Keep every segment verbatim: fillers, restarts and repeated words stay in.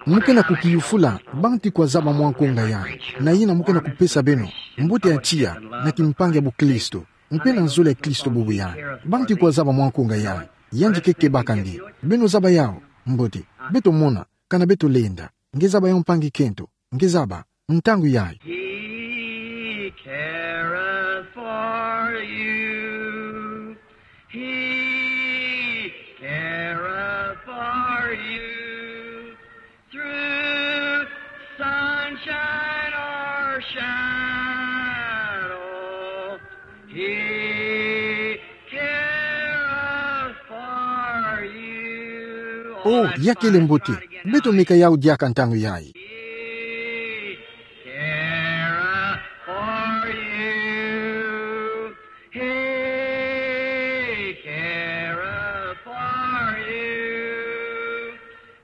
Mu ke na kukiyufula, bantu kwa zaba mwa nkonga yayi. Na yina mu ke na kupesa beno mbote ya tiya, na kimpangi ya buklisto. Mpe na nzole ya Klisto bubu yayi. Bantu kwa zaba mwa nkonga yayi. Yandi ke kebaka nge. Beno zaba yawu. Mbote. Beto mona. Kana beto lenda. Nge zaba yawu mpangi kento. Nge zaba. Ntangu yayi. He careth for you. He careth for you. Through sunshine or shadow, He careth for you. Oh, ya kele mbote. Beto meka yawu diaka ntangu yayi. He careth for you. He careth for you.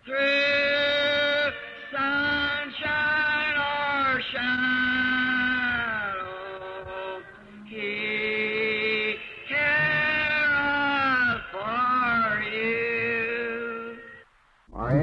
Through sunshine or shadow, He careth for you.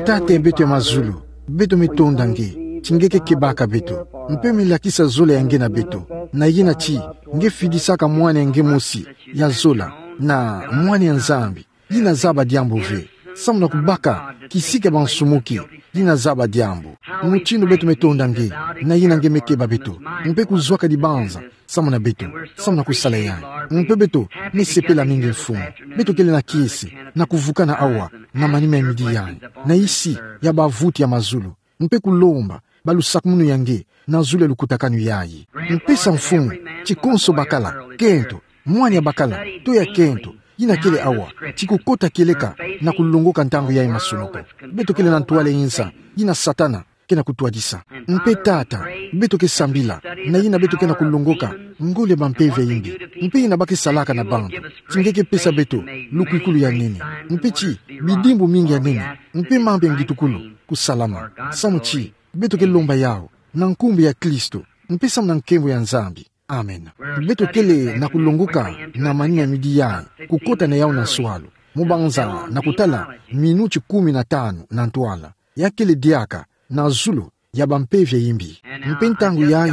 Tata ya beto ya mazulu, beto me tonda nge, ti nge ke kebaka beto, mpe me lakisa zole ya nge na beto, na yina ti, nge fidisaka mwana ya nge mosi, ya zola, na mwana ya Nzambi, yina zaba diambu ve. Samu na kubaka kisika bansumuki, yina zaba diambu. Mutindu beto me tonda nge, na yina nge me keba beto. Mpe kuzwaka dibanza, samu na beto, samu na kusala yayi. Mpe beto, me sepela mingi Mfumu. Beto kele na kiese, na kuvukana awa, na manima ya midi yayi. Na isi, ya bavutu ya mazulu. Mpe kulomba, balusakumunu ya nge, na zulu ya lukutakanu yayi. Mpe sa Mfumu, ti konso bakala, kento, mwana ya bakala, to ya kento, yina kele awa, ti kukota kieleka, na kulongoka ntangu yayi masonoko. Beto kele na ntwala yinsa, yina Satana, ke na kutwadisa. Mpe Tata, beto ke sambila, na yina beto ke na kulongoka, ngole ya bampeve ya imbi. Mpe yina ba ke salaka na bantu. Ti nge ke pesa beto, lukwikulu ya nene. Mpe ti, bidimbu mingi ya nene. Mpe mambu ya ngitukulu, kusalama. Samu ti, beto ke lomba yawu, na nkumbu ya Klisto, mpe samu na nkembo ya Nzambi. Amen. Beto kele na kulongoka na manima ya midi yayi, kukota na yawu na nswalu. Mu banza na kutala minuti kumi na tanu na ntwala. Ya kele diaka, na zulu, ya bampeve ya imbi. Mpe ntangu yayi,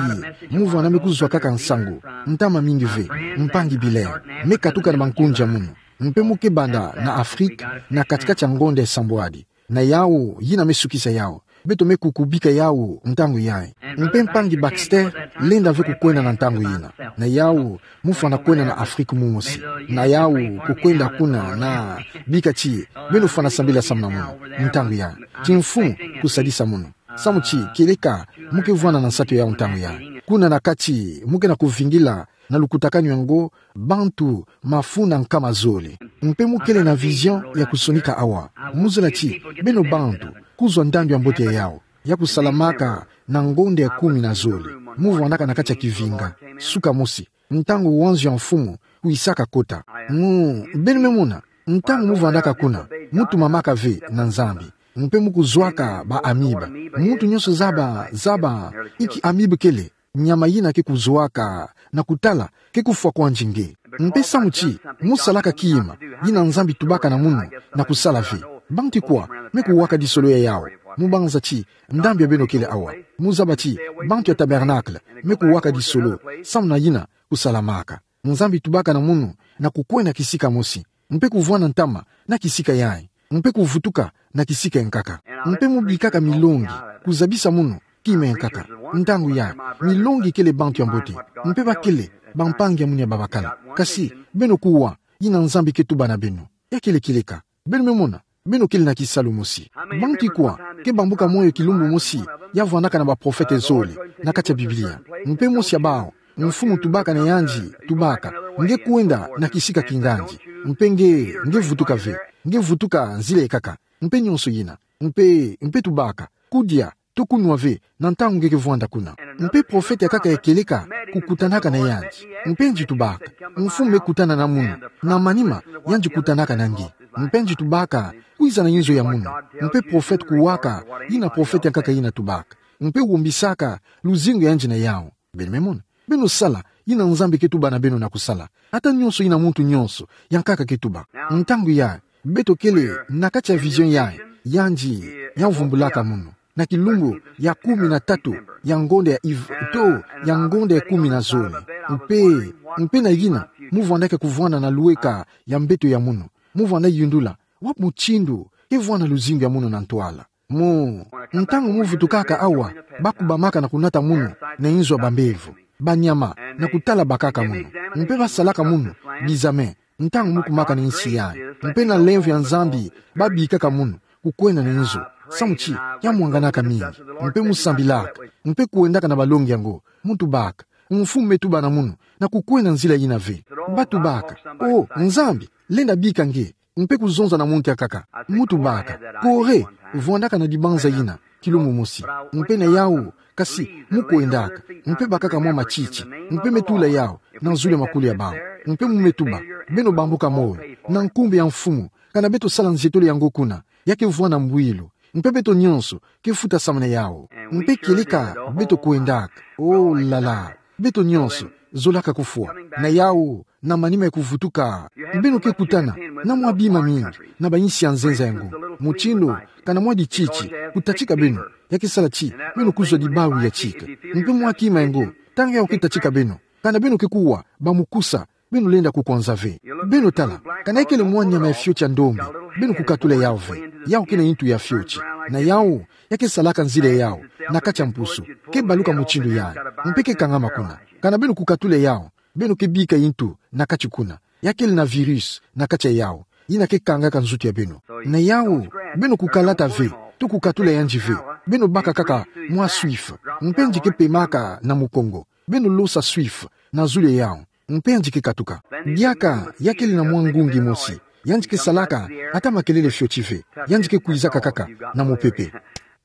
mu vwanda me kuzwakaka nsangu, ntama mingi ve, mpangi Billard, me katuka na bankunzi ya munu. Mpe mu ke banda na Afrique, na kati-kati ya ngonda ya sambwadi. Na yawu, yina me sukisa yawu. Beto me kukubika yawu, ntangu yayi. Mpe mpangi Baxter, lenda ve kukwenda na ntangu yina. Na yawu, mu fwana kwenda na Afrique mosi. Na yawu, kukwenda kuna na bika ti, beno fwana sambila samu na munu, ntangu yayi. Ti Mfumu, kusadisa munu. Samu ti, kieleka, mu ke vwanda na nsatu yawu ntangu yayi. Kuna na kati, mu ke na kuvingila, na lukutakanu yango, bantu, mafu na nkama zole. Mpe mu kele na vision ya kusonika awa. Mu zola ti, beno bantu, kuzwa ndambi ya mbote ya yawu. Ya kusalamaka na ngonda ya kumi na zole. Mu vwandaka na kati ya kivinga. Suka mosi. Ntangu wanzu ya Mfumu, kwisaka kota. Mu, beno me mona, ntangu mu vwandaka kuna, mu tumamaka ve na Nzambi. Mpe mu kuzwaka ba amibe. Muntu nyonso zaba, zaba, inki amibe kele. Nyama yina ke kuzwaka, na kutala, ke kufwa kwandi nge. Mpe samu ti, mu salaka kima, yina Nzambi tubaka na munu, na kusala ve. Bantu kwa, me kuwaka disolo ya yawu. Mu banza ti, ndambi ya beno kele awa. Mu zaba ti, bantu ya tabernacle, me kuwaka disolo, samu na yina, kusalamaka. Nzambi tubaka na munu, na kukwenda kisika mosi. Mpe kuvwanda ntama, na kisika yayi. Mpe kuvutuka, na kisika ya nkaka. Mpe mu bikaka milongi, kuzabisa munu, kima ya nkaka. Ntangu yayi, milongi kele bantu ya mbote. Mpe ba kele, bampangi ya munu ya babakala. Kasi, beno kuwa, yina Nzambi ke tuba na beno. Ya kele kieleka. Beno me mona, beno kele na kisalu mosi. Bantu kwa, ke bambuka moyo kilumbu mosi, ya vwandaka na baprofete zole, na kati ya Biblia. Mpe mosi ya bawu, Mfumu tubaka na yandi, tubaka, nge kwenda na kisika kingandi. Mpe nge, nge vutuka ve, nge vutuka nzila ya nkaka. Mpe nyonso yina. Mpe, mpe tubaka, kudia, to kunwa ve, na ntangu nge ke vwanda kuna. Mpe profete ya nkaka ya kieleka, kukutanaka na yandi. Mpe yandi tubaka, Mfumu me kutana na munu, na manima, yandi kutanaka na nge. Mpe yandi tubaka, kwiza na inzo ya munu. Mpe profete kuwaka, yina profete ya nkaka yina tubaka. Mpe wombisaka, luzingu ya yandi na yawu. Beno me mona. Beno sala, yina Nzambi ke tuba na beno na kusala. Ata nyonso yina muntu nyonso, ya nkaka ke tuba. Ntangu yayi, beto kele, na kati ya vision yayi, yandi, ya vumbulaka munu. na kilumbu ya kumi na tatu ya ngonda ya Av to ya ngonda ya kumi na zole. Mpe, mpe na yina, mu vandaka kuvwanda na lueka ya mbeto ya munu. Mu vwanda yundula wapi mutindu ke vwanda luzingu ya munu na ntwala. Mu, ntangu mu vutukaka awa, bakubamaka na kunata munu na inzo ya bambevo, banyama, na kutala bakaka munu. Mpe basalaka munu bizame ntangu mu kumaka na insi yayi. Mpe na lemvo ya Nzambi, babikaka munu kukwenda na inzo. Samu ti ya mwanganaka mingi. Mpe mu sambilaka, mpe kwendaka na balongi yango. Mu tubaka: Mfumu, me tuba na munu na kukwenda nzila yina ve. Ba tubaka: O, Nzambi lenda bika nge. Mpe kuzonza na monki akaka. Mu tubaka: Kore, vwandaka na dibanza yina kilumbu mosi. Mpe na yawu, kasi mu kwendaka, mpe bakaka mwa matiti, mpe me tula yawu na zulu ya makulu ya bawu. Mpe mu me tuba: Beno bambuka moyo, na nkumbu ya Mfumu, kana beto sala nzietolo yango kuna, ya ke vwanda mbwilu, mpe beto nyonso ke futa samu na yawu. Mpe kieleka beto kwendaka, o la la, beto nyonso zolaka kufwa. Na yawu, na manima ya kuvutuka, beno ke kutana na mwa bima mingi na bainsi ya nzenza yango. Mutindu kana mwa dititi kutatika beno, ya ke sala ti beno kuzwa dibawu ya tika. Mpe mwa kima yango, ntangu yawu ke tatika beno, kana beno ke kuwa bamukusa, beno lenda kukwanza ve. Beno tala, kana ya kele mwa nyama ya fioti ya ndombe, beno kukatula yawu ve. Yawu ke na intu ya fioti. Na yawu, ya ke salaka nzila ya yawu na kati ya mpusu, ke baluka mutindu yayi, mpe ke kangama kuna. Kana beno kukatula yawu, beno ke bika intu na kati kuna. Ya kele na virus na kati ya yawu, yina ke kangaka nzutu ya beno. Na yawu, beno kukalata ve, to kukatula yandi ve. Beno baka kaka mwa Swift, mpe yandi ke pemaka na mukongo. Beno losa Swift na zulu ya yawu, mpe yandi ke katuka. Diaka ya kele na mwa ngungi mosi, yandi ke salaka ata makelele fioti ve. Yandi ke kwizaka kaka na mupepe.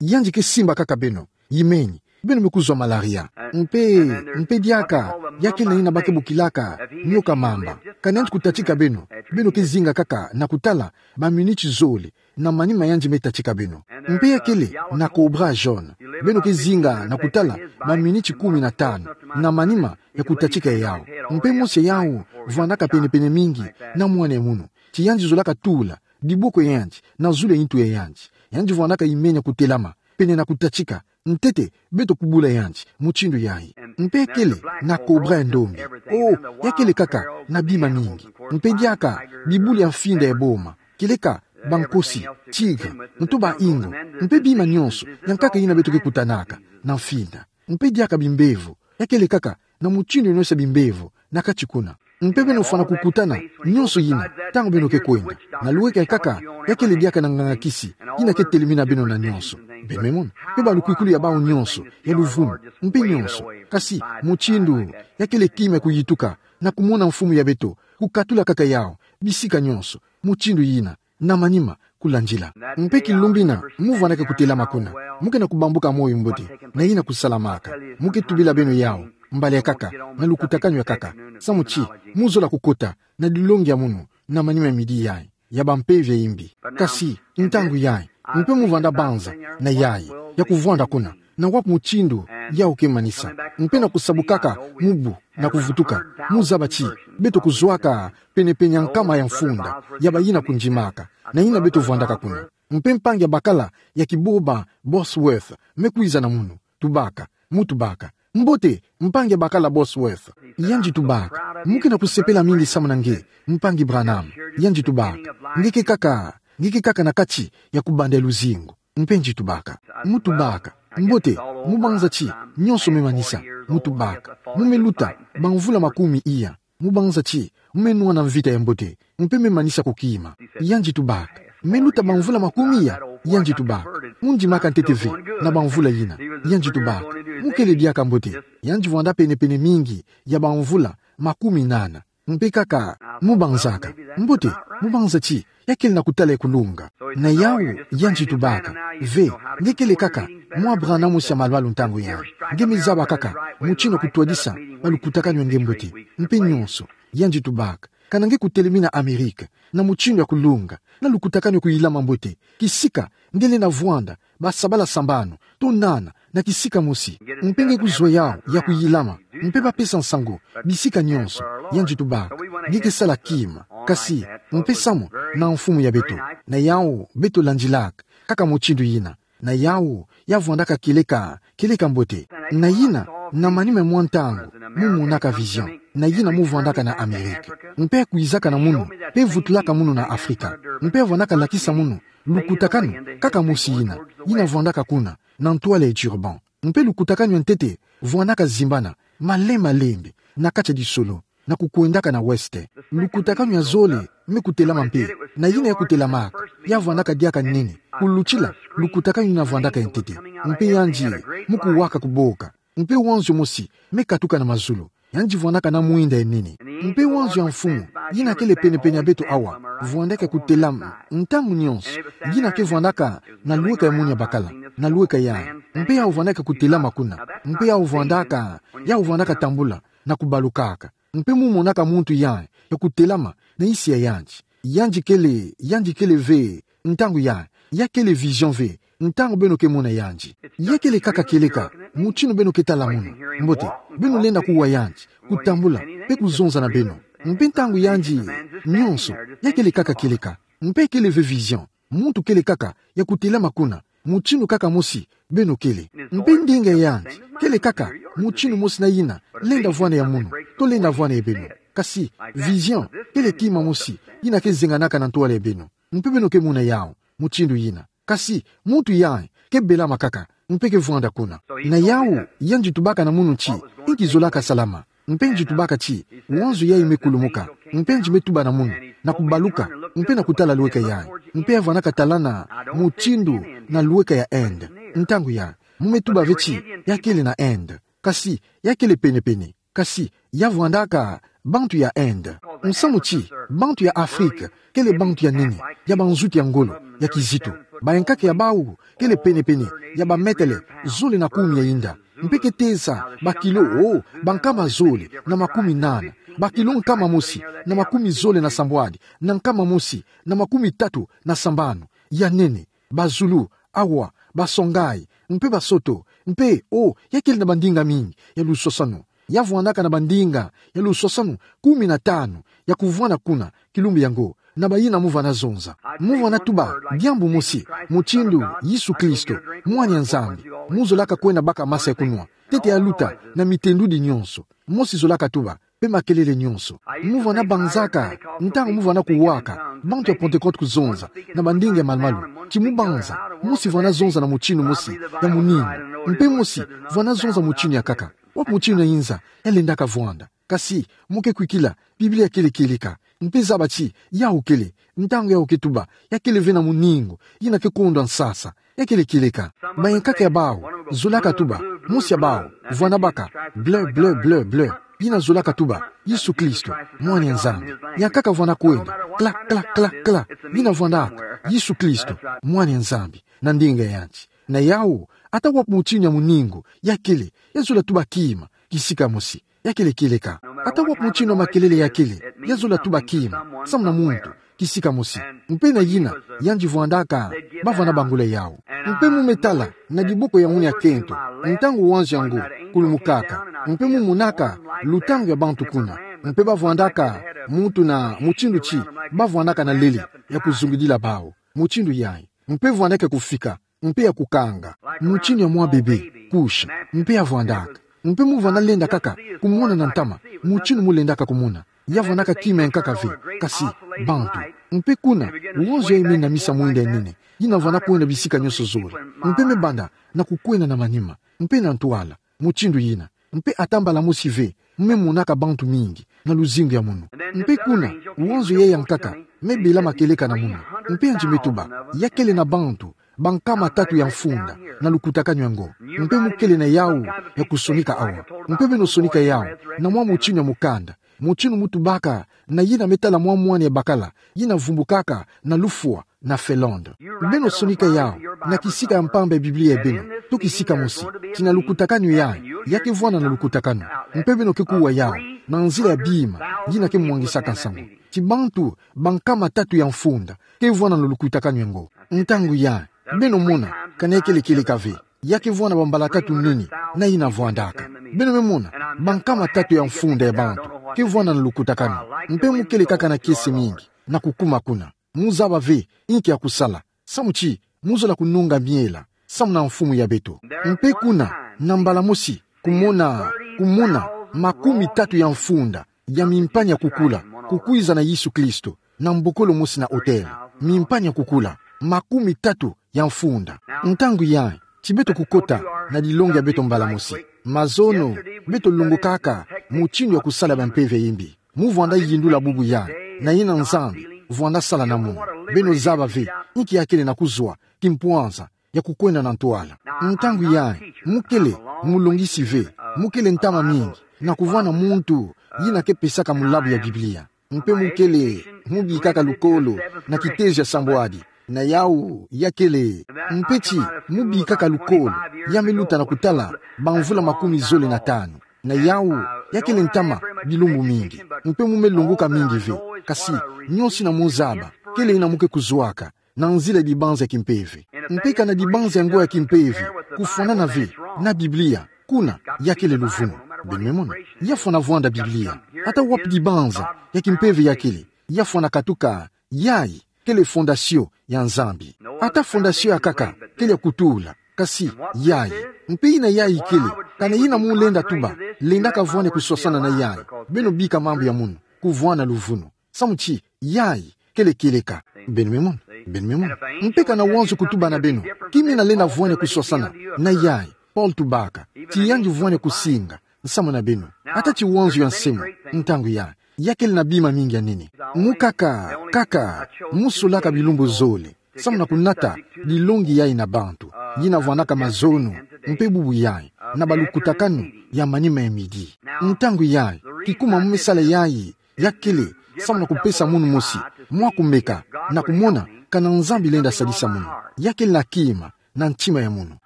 Yandi ke simba kaka beno, yimeni, beno me kuzwa malaria. Mpe, mpe diaka ya kele na yina ba ke bokilaka nyoka mamba. Kana yandi kutatika beno, beno ke zinga kaka na kutala baminiti zole na manima yandi me tatika beno. Mpe ya kele na cobra jaune. Beno ke zinga na kutala baminiti kumi na tanu na manima ya kutatika ya yawu. Mpe mosi ya yawu vwandaka penepene mingi na mwana ya munu, ti yandi zolaka tula diboko ya yandi na zulu ya intu ya yandi. Yandi vwandaka yimenia kutelama pene na kutatika, ntete beto kubula yandi mutindu yayi. Mpe ya kele na cobra ya ndombe. O, ya kele kaka na bima mingi. Mpe diaka bibulu ya mfinda ya boma, kieleka bankosi, tigre, nto ba ingo, mpe bima nyonso ya nkaka yina beto ke kutanaka na mfinda. Mpe diaka bimbevo, ya kele kaka na mutindu nyonso ya bimbevo na kati kuna. Mpe beno fwana kukutana nyonso yina ntangu beno ke kwenda. Na luweke kaka, ya kele diaka na nganga-kisi yina ke telemina beno na nyonso. Mpe me mona, mpe balukwikulu ya bawu nyonso ya luvunu, mpe nyonso. Kasi mutindu, ya kele kima ya kuyituka na kumona mfumu ya beto kukatula kaka yawu bisika nyonso, mutindu yina, na manima kulandila. Mpe kilumbu yina mu vwandaka kutelama kuna, mu ke na kubambuka moyo mbote na yina kusalamaka. Mu ke tubila beno yawu mbala ya nkaka, na lukutakanu ya nkaka, samu ti mu zola kukota na dilongi ya munu na manima ya midi yayi ya bampeve ya imbi. Kasi ntangu yayi, mpe mu vwanda banza na yayi ya kuvwanda kuna, na wapi mutindu yawu ke manisa. Mpe na kusabukaka mubu na kuvutuka, mu zaba ti beto kuzwaka penepene ya nkama ya mfunda ya bayina kundimaka na yina beto vwandaka kuna. Mpe mpangi ya bakala ya kiboba Bosworth me kwiza na munu. Tubaka, mu tubaka: Mbote, mpangi ya bakala Bosworth. Yandi tubaka: Mu ke na kusepela mingi samu na nge, mpangi Branham. Yandi tubaka: Nge ke kaka, nge ke kaka na kati ya kubanda ya luzingu. Mpe yandi tubaka: Mu tubaka: Mbote, mu banza ti nyonso me manisa? Mu tubaka: Mu me luta bamvula makumi iya. Mu banza ti mu me nwana mvita ya mbote, mpe me manisa kukima? Yandi tubaka: Me luta bamvula makumi iya? Yandi tubaka: Mu ndimaka ntete ve na bamvula yina. Yandi tubaka: Mu kele diaka mbote. Yandi vwanda penepene mingi ya bamvula makumi nana. Mpe kaka mu banzaka: Mbote, mu banza ti ya kele na kutala ya kulunga? Na yawu, yandi tubaka: Ve, nge kele kaka mwa Branham mosi ya malu-malu ntangu yayi. Nge me zaba kaka mutindu ya kutwadisa balukutakanu ya nge mbote, mpe nyonso. Yandi tubaka: Kana nge kutelemina Amerika na mutindu ya kulunga, na lukutakanu ya kuyilama mbote, kisika nge lenda vwanda basabala sambanu to nana na kisika mosi, mpe nge kuzwa yawu ya kuyilama, mpe bapesa nsangu bisika nyonso? Yandi tubaka: Nge ke sala kima, kasi mpe samu na mfumu ya beto. Na yawu beto landilaka kaka mutindu yina. Na yawu, ya vwandaka kieleka, kieleka mbote. Na yina, na manima mwa ntangu, mu monaka vision. Na yina mu vwandaka na Amérique. Mpe kwizaka na munu, mpe vutulaka munu na Afrika. Mpe vwandaka lakisa munu, lukutakanu, kaka mosi yina, yina vwandaka kuna, na ntwala e Durban. Mpe lukutakanu ya ntete, vwandaka zimbana, malembe-lembe, na kati ya disolo, na kukwendaka na ouest. Lukutakanu ya zole, me kutelama mpe, na yina ya kutelamaka, ya vwandaka diaka nene, kulutila, lukutakanu yina vwandaka ya ntete. Mpe yandi, mu kuwaka kuboka. Mpe wanzio mosi, me katuka na mazulu. Yandi vwandaka na mwinda ya nene. Mpe wanzio ya mfumu, yina kele pene-pene ya beto awa, vwandaka kutelama, ntangu nyonso, yina ke vwandaka, na lweka ya munu ya bakala, na lweka ya. Mpe yau vwandaka kutelama kuna, mpe yau vwandaka, yau vwandaka tambula, na kubalukaka. Mpe mu monaka muntu ya, ya kutelama, na isi ya yandi. Yandi kele, yandi kele ve, ntangu ya, ya kele vision ve, ntangu beno ke mona yandi. Ya kele kaka kieleka, mutinu beno ke tala munu. Mbote, beno lenda kuwa yandi, kutambula, mpe kuzonza na beno. Mpe ntangu yandi, nyonso, ya kele kaka kieleka. Mpe kele ve vision, muntu kele kaka, ya kutelama kuna, mutinu kaka mosi, beno kele. Mpe ndinga yandi, kele kaka, mutinu mosi na yina, lenda vwanda ya munu, to lenda vwanda ya beno. Kasi, vision, kele kima mosi, yina ke zenganaka na ntwala ya beno. Mpe beno ke mona yau, mutindu yina. Kasi, muntu ya, ke belama kaka, mpe ke vwanda kuna. Na yau, yandi tubaka na munu ti, inki zolaka salama. Mpe yandi tubaka ti, wanzio yayi me kulumuka. Mpe yandi me tuba na munu, na kubaluka, mpe na kutala lweka yayi. Mpe ya vwandaka talana, mutindu, na lweka ya Inde. Ntangu ya, mu me tuba ve ti, ya kele na Inde. Kasi, ya kele pene-pene. Kasi, ya vwandaka, bantu ya Inde. Musamu ti, bantu ya Afrika, kele bantu ya nene, ya banzuti ya ngolo, ya kizito. Bayankaka ya bau, kele pene-pene, ya bametele, zole na kumi ya inda. Mpe ke teza, bakilo, o, bankama zole, na makumi nana. Bakilo nkama mosi, na makumi zole na sambwadi, na nkama mosi, na makumi tatu, na sambanu. Ya nene. Bazulu, awa, basongai, mpe basoto, mpe, o, ya kele na bandinga mingi, ya lusosanu. Ya vwandaka na bandinga, ya lusosanu, kumi na tanu, ya kuvwanda kuna, kilumbu yango, na bayina mu vwanda zonza. Mu vwanda tuba, diambu mosi, mutindu, Yesu Kristo, mwana ya Nzambi, mu zolaka kwenda baka masa ya kunwa, ntete ya luta, na mitendudi nyonso, mosi zolaka tuba, mpe makelele nyonso. Mu vwanda banzaka, ntangu mu vwanda kuwaka, bantu ya Pentekote kuzonza, na bandinga ya malu-malu, ti mu banza, mosi vwanda zonza na mutinu mosi, ya muningu, mpe mosi, vwanda zonza mutinu ya nkaka, wapi mutinu ya inza, ya lendaka vwanda. Kasi, mu ke kwikila, Biblia kele kieleka, mpe zaba ti, yau kele, ntangu yau ke tuba, ya kele ve na muningu, yina ke kondwa nsasa, ya kele kieleka. Bayankaka ya bau, zolaka tuba, mosi ya bau, vwanda baka, bleu, bleu, bleu, bleu. Yina zolaka tuba, Yesu Kristo, mwana ya Nzambi. Yankaka vwanda kwenda, kla, kla, kla, kla. Yina vwandaka, Yesu Kristo, mwana ya Nzambi. Na ndinga yandi. Na yau, ata wapi mutinu ya muningu, ya kele, ya zola tuba kima, kisika mosi. Ya kele kieleka. Ata wapi mutinu ya makelele ya kele, ya zola tuba kima, samu na muntu, kisika mosi. Mpe na yina, yandi vwandaka, ba vwanda bangula yau. Mpe mu me tala, na diboko ya munu ya kento, ntangu wanzio yango, kulumukaka. Mpe mu monaka, lutangu ya bantu kuna. Mpe ba vwandaka, muntu na, mutindu ti, ba vwandaka na lele, ya kuzungidila bau. Mutindu yayi. Mpe vwandaka kufika. Mpe ya kukanga. Mutinu ya mwa bebe, couche. Mpe ya vwandaka. Mpe mu vwanda lenda kaka, kumona na ntama. Mutinu mu lendaka kumona. Ya vwandaka kima ya nkaka ve, kasi, bantu. Mpe kuna, wanzio yayi me namisa mwinda ya nene. Yina vwanda kwenda bisika nyonso zole. Mpe me banda, na kukwenda na manima. Mpe na ntwala. Mutindu yina. Mpe ata mbala mosi ve, me monaka bantu mingi, na luzingu ya munu. Mpe kuna, wanzio yayi ya nkaka, me belama kieleka na munu. Mpe yandi me tuba, ya kele na bantu, bankama tatu ya mfunda, na lukutakanu yango. Mpe mu kele na yau, ya kusonika awa. Mpe beno sonika yau, na mwa mutinu ya mukanda. Mutinu mu tubaka, na yina me tala mwa mwana ya bakala, yina vumbukaka, na lufwa, na Finlande. Beno sonika yau, na kisika ya mpamba ya Biblia ya beno, to kisika mosi, ti na lukutakanu yayi, ya ke vwanda na lukutakanu. Mpe beno ke kuwa yau, na nzila ya bima, yina ke mwangisaka nsangu. Ti bantu, bankama tatu ya mfunda, ke vwanda na lukutakanu yango. Ntangu yayi, beno mona, kana ya kele kieleka ve. Ya ke vwanda bambala tatu nini, na yina vwandaka. Beno me mona, bankama tatu ya mfunda ya bantu, ke vwanda na lukutakanu. Mpe mu kele kaka na kiese mingi, na kukuma kuna. Mu zaba ve, inki ya kusala. Samu ti, mu zola kununga miela. samu na mfumu ya beto. Mpe kuna, na mbala mosi, kumona, kumona, makumi tatu ya mfunda, ya mimpania kukula, kukwiza na Yesu Kristo, na mbokolo mosi na otele. Mimpania kukula, makumi tatu ya mfunda. Ntangu yayi, ti beto kukota na dilongi ya beto mbala mosi. Mazono, beto longokaka mutindu ya kusala bampeve ya imbi. Mu vwanda yindula bubu yayi, na yina Nzambi vwanda sala na munu. Beno zaba ve, inki ya kele na kuzwa, kimpwanza, ya kukwenda na ntwala. Ntangu yayi, mu kele mulongisi ve, mu kele ntama mingi, na kuvwanda muntu yina ke pesaka mulabu ya Biblia. Mpe mu kele mubikaka lukolo na kitezo ya sambwadi. Na yawu, ya kele, mpe ti mubikaka lukolo, ya me luta na kutala bamvula makumi zole na tanu. Na yawu, ya kele ntama bilumbu mingi. Mpe mu me longoka mingi ve, kasi, nionso yina mu zaba, kele yina mu ke kuzwaka na nzila dibanza ya kimpeve. Mpe kana dibanza yango ya kimpeve, kufwanana ve na Biblia, kuna, ya kele luvunu. Beno me mona, ya fwana vwanda Biblia. Ata wapi dibanza ya kimpeve ya kele, ya fwana katuka, yayi kele fondasio ya Nzambi. Ata fondasio ya nkaka kele ya kutula, kasi, yayi. Mpe yina yayi kele, kana yina mu lenda tuba, lendaka vwani kuswasana na yayi. Beno bika mambu ya munu, kuvwanda luvunu. Samu ti, yayi, kele kieleka. Beno me mona, beno me mona. Mpe kana wanzo kutuba na beno, kimina lenda vwani kuswasana na yayi. Paul tubaka, ti yandi vwani kusinga nsamu na beno. Ata ti wanzo ya nsemo, ntangu yayi, ya kele na bima mingi ya nene. Mu nkaka, nkaka, mu solaka bilumbu zole, samu na kunata dilongi yayi na bantu, yina vwandaka mazono, mpe bubu yayi, na balukutakanu ya manima ya midi. Ntangu yayi, kikuma mu me sala yayi, ya kele, samu na kupesa munu mosi mwa kumeka, na kumona, kana Nzambi lenda sadisa munu. Ya kele na kima, na ntima ya munu.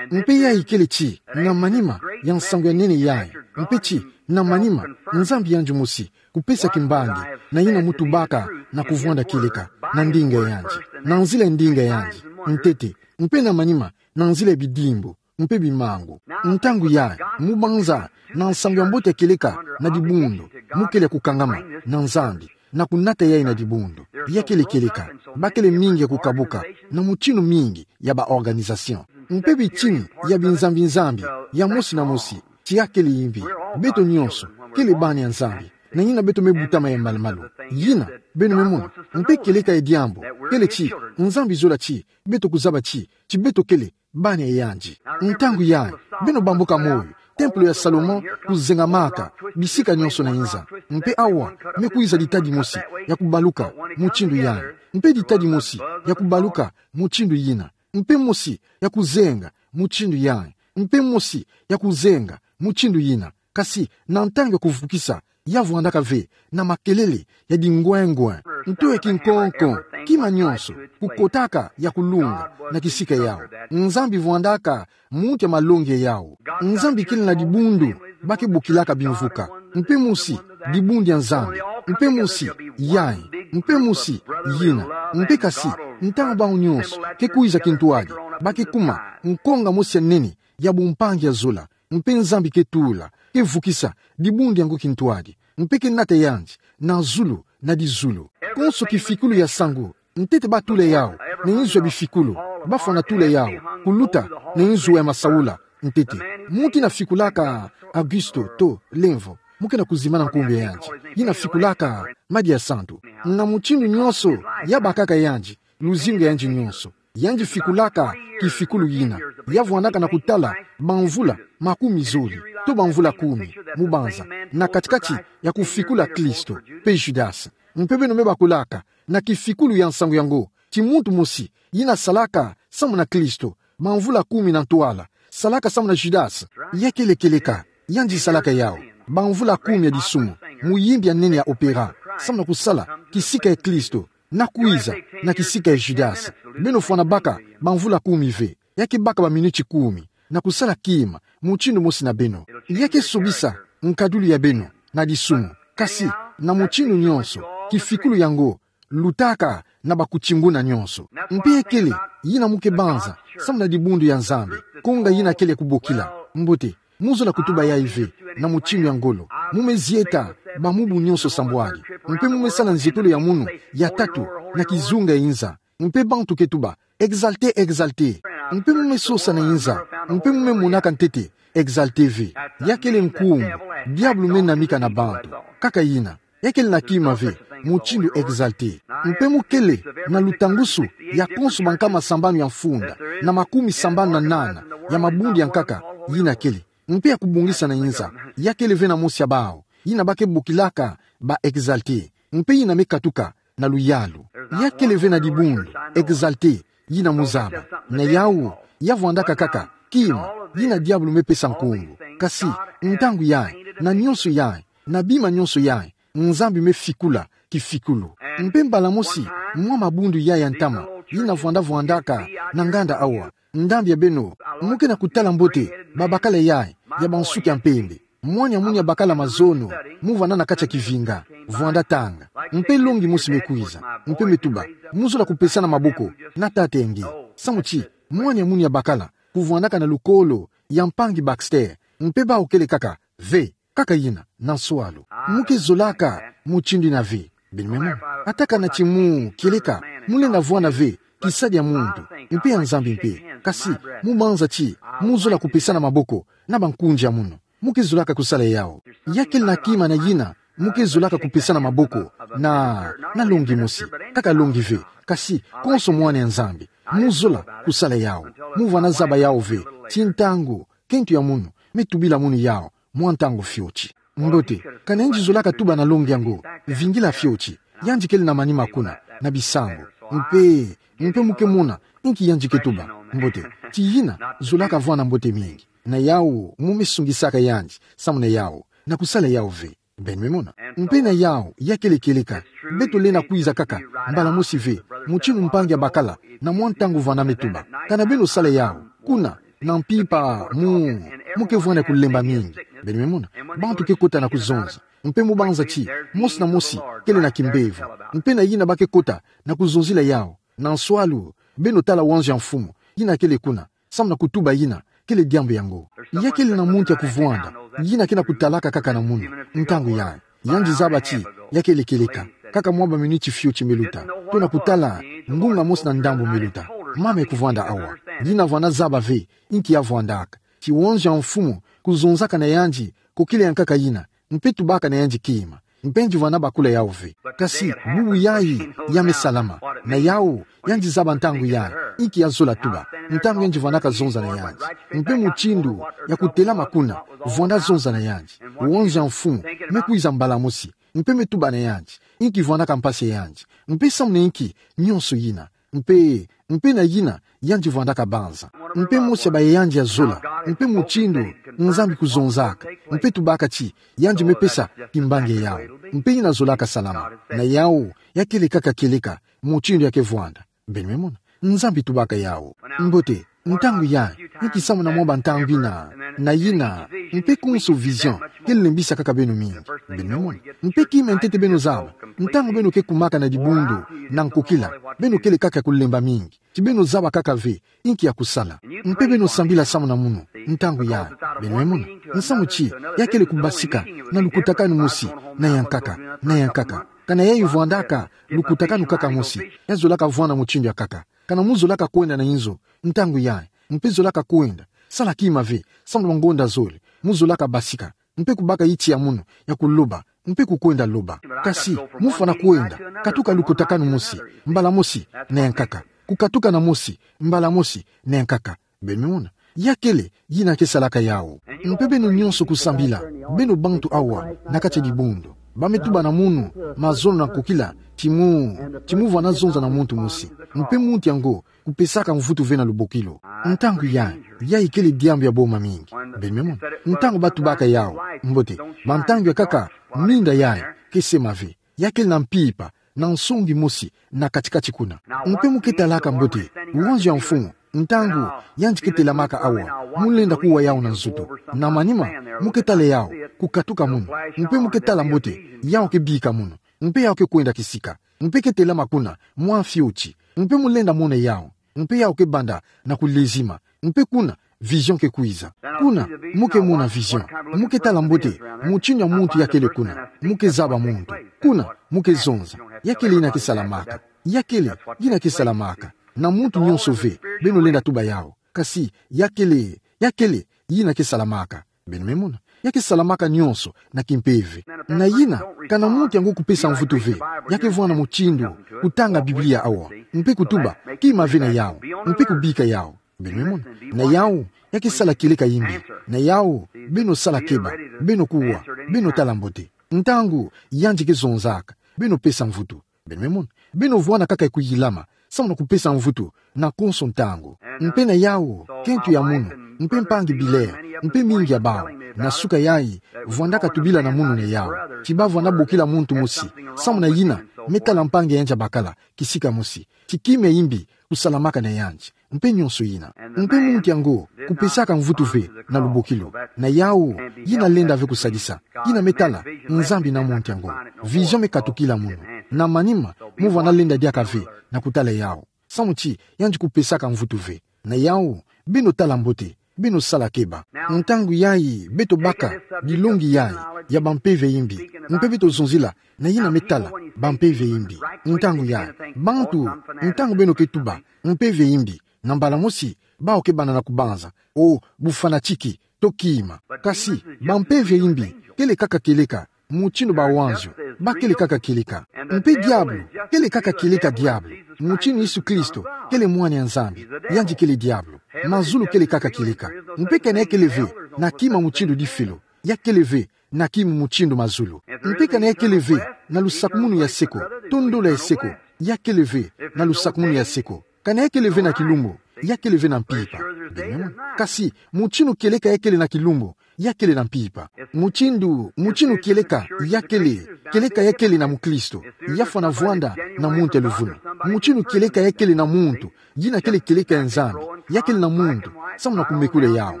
Mpe yayi kele ti, na manima, ya nsangu ya nene yayi. Mpe ti, na manima, Nzambi yandi mosi, kupesa kimbangi, na yina mu tubaka, na kuvwanda kieleka, na ndinga yandi. Na nzila ya ndinga yandi, ntete, mpe na manima, na nzila ya bidimbu, mpe bimangu. Ntangu yayi, mu banza, na nsangu ya mbote ya kieleka, na dibundu, mu kele ya kukangama, na Nzambi, na kunata yayi na dibundu. Ya kele kieleka, ba kele mingi ya kukabuka, na mutindu mingi ya ba organisation. Mpe bitini ya binzambi-nzambi, ya mosi na mosi, ti ya kele imbi, beto nionso, kele bana ya Nzambi, na yina beto me butama ya malu-malu. Yina, beno me mona, mpe kieleka ya diambu, kele ti, Nzambi zola ti, beto kuzaba ti, ti beto kele, bana ya yandi. Ntangu yayi, beno bambuka moyo, templo ya Salomon kuzengamaka, bisika nionso na inza. Mpe awa, me kwiza ditadi mosi, ya kubaluka, mutindu yayi. Mpe ditadi mosi, ya kubaluka, mutindu yina. Mpe mosi, ya kuzenga, mutindu yayi. Mpe mosi, ya kuzenga, mutindu yina. Kasi, na ntangu ya kuvukisa, ya vwandaka ve, na makelele, ya dingwengwe, nto ya kinkonko, kima nionso, kukotaka, ya kulunga, na kisika yawu. Nzambi vwandaka, muntu ya malongi yawu. Nzambi kele na dibundu, ba ke bokilaka bimvuka. Mpe mosi, dibundu ya Nzambi. Mpe mosi, yayi. Mpe mosi, yina. Mpe kasi, ntangu bawu nionso, ke kwiza kintwadi, ba ke kuma, nkonga mosi ya nene, ya bumpangi ya zola, mpe Nzambi ke tula, ke vukisa, dibundu yango kintwadi, mpe ke nata yandi, na zulu, na dizulu. Konso kifikulu ya nsangu, ntete ba tula yawu, na inzo ya bifikulu, ba fwana tula yawu, kuluta, na inzo ya masaula, ntete. Muntu yina fikulaka, Augusto, to, Lemvo, mu ke na kuzimana nkumbu ya yandi, yina fikulaka, Madia Santu. Na mutindu nionso, ya bakaka yandi, luzingu ya yandi nionso. Yandi fikulaka kifikulu yina. Ya vwandaka na kutala bamvula makumi zole, to bamvula kumi, mu banza, na kati-kati ya kufikula Kristo, pe Judas. Mpe beno me bakulaka, na kifikulu ya nsangu yango, ti muntu mosi, yina salaka, samu na Kristo, bamvula kumi na ntwala, salaka samu na Judas, ya kele kieleka, yandi salaka yawu, bamvula kumi ya disumu, muyimbi ya nene ya opera, samu na kusala, kisika ya Kristo, na kwiza, na kisika ya Judas. Beno fwana baka, bamvula kumi ve. Ya ke baka baminiti kumi. Na kusala kima, mutindu mosi na beno. Ya ke sobisa, nkadulu ya beno, na disumu. Kasi, na mutindu nionso, kifikulu yango, lutaka, na bakutinguna nionso. Mpe ya kele, yina mu ke banza, samu na dibundu ya Nzambi. Konga yina kele kubokila. Mbote, mu zola kutuba yayi ve, na mutindu ya ngolo. Mu me zieta, bamubu nionso sambwadi. Mpe mu me sala nzietolo ya munu, ya tatu, na kizunga ya inza. Mpe bantu ke tuba, exalté, exalté. Mpe mu me sosa na inza, mpe mu me monaka ntete Exalté ve. Ya kele nkumbu diabulu me namika na bantu. Kaka ina. Ya kele na kima ve mutindu Exalté. Mpe mu kele na lutangusu ya konso bankama sambanu ya mfunda na makumi sambanu na nana ya mabundu ya nkaka. Ina kele. Mpe ya kubongisa na inza, ya kele ve na mosi ya bawu ina ba ke bokilaka ba Exalté. Mpe ina me katuka na luyalu. Ya kele ve na dibundu Exalté ina mu zaba. Na yawu, ya vwandaka kaka kima ina diabulu me pesa nkumbu. Kasi ntangu yayi, na nyonso yayi, na bima nyonso yayi, Nzambi me fikula kifikulu. Mpe mbala mosi, mwa mabundu yayi ya ntama ina vwanda vwandaka na nganda awa, ndambu ya beno mu ke na kutala mbote babakala yayi ya bansuki ya mpembe. Mwana ya munu ya bakala mazono mu vwanda na kati ya kivinga, vwanda tanga. Mpe longi mosi me kwiza, mpe me tuba: Mu zola kupesana maboko na tata ya nge? Samu ti mwana ya munu ya bakala kuvwandaka na lukolo ya mpangi Baxter, mpe bawu kele kaka ve. Kaka ina, na nswalu, mu ke zolaka mutindu ina ve. Beno me mona, ata kana ti mu kieleka, mu lenda vwanda ve kisadi ya muntu, mpe ya Nzambi mpe. Kasi mu banza ti mu zola kupesana maboko na bankundi ya munu. Mu ke zolaka kusala yawu. Ya kele na kima na ina mu ke zolaka kupesana maboko na, na longi mosi. Kaka longi ve, kasi konso mwana ya Nzambi. Mu zola kusala yawu. Mu vwanda zaba yawu ve, ti ntangu kento ya munu me tubila munu yawu mwa ntangu fioti. Mbote, kana yandi zolaka tuba na longi yango, vingila fioti. Yandi kele na manima kuna, na bisambu. Mpe, mpe mu ke mona inki yandi ke tuba. Mbote, ti ina zolaka vwanda mbote mingi. Na yawu mu me sungisaka yandi, samu na yawu, na kusala yawu ve. Beno me mona. Mpe na yawu, ya kele kieleka, beto lenda kwiza kaka mbala mosi ve, mutindu mpangi ya bakala, na mwa ntangu vwanda me tuba. Kana beno sala yawu, kuna, na mpimpa mu, mu ke vwanda kulemba mingi. Beno me mona. Bantu ke kota na kuzonza. Mpe mu banza ti mosi na mosi kele na kimbevo. Mpe na ina ba ke kota na kuzonzila yawu, na nswalu, beno tala wanzo ya mfumu ina kele kuna, samu na kutuba ina kele diambu yango. Ya kele na muntu ya kuvwanda ina ke na kutalaka kaka na munu ntangu yayi. Yandi zaba ti ya kele kieleka, kaka mwa baminiti fioti me luta, to na kutala ngunga mosi na ndambu me luta. Mama ya kuvwanda awa, ina vwanda zaba ve inki ya vwandaka. Ti wanzo ya mfumu kuzonzaka na yandi kokila ya nkaka ina, mpe tubaka na yandi kima. Mpe yandi vwanda bakula yawu ve. Kasi bubu yayi ya me salama. Na yawu, yandi zaba ntangu yayi inki ya zola tuba, ntangu yandi vwandaka zonza na yandi. Mpe mutindu ya kutelama kuna, vwanda zonza na yandi. Wanzo ya mfumu me kwiza mbala mosi, mpe me tuba na yandi inki vwandaka mpasi ya yandi, mpe samu na inki nyonso ina. Mpe, mpe na ina yandi vwandaka banza. Mpe mosi ya baya yandi ya zola, mpe mutindu Nzambi kuzonzaka, mpe tubaka ti yandi me pesa kimbangi ya yawu. Mpe ina zolaka salama. Na yawu, ya kele kaka kieleka mutindu ya ke vwanda. Beno me mona. Nzambi tubaka yawu. Mbote, ntangu yayi, inki samu na mwa bantangu ina, na ina, mpe konso vision ke lembisa kaka beno mingi. Beno me mona. Mpe kima ya ntete beno zaba, ntangu beno ke kumaka na dibundu na nkokila, beno kele kaka kulemba mingi. Ti beno zaba kaka ve inki ya kusala. Mpe beno sambila samu na munu ntangu yayi. Beno me mona. Nsamu ti ya kele kubasika na lukutakanu mosi na ya nkaka, na ya nkaka. Kana yayi vwandaka lukutakanu kaka mosi, ya zolaka vwanda mutindu ya nkaka. Kana mu zolaka kwenda na inzo ntangu yayi, mpe zolaka kwenda, sala kima ve, samu na bangonda zole, mu zolaka basika, mpe kubaka yiti ya munu ya kuloba, mpe kukwenda loba. Kasi mu fwana kwenda, katuka lukutakanu mosi, mbala mosi na ya nkaka. Kukatuka na mosi, mbala mosi na ya nkaka. Beno me mona. Ya kele ina ke salaka yawu. Mpe beno nyonso kusambila, beno bantu awa na kati ya dibundu, ba me tuba na munu mazono na nkokila, ti mu, ti mu vwanda zonza na muntu mosi, mpe muntu yango kupesaka mvutu ve na lubokilo. Ntangu yayi, yayi kele diambu ya boma mingi. Beno me mona. Ntangu ba tubaka yawu, mbote, bantangu ya nkaka, minda yayi ke sema ve. Ya kele na mpimpa, na nsongi mosi na kati-kati kuna. Mpe mu ke talaka mbote wanzo ya mfumu, ntangu yandi ke telamaka awa, mu lenda kuwa yawu na nzoto. Na manima, mu ke tala yawu kukatuka munu. Mpe mu ke tala mbote yawu ke bika munu. Mpe yawu ke kwenda kisika. Mpe ke telama kuna mwa fioti. Mpe mu lenda mona yawu. Mpe yawu ke banda na kulezima. Mpe kuna, vision ke kwiza. Kuna, mu ke mona vision. Mu ke tala mbote mutindu ya muntu ya kele kuna. Mu ke zaba muntu. Kuna, mu ke zonza. Ya kele ina ke salamaka. Ya kele ina ke salamaka. Na muntu nyonso ve, beno lenda tuba yawu. Kasi, ya kele, ya kele, yina ke salamaka. Beno me mona. Ya ke salamaka nyonso, na kimpeve. Na yina, kana muntu yango kupesa mvutu ve, ya ke vwanda mutindu, kutanga Biblia awa. Mpe kutuba, kima ve na yawu. Mpe kubika yawu. Beno me mona. Na yawu, ya ke sala kieleka imbi. Na yawu, beno sala keba. Beno kuwa. Beno tala mbote. Ntangu, yandi ke zonzaka. Beno pesa mvutu. Beno me mona. Beno vwanda kaka kuyilama, samu na kupesa mvutu, na konso ntangu. Mpe na yawu, kento ya munu, mpe mpangi Billard, mpe mingi ya bawu, na suka yayi, vwandaka tubila na munu na yawu. Ti ba vwanda bokila muntu mosi, samu na yina, me tala mpangi ya yandi abakala, kisika mosi. Ti kima ya imbi, kusalamaka na yandi. Mpe nyonso yina. Mpe muntu yango, kupesaka mvutu ve, na lubokilo. Na yawu, yina lenda ve kusadisa. Yina me tala, Nzambi na muntu yango. Vision me katukila munu. Na manima, mu vwanda lenda diaka ve, na kutala yawu. Samu ti, yandi kupesaka mvutu ve. Na yawu, beno tala mbote, beno sala keba. Ntangu yayi, beto baka, dilongi yayi, ya bampeve imbi. Mpe beto zonzila, na yina me tala, bampeve imbi. Ntangu yayi, bantu, ntangu beno ke tuba, mpeve imbi. Na mbala mosi, bawu ke banda na kubanza. O, bufanatiki, to kima. Kasi, bampeve imbi, kele kaka kieleka, mutindu bawanzio, ba kele kaka kieleka. Mpe diabulu, kele kaka kieleka diabulu, mutindu Yesu Kristo, kele mwana ya Nzambi, yandi kele diabulu. Mazulu kele kaka kieleka. Mpe kana ya kele ve, na kima mutindu difelo, ya kele ve, na kima mutindu mazulu. Mpe kana ya kele ve, na lusakumunu ya seko, to ndola ya seko, ya kele ve, na lusakumunu ya seko. Kana ya kele ve na kilumbu, ya kele ve na mpimpa. Beno me mona. Kasi, mutindu kieleka ya kele na kilumbu, ya kele na mpimpa. Mutindu, mutindu kieleka, ya kele, kieleka ya kele na mukristo, ya fwana vwanda, na muntu ya luvunu. Mutindu kieleka ya kele na muntu, yina kele kieleka ya Nzambi, ya kele na muntu, samu na kumekula yawu.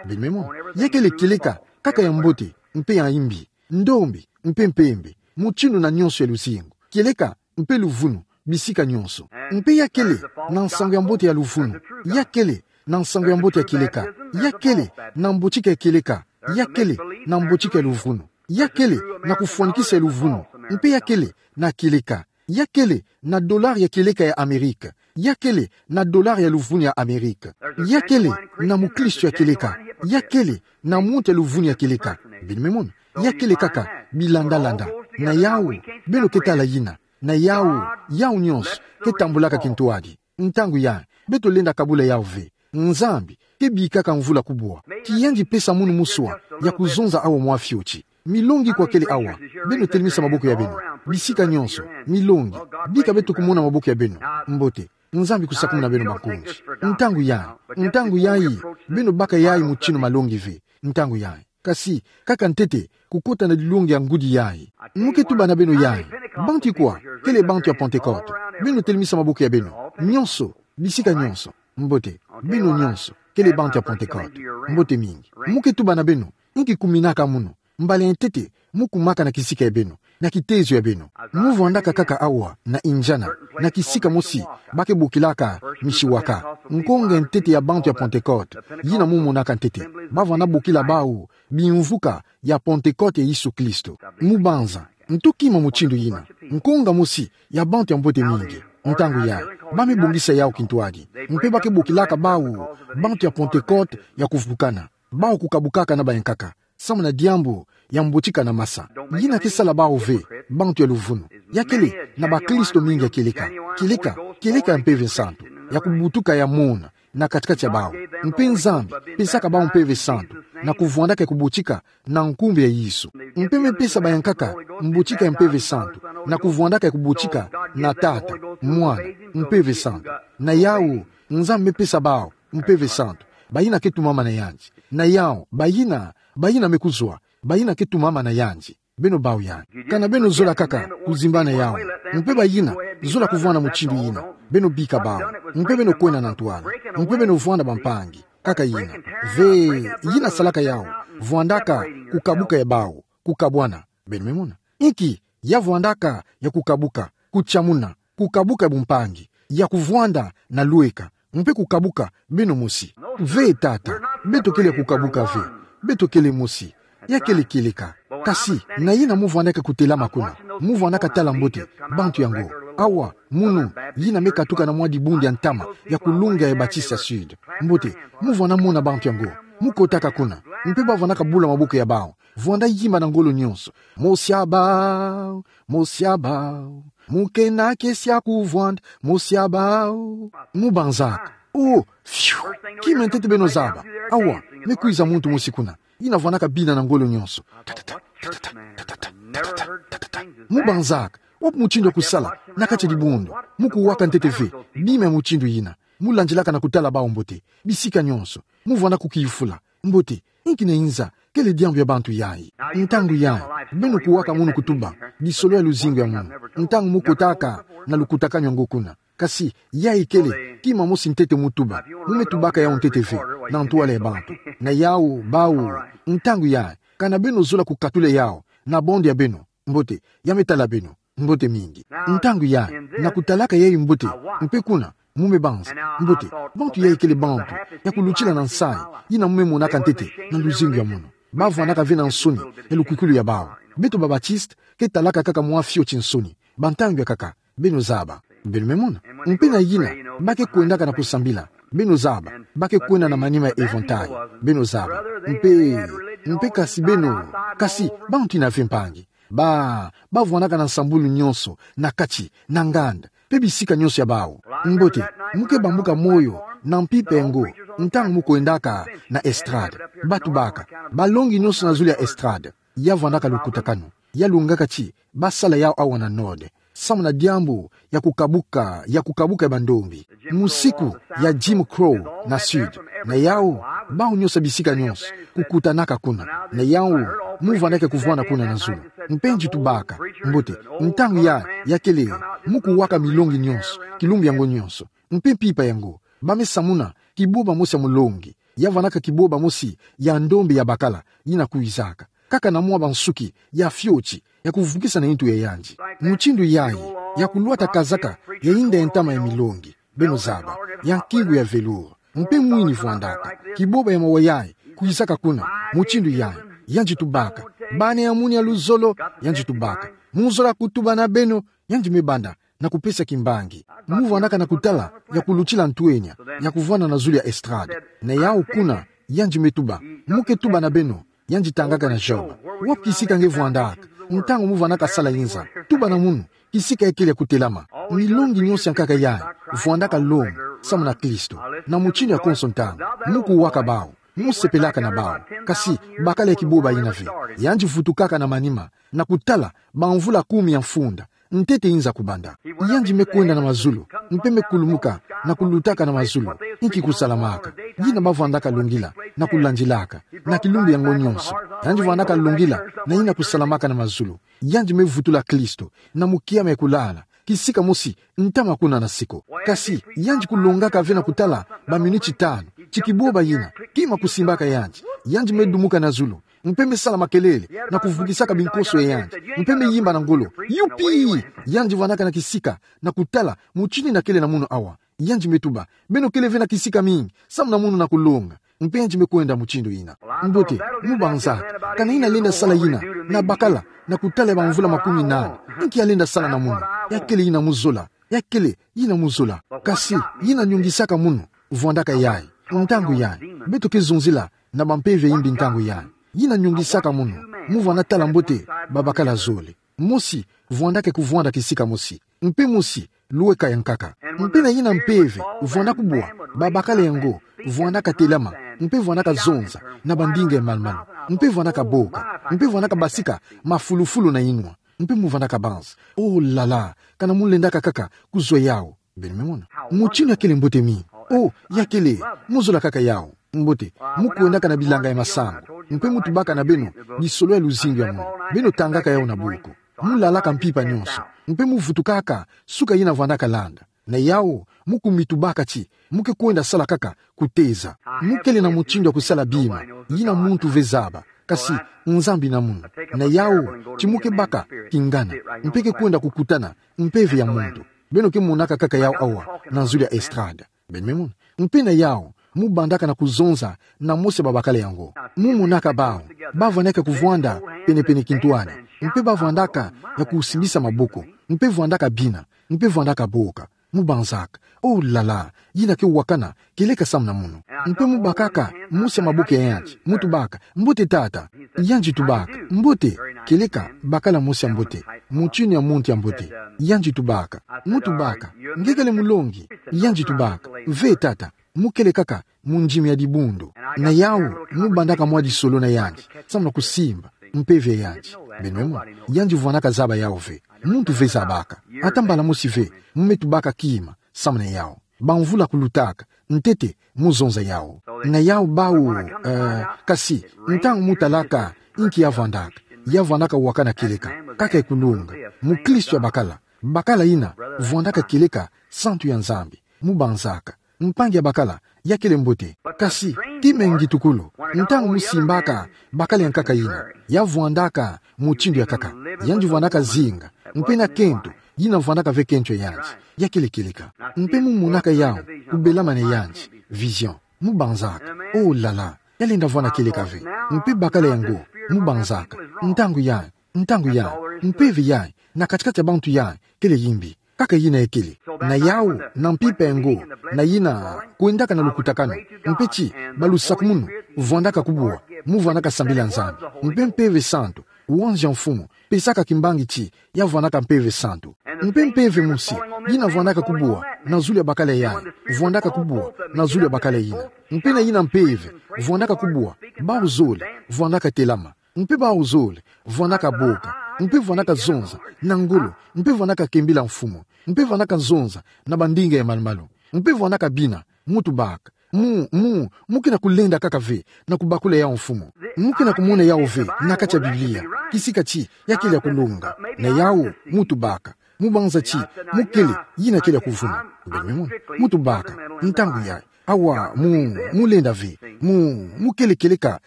Beno me mona. Ya kele kieleka, kaka ya mbote, mpe ya imbi, ndombi, mpe mpembe, mutindu na nyonso ya luzingu. Kieleka, mpe luvunu, bisika nyonso. Mpe ya kele, na nsangu ya mbote ya luvunu. Ya kele, na nsangu ya mbote ya kieleka. Ya kele, na mbotika ya kieleka. Ya kele, na mbotika ya luvunu. Ya kele, na kufwanikisa ya luvunu. Mpe ya kele, na kieleka. Ya kele, na dollar ya kieleka ya Amerika. Ya kele, na dollar ya luvunu ya Amerika. Ya kele, na mukristo ya kieleka. Ya kele, na muntu ya luvunu ya kieleka. Beno me mona. Ya kele kaka, bilandalanda. Na yawu, beno ke tala yina. Na yawu, yawu nyonso, ke tambulaka kintwadi. Ntangu yayi, beto lenda kabula yawu ve. Nzambi, ke bikaka mvula kubwa. Ti yandi pesa munu muswa, ya kuzonza awa mwa fioti. Milongi kwa kele awa, beno telemisa maboko ya beno. Bisika nyonso, milongi. Bika beto kumona maboko ya beno. Mbote, Nzambi kusakumuna beno bankunzi. Ntangu yayi, ntangu yayi, beno baka yayi mutindu malongi ve. Ntangu yayi. Kasi, kaka ntete, kukota na dilongi ya ngudi yayi. Mu ke tuba na beno yayi. Bantu ikwa, kele bantu ya Pentecote. Beno telemisa maboko ya beno. Nyonso, bisika nyonso. Mbote, beno nyonso, kele bantu ya Pentecote. Mbote mingi. Mu ke tuba na beno, inki kuminaka munu. Mbala ya ntete, mu kumaka na kisika ya beno, na kitezo ya beno. Mu vwandaka kaka awa, na Indiana, na kisika mosi, ba ke bokilaka, Mishawaka. Nkonga ya ntete ya bantu ya Pentecote, yina mu monaka ntete. Ba vwanda bokila bawu, bimvuka ya Pentecote ya Yesu Kristo. Mu banza, nto kima mutindu yina. Nkonga mosi, ya bantu ya mbote mingi. Ntangu yayi, ba me bongisa yawu kintwadi. Mpe ba ke bokilaka bawu, bantu ya Pentecote ya kuvukana. Bawu kukabukaka na bayankaka. Samu na diambu ya mbotika na masa. Yina ke sala bawu ve, bantu ya luvunu. Ya kele, na bakristo mingi ya kieleka. Kieleka, kieleka ya Mpeve Santu. Ya kubutuka ya mona, na kati-kati ya bawu. Mpe Nzambi, pesaka bawu Mpeve Santu. Na kuvwandaka ya kubotika, na nkumbu ya Yesu. Mpe me pesa bayankaka, mbotika ya Mpeve Santu. Na kuvwandaka ya kubotika, na Tata, Mwana, Mpeve Santu. Na yawu, Nzambi me pesa bawu, Mpeve Santu. Bayina ke tumama na yandi. Na yawu, bayina, bayina me kuzwa, bayina ke tumama na yandi. Beno bau yayi. Kana beno zola kaka, kuzimbana yawu. Mpe bayina, zola kuvwanda mutindu yina. Beno bika bawu. Mpe beno kwenda na ntwala. Mpe beno vwanda bampangi. Kaka yina. Ve, yina salaka yawu. Vwandaka, kukabuka ya bawu. Kukabwana. Beno me mona. Inki, ya vwandaka, ya kukabuka. Kutiamuna. Kukabuka bumpangi. Ya kuvwanda, na lweka. Mpe kukabuka, beno mosi. Ve tata, beto kele ya kukabuka ve. Beto kele mosi. Ya kele kieleka. Kasi, na yina mu vwandaka kutelama kuna. Mu vwandaka tala mbote, bantu yango. Awa, munu, yina me katuka na mwa dibundu ya ntama ya kulunga ya Baptiste ya Sud. Mbote, mu vwanda mona bantu yango. Mu kotaka kuna. Mpe ba vwandaka bula maboko ya bawu. Vwanda yimba na ngolo nyonso. Mosi ya bawu, mosi ya bawu. Mu kena kiese ya kuvwanda, mosi ya bawu. Mu banzaka. Oh, fiu. Kima ntete beno zaba. Awa, me kwiza muntu mosi kuna. Yina vwandaka bina na ngolo nyonso. Tatata, tatata, tatata, tatata, tatata. Mu banzaka. Wapi mutindu ya kusala na kati ya dibundu? Mu kuwaka ntete ve bima ya mutindu yina. Mu landilaka na kutala bawu mbote. Bisika nyonso. Mu vwanda kukiyufula. Mbote, inki yina inza, kele diambu ya bantu yayi? Ntangu yayi, beno kuwaka munu kutuba disolo ya luzingu ya munu. Ntangu mu kotaka na lukutakanu yango kuna. Kasi, yayi kele kima mosi ntete mu tuba. Mu me tubaka yawu ntete ve na ntwala ya bantu. Na yawu, bawu, ntangu yayi, kana beno zola kukatula yawu na bande ya beno. Mbote, ya me tala beno. Mbote mingi. Ntangu yayi, na kutalaka yayi mbote, mpe kuna, mu me banza. Mbote, bantu yayi kele bantu ya kulutila na nsayi, yina mu me monaka ntete na luzingu ya munu. Ba vwandaka ve na nsoni ya lukwikulu ya bawu. Beto ba Baptiste, ke talaka kaka mwa fioti nsoni. Bantangu ya kaka, beno zaba. Beno me mona. Mpe na yina, ba ke kwendaka na kusambila. Beno zaba. Ba ke kwenda na manima ya eventail. Beno zaba. Mpe, mpe kasi beno, kasi, bantu yina ve mpangi. Ba, ba vwandaka na nsambulu nyonso, na kati, na nganda, mpe bisika nyonso ya bawu. Mbote, mu ke bambuka moyo na mpimpa yango, ntangu mu kwendaka na estrade. Ba tubaka balongi nyonso na zulu ya estrade. Ya vwandaka lukutakanu. Ya lungaka ti ba sala yawu awa na Nord. Samu na diambu ya kukabuka, ya kukabuka ya bandombi. Musiku ya Jim Crow na Sud. Na yawu, bawu nyonso ya bisika nyonso kukutanaka kuna. Na yawu, mu vwandaka kuvwanda kuna na zulu. Mpe nzi tubaka. Mbote, ntangu yayi, ya kele, mu kuwaka milongi nyonso, kilumbu yango nyonso. Mpe mpimpa yango, ba me samuna kibôba mosi ya mulongi. Ya vwandaka kibôba mosi ya ndombi ya bakala, yina kwizaka. Kaka na mwa bansuki ya fioti, ya kuvukisa na ntu ya yandi. Mutindu yayi, ya kulwata kazaka ya inda ya ntama ya milongi. Beno zaba, ya nkingu ya velours. Mpe mwini vwandaka. Kibôba ya mawa yayi, kwizaka kuna. Mutindu yayi, yandi tubaka. Bana ya munu ya luzolo, yandi tubaka. Mu zola kutuba na beno, yandi me banda na kupesa kimbangi. Mu vwandaka na kutala ya kulutila ntwenya ya kuvwanda na zulu ya estrade. Na yawu kuna, yandi me tuba. Mu ke tuba na beno, yandi tangaka na Job. Wapi kisika nge vwandaka? Ntangu mu vwandaka sala inza, tuba na munu, kisika ya kele ya kutelama. Milongi nyonso ya nkaka yayi, vwandaka longa, samu na Kristo. Na mutindu ya konso ntangu, mu kuwaka bawu, mu sepelaka na bawu. Kasi, bakala ya kibôba yina ve. Yandi vutukaka na manima, na kutala, bamvula kumi ya mfunda. Ntete inza kubanda. Yandi me kwenda na mazulu, mpe me kulumuka, na kulutaka na mazulu. Inki kusalamaka? Yina ba vwandaka longila, na kulandilaka, na kilumbu yango nyonso. Yandi vwandaka longila, na yina kusalamaka na mazulu. Yandi me vutula Kristo, na mukiama ya kulala. Kisika mosi, ntama kuna na siko. Kasi, yandi kulongaka ve na kutala, baminiti tanu. Ti kibôba yina, kima kusimbaka yandi. Yandi me dumuka na zulu. Mpe me sala makelele, na kuvukisaka binkoso ya yandi. Mpe me yimba na ngolo. Yupi! Yandi vwandaka na kisika, na kutala, mutindu yina kele na munu awa. Yandi me tuba, beno kele ve na kisika mingi, samu na munu na kulonga. Mpe yandi me kwenda mutindu yina. Mbote, mu banzaka, kana yina lenda sala yina, na bakala, na kutala ya bamvula makumi nana. Inki ya lenda sala na munu? Ya kele yina mu zola. Ya kele, yina mu zola. Kasi, yina nyongisaka munu, vwandaka yayi. Ntangu yayi, beto ke zonzila, na bampeve ya imbi ntangu yayi. Yina nyongisaka munu, mu vwanda tala mbote, babakala zole. Mosi, vwandaka kuvwanda kisika mosi. Mpe mosi, lweka ya nkaka. Mpe na yina mpeve, vwanda kubwa, babakala yango, vwandaka telama, mpe vwandaka zonza, na bandinga ya malu-malu, mpe vwandaka boka, mpe vwandaka basika, mafulufulu na inwa. Mpe mu vwandaka banza. Oh là là, kana mu lendaka kaka kuzwa yawu. Beno me mona. Mutindu ya kele mbote mingi. Oh, ya kele, mu zola kaka yawu. Mbote, mu kwendaka na bilanga ya masangu. Mpe mu tubaka na beno, lisolo ya luzingu ya munu. Beno tangaka yawu na buku. Mu lalaka mpimpa nyonso. Mpe mu vutukaka, suka yina vwandaka landa. Na yawu, mu kumitubaka ti, mu ke kwenda sala kaka, kuteza. Mu kele na mutindu ya kusala bima, yina muntu ve zaba. Kasi, Nzambi na munu. Na yawu, ti mu ke baka, kingana. Mpe ke kwenda kukutana, mpeve ya muntu. Beno ke monaka kaka yawu awa, na zulu ya estrade. Beno me mona. Mpe na yawu, mu bandaka na kuzonza, na mosi ya babakala yango. Mu monaka bawu, ba vwandaka kuvwanda, pene-pene kintwadi. Mpe ba vwandaka, ya kusimbisa maboko. Mpe vwandaka bina. Mpe vwandaka boka. Mubanzaka: Oh là là, yina ke wakana kieleka samu na mono. Mpe mubakaka mosi ya maboko ya yandi, mutubaka: Mbote tata. Yandi tubaka: Mbote. Kieleka bakala mosi ya mbote, mutindu ya muntu ya mbote. Yandi tubaka: Mutubaka: Nge kele mulongi? Yandi tubaka: Ve tata, mu kele kaka mundimi ya dibundu. Na yawu, mubandaka mwa disolo na yandi samu na kusimba mpeve ya yandi. Beno me mona, yandi vwandaka zaba yawu ve. Muntu ve zabaka. Ata mbala mosi ve mu me tubaka kima samu na yawu. Bamvula kulutaka, ntete muzonza yawu. Na yawu bawu, eh, kasi, ntangu mutalaka inki ya vwandaka, ya vwandaka wakana kieleka, kaka ya kulunga. Mukristu ya bakala, bakala yina vwandaka kieleka santu ya Nzambi. Mubanzaka: Mpangi ya bakala, ya kele mbote. Kasi, kima ya ngitukulu, ntangu musimbaka bakala ya nkaka yina, ya vwandaka mutindu ya nkaka, yandi vwandaka zinga, mpe na kento, yina vwandaka ve kento ya yandi, ya kele kieleka. Mpe mumonaka yawu ku belamana na yandi, vision. Mubanzaka: Oh là là, ya lenda vwanda kieleka ve. Mpe bakala yango, mubanzaka: Ntangu yayi, ntangu yayi, mpeve yayi na kati-kati ya bantu yayi kele yimbi. Kaka yina ya kele. Na yawu, na mpimpa yango, na yina kwendaka na lukutakanu, mpe ti balusakumunu vwandaka kubwa, muvwandaka sambila Nzambi. Mpe Mpeve Santu, wanzi ya Mfumu, pesaka kimbangi ti ya vwandaka Mpeve Santu. Mpe mpeve mosi, yina vwandaka kubwa na zulu ya bakala yayi, vwandaka kubwa na zulu ya bakala yina. Mpe na yina mpeve vwandaka kubwa, bawu zole vwandaka telama. Mpe bawu zole vwandaka boka, mpe vwandaka zonza na ngolo, mpe vwandaka kembila Mfumu, mpe vwandaka zonza na bandinga ya malu-malu, mpe vwandaka bina, mutubaka: Mu, mu, mu ke na kulenda kaka ve na kubakula yawu, Mfumu? Mu ke na kumona yawu ve na kati ya Biblia, kisika ti ya kele ya kulonga? Na yawu, mutubaka: Mubanza ti mu kele, yina kele ya kuvuna. Beno me mona, mutubaka: Ntangu yayi, awa, mu, mu lenda ve, mu, mu kele kieleka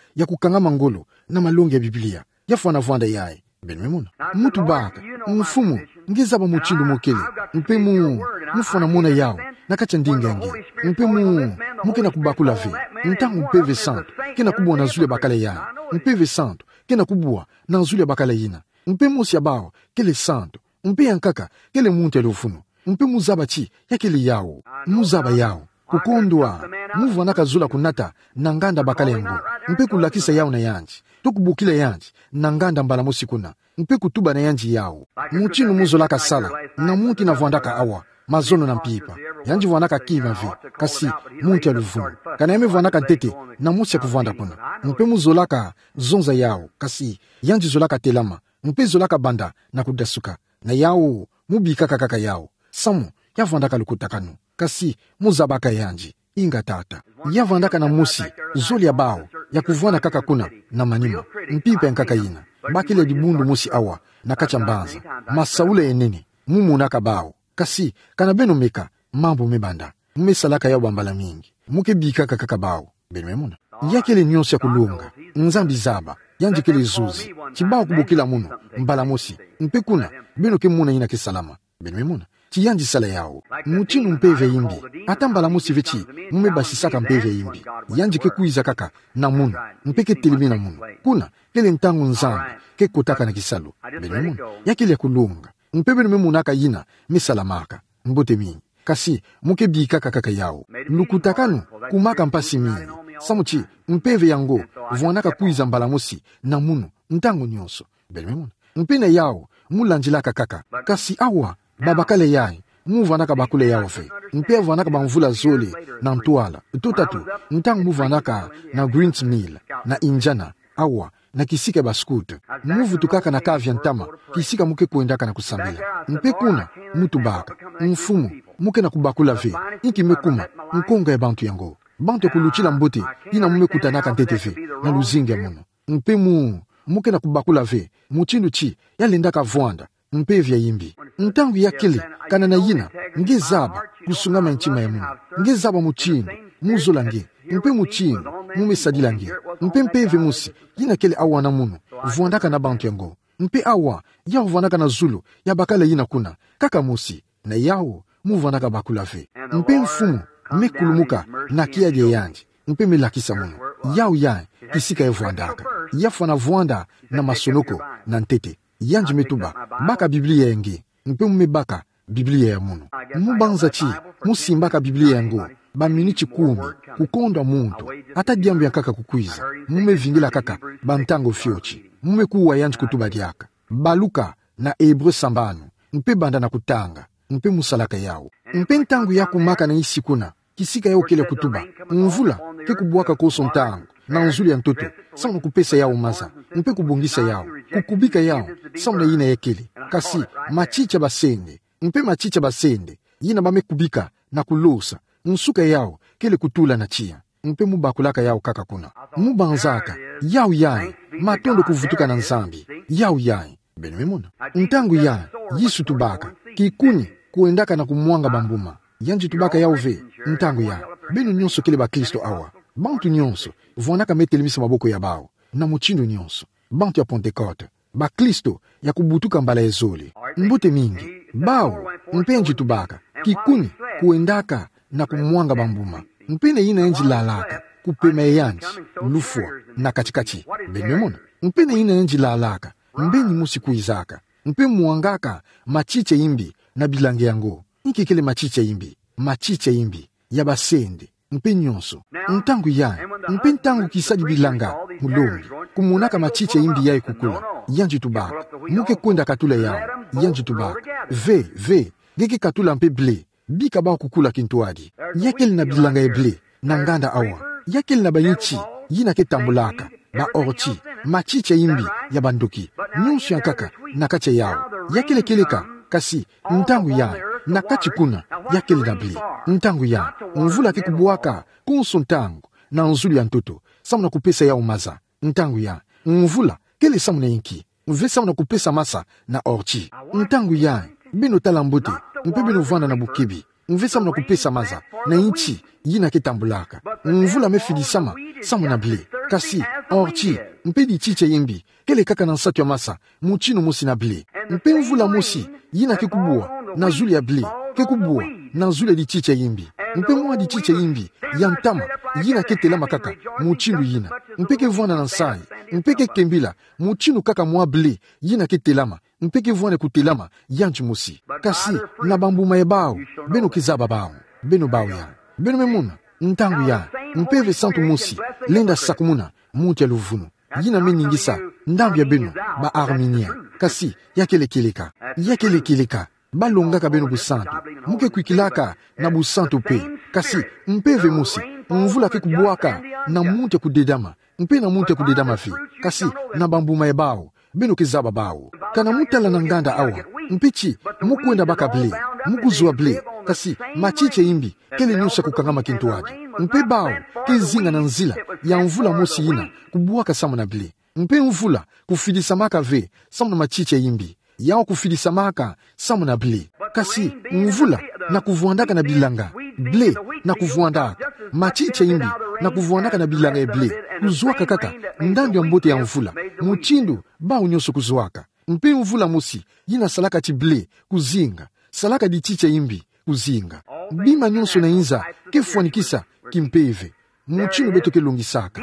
ya kukangama ngolo na malongi ya Biblia, ya fwana vwanda yayi. Beno me mona, mutubaka: Mfumu, nge zaba mutindu mu kele, mpe mu, mu fwana mona yawu na kati ya ndinga ya nge. Mpe mu, mu ke na kubakula ve, ntangu Mpeve Santu ke na kubwa na zulu ya bakala yayi, Mpeve Santu ke na kubwa na zulu ya bakala yina. Mpe mosi ya bawu kele santu, mpe ya nkaka kele muntu ya luvunu. Mpe muzaba ti ya kele yawu. Muzaba yawu. Kukondwa, muvwandaka zola kunata na nganda bakala yango, mpe kulakisa yawu na yandi, to kubokila yandi na nganda mbala mosi kuna, mpe kutuba na yandi yawu. Mutindu muzolaka sala na muntu yina vwandaka awa, mazono na mpimpa. Yandi vwandaka kima ve, kasi muntu ya luvunu. Kana ya me vwandaka ntete na mosi ya kuvwanda kuna. Mpe muzolaka zonza yawu, kasi yandi zolaka telama, mpe zolaka banda na kudasuka. Na yawu, mubikaka kaka yawu, samu ya vwandaka lukutakanu. Kasi muzabaka yandi, inga tata. Ya vwandaka na mosi zole ya bawu ya kuvwanda kaka kuna na manima, mpimpa ya nkaka yina. Bakele ya dibundu mosi awa na kati ya mbanza, masaula ya nene, mumonaka bawu. Kasi kana beno meka, mambu me banda. Mu me salaka yawu bambala mingi. Mu ke bikaka kaka bawu. Beno me mona, ya kele nyonso ya kulonga. Nzambi zaba, yandi kele zuzi. Ti bawu kubokila mono mbala mosi, mpe kuna beno ke mona yina ke salama. Beno me mona, ti yandi sala yawu. Mutindu mpeve ya yimbi, ata mbala mosi ve ti mu me basisaka mpeve ya yimbi, yandi ke kwiza kaka na mono, mpe ke telemi na mono. Kuna kele ntangu Nzambi ke kotaka na kisalu. Beno me mona, ya kele ya kulonga. Mpe beno me monaka yina me salamaka. Mbote mingi. Kasi mu ke bikaka kaka yawu. Lukutakanu kumaka mpasi mingi, samu ti mpeve yango vwandaka kwiza mbala mosi na mono, ntangu nyonso. Beno me mona, mpe na yawu, mulandilaka kaka. Kasi awa, babakala yayi, muvwandaka bakula yawu ve. Mpe ya vwandaka bamvula zole na ntwala, to tatu, ntangu muvwandaka na Green's Mill, na Indiana, awa, na kisika ya ba scout. Muvutukaka na kave ya ntama, kisika mu ke kwendaka na kusambila. Mpe kuna, mutubaka: Mfumu, mu ke na kubakula ve, inki me kuma nkonga ya bantu yango? Bantu ya kulutila mbote, yina mu me kutanaka ntete ve na luzingu ya mono. Mpe mu, mu ke na kubakula ve, mutindu ti ya lendaka vwanda mpeve ya yimbi. Ntangu ya kele, kana na yina, nge zaba kusungama ya ntima ya mono. Nge zaba mutindu muzola nge, mpe mutindu mu me sadila nge. Mpe mpeve mosi yina kele awa na mono, vwandaka na bantu yango. Mpe awa, yawu vwandaka na zulu ya bakala yina kuna, kaka mosi. Na yawu, muvwandaka bakula ve. Mpe Mfumu me kulumuka na kiadi ya yandi, mpe me lakisa mono. Yawu yayi kisika ya vwandaka. Ya fwana vwanda na masonoko, na ntete. Yandi me tuba: Baka Biblia ya nge. Mpe mu me baka, Biblia ya munu. Mu banza ti mu simbaka Biblia yango baminiti kumi, kukondwa muntu, ata diambu ya nkaka kukwiza, mu me vingila kaka bantangu fioti, mu me kuwa yandi kutuba diaka. Baluka na Ebre sambanu, mpe banda na kutanga, mpe mu salaka yawu. Mpe ntangu ya kumaka na nsi kuna, kisika yawu kele kutuba, mvula ke kubwaka konso ntangu na nzulu ya ntoto, samu na kupesa yawu maza, mpe kubongisa yawu, kukubika yawu samu na yina ya kele. Kasi matiti ya basende, mpe matiti ya basende, yina ba me kubika na kulosa, nsuka yawu kele kutula na tiya. Mpe mu bakulaka yawu kaka kuna. Mu banzaka, yawu yayi, matondo kuvutuka na Nzambi, yawu yayi. Beno me mona. Ntangu yayi, Yesu tubaka, kikuni kwendaka na kumwanga bambuma. Yandi tubaka yawu ve, ntangu yayi. Beno nyonso kele bakristo awa. Bantu nyonso, vwanaka me telemisa maboko ya bawu, na mutindu nyonso. Bantu ya Pentecote, bakristo ya kubutuka mbala ya zole. Mbote mingi, bawu, mpe yandi tubaka, kikuni kwendaka na kumwanga bambuma. Mpe na yina yandi lalaka, kupema ya yandi, lufwa, na kati-kati. Beno me mona. Mpe na yina yandi lalaka, mbeni mosi kwizaka, mpe mwangaka matiti ya imbi na bilanga yango. Inki kele matiti ya imbi? Matiti ya imbi ya basende, mpe nyonso. Ntangu yayi, mpe ntangu kisadi bilanga, mulongi, kumonaka matiti ya imbi yayi kukula, yandi tubaka, mu ke kwenda katula yawu. Yandi tubaka, ve, ve, nge ke katula mpe ble, bika bawu kukula kintwadi. Ya kele na bilanga ya ble na nganda awa. Ya kele na bayinti yina ke tambulaka, ba orti, matiti ya imbi ya bandoki, nyonso ya nkaka na kati ya yawu. Ya kele kieleka, kasi ntangu yayi, na kati kuna, ya kele na ble. Ntangu yayi, mvula ke kubwaka konso ntangu na nzulu ya ntoto, samu na kupesa yawu maza. Ntangu yayi, mvula kele samu na inki? Mve samu na kupesa masa na orti. Ntangu yayi, beno tala mbote, mpe beno vwanda na bukibi. Mve samu na kupesa maza na yinti yina ke tambulaka. Mvula me fidisama samu na ble. Kasi orti, mpe dititi ya imbi, kele kaka na nsatu ya masa, mutinu mosi na ble. Mpe mvula mosi yina ke kubwa na zulu ya ble, ke kubwa na zulu ya dititi ya imbi. Mpe mwa dititi ya imbi ya ntama yina ke telama kaka mutindu yina, mpe ke vwanda na nsayi, mpe ke kembila mutindu kaka mwa ble yina ke telama, mpe ke vwanda kutelama yandi mosi. Kasi na bambuma ya bawu beno ke zaba bawu. Beno bawu yayi. Beno me mona. Ntangu yayi, mpeve santu mosi lenda sakumuna muntu ya luvunu, yina me ningisa ndambu ya beno ba Arminien. Kasi ya kele kieleka. Ya kele kieleka. Ba longaka beno busantu. Mu ke kwikilaka na busantu mpe. Kasi mpeve mosi, mvula ke kubwaka na muntu ya kudedama, mpe na muntu ya kudedama ve. Kasi na bambuma ya bawu beno ke zaba bawu. Kana mu tala na nganda awa, mpe ti mu kwenda baka ble, mu kuzwa ble, kasi matiti ya imbi kele nyonso ya kukangama kintwadi. Mpe bawu ke zinga na nzila ya mvula mosi yina kubwaka samu na ble. Mpe mvula kufidisamaka ve samu na matiti ya imbi, yawu kufidisamaka samu na ble. Kasi mvula na kuvwandaka na bilanga, ble na kuvwandaka, matiti ya imbi na kuvwandaka na bilanga ya ble, kuzwaka kaka ndambu ya mbote ya mvula, mutindu bawu nyonso kuzwaka. Mpe mvula mosi yina salaka ti ble kuzinga, salaka dititi ya imbi kuzinga. Bima nyonso na inza ke fwanikisa kimpeve, mutinu beto ke longisaka.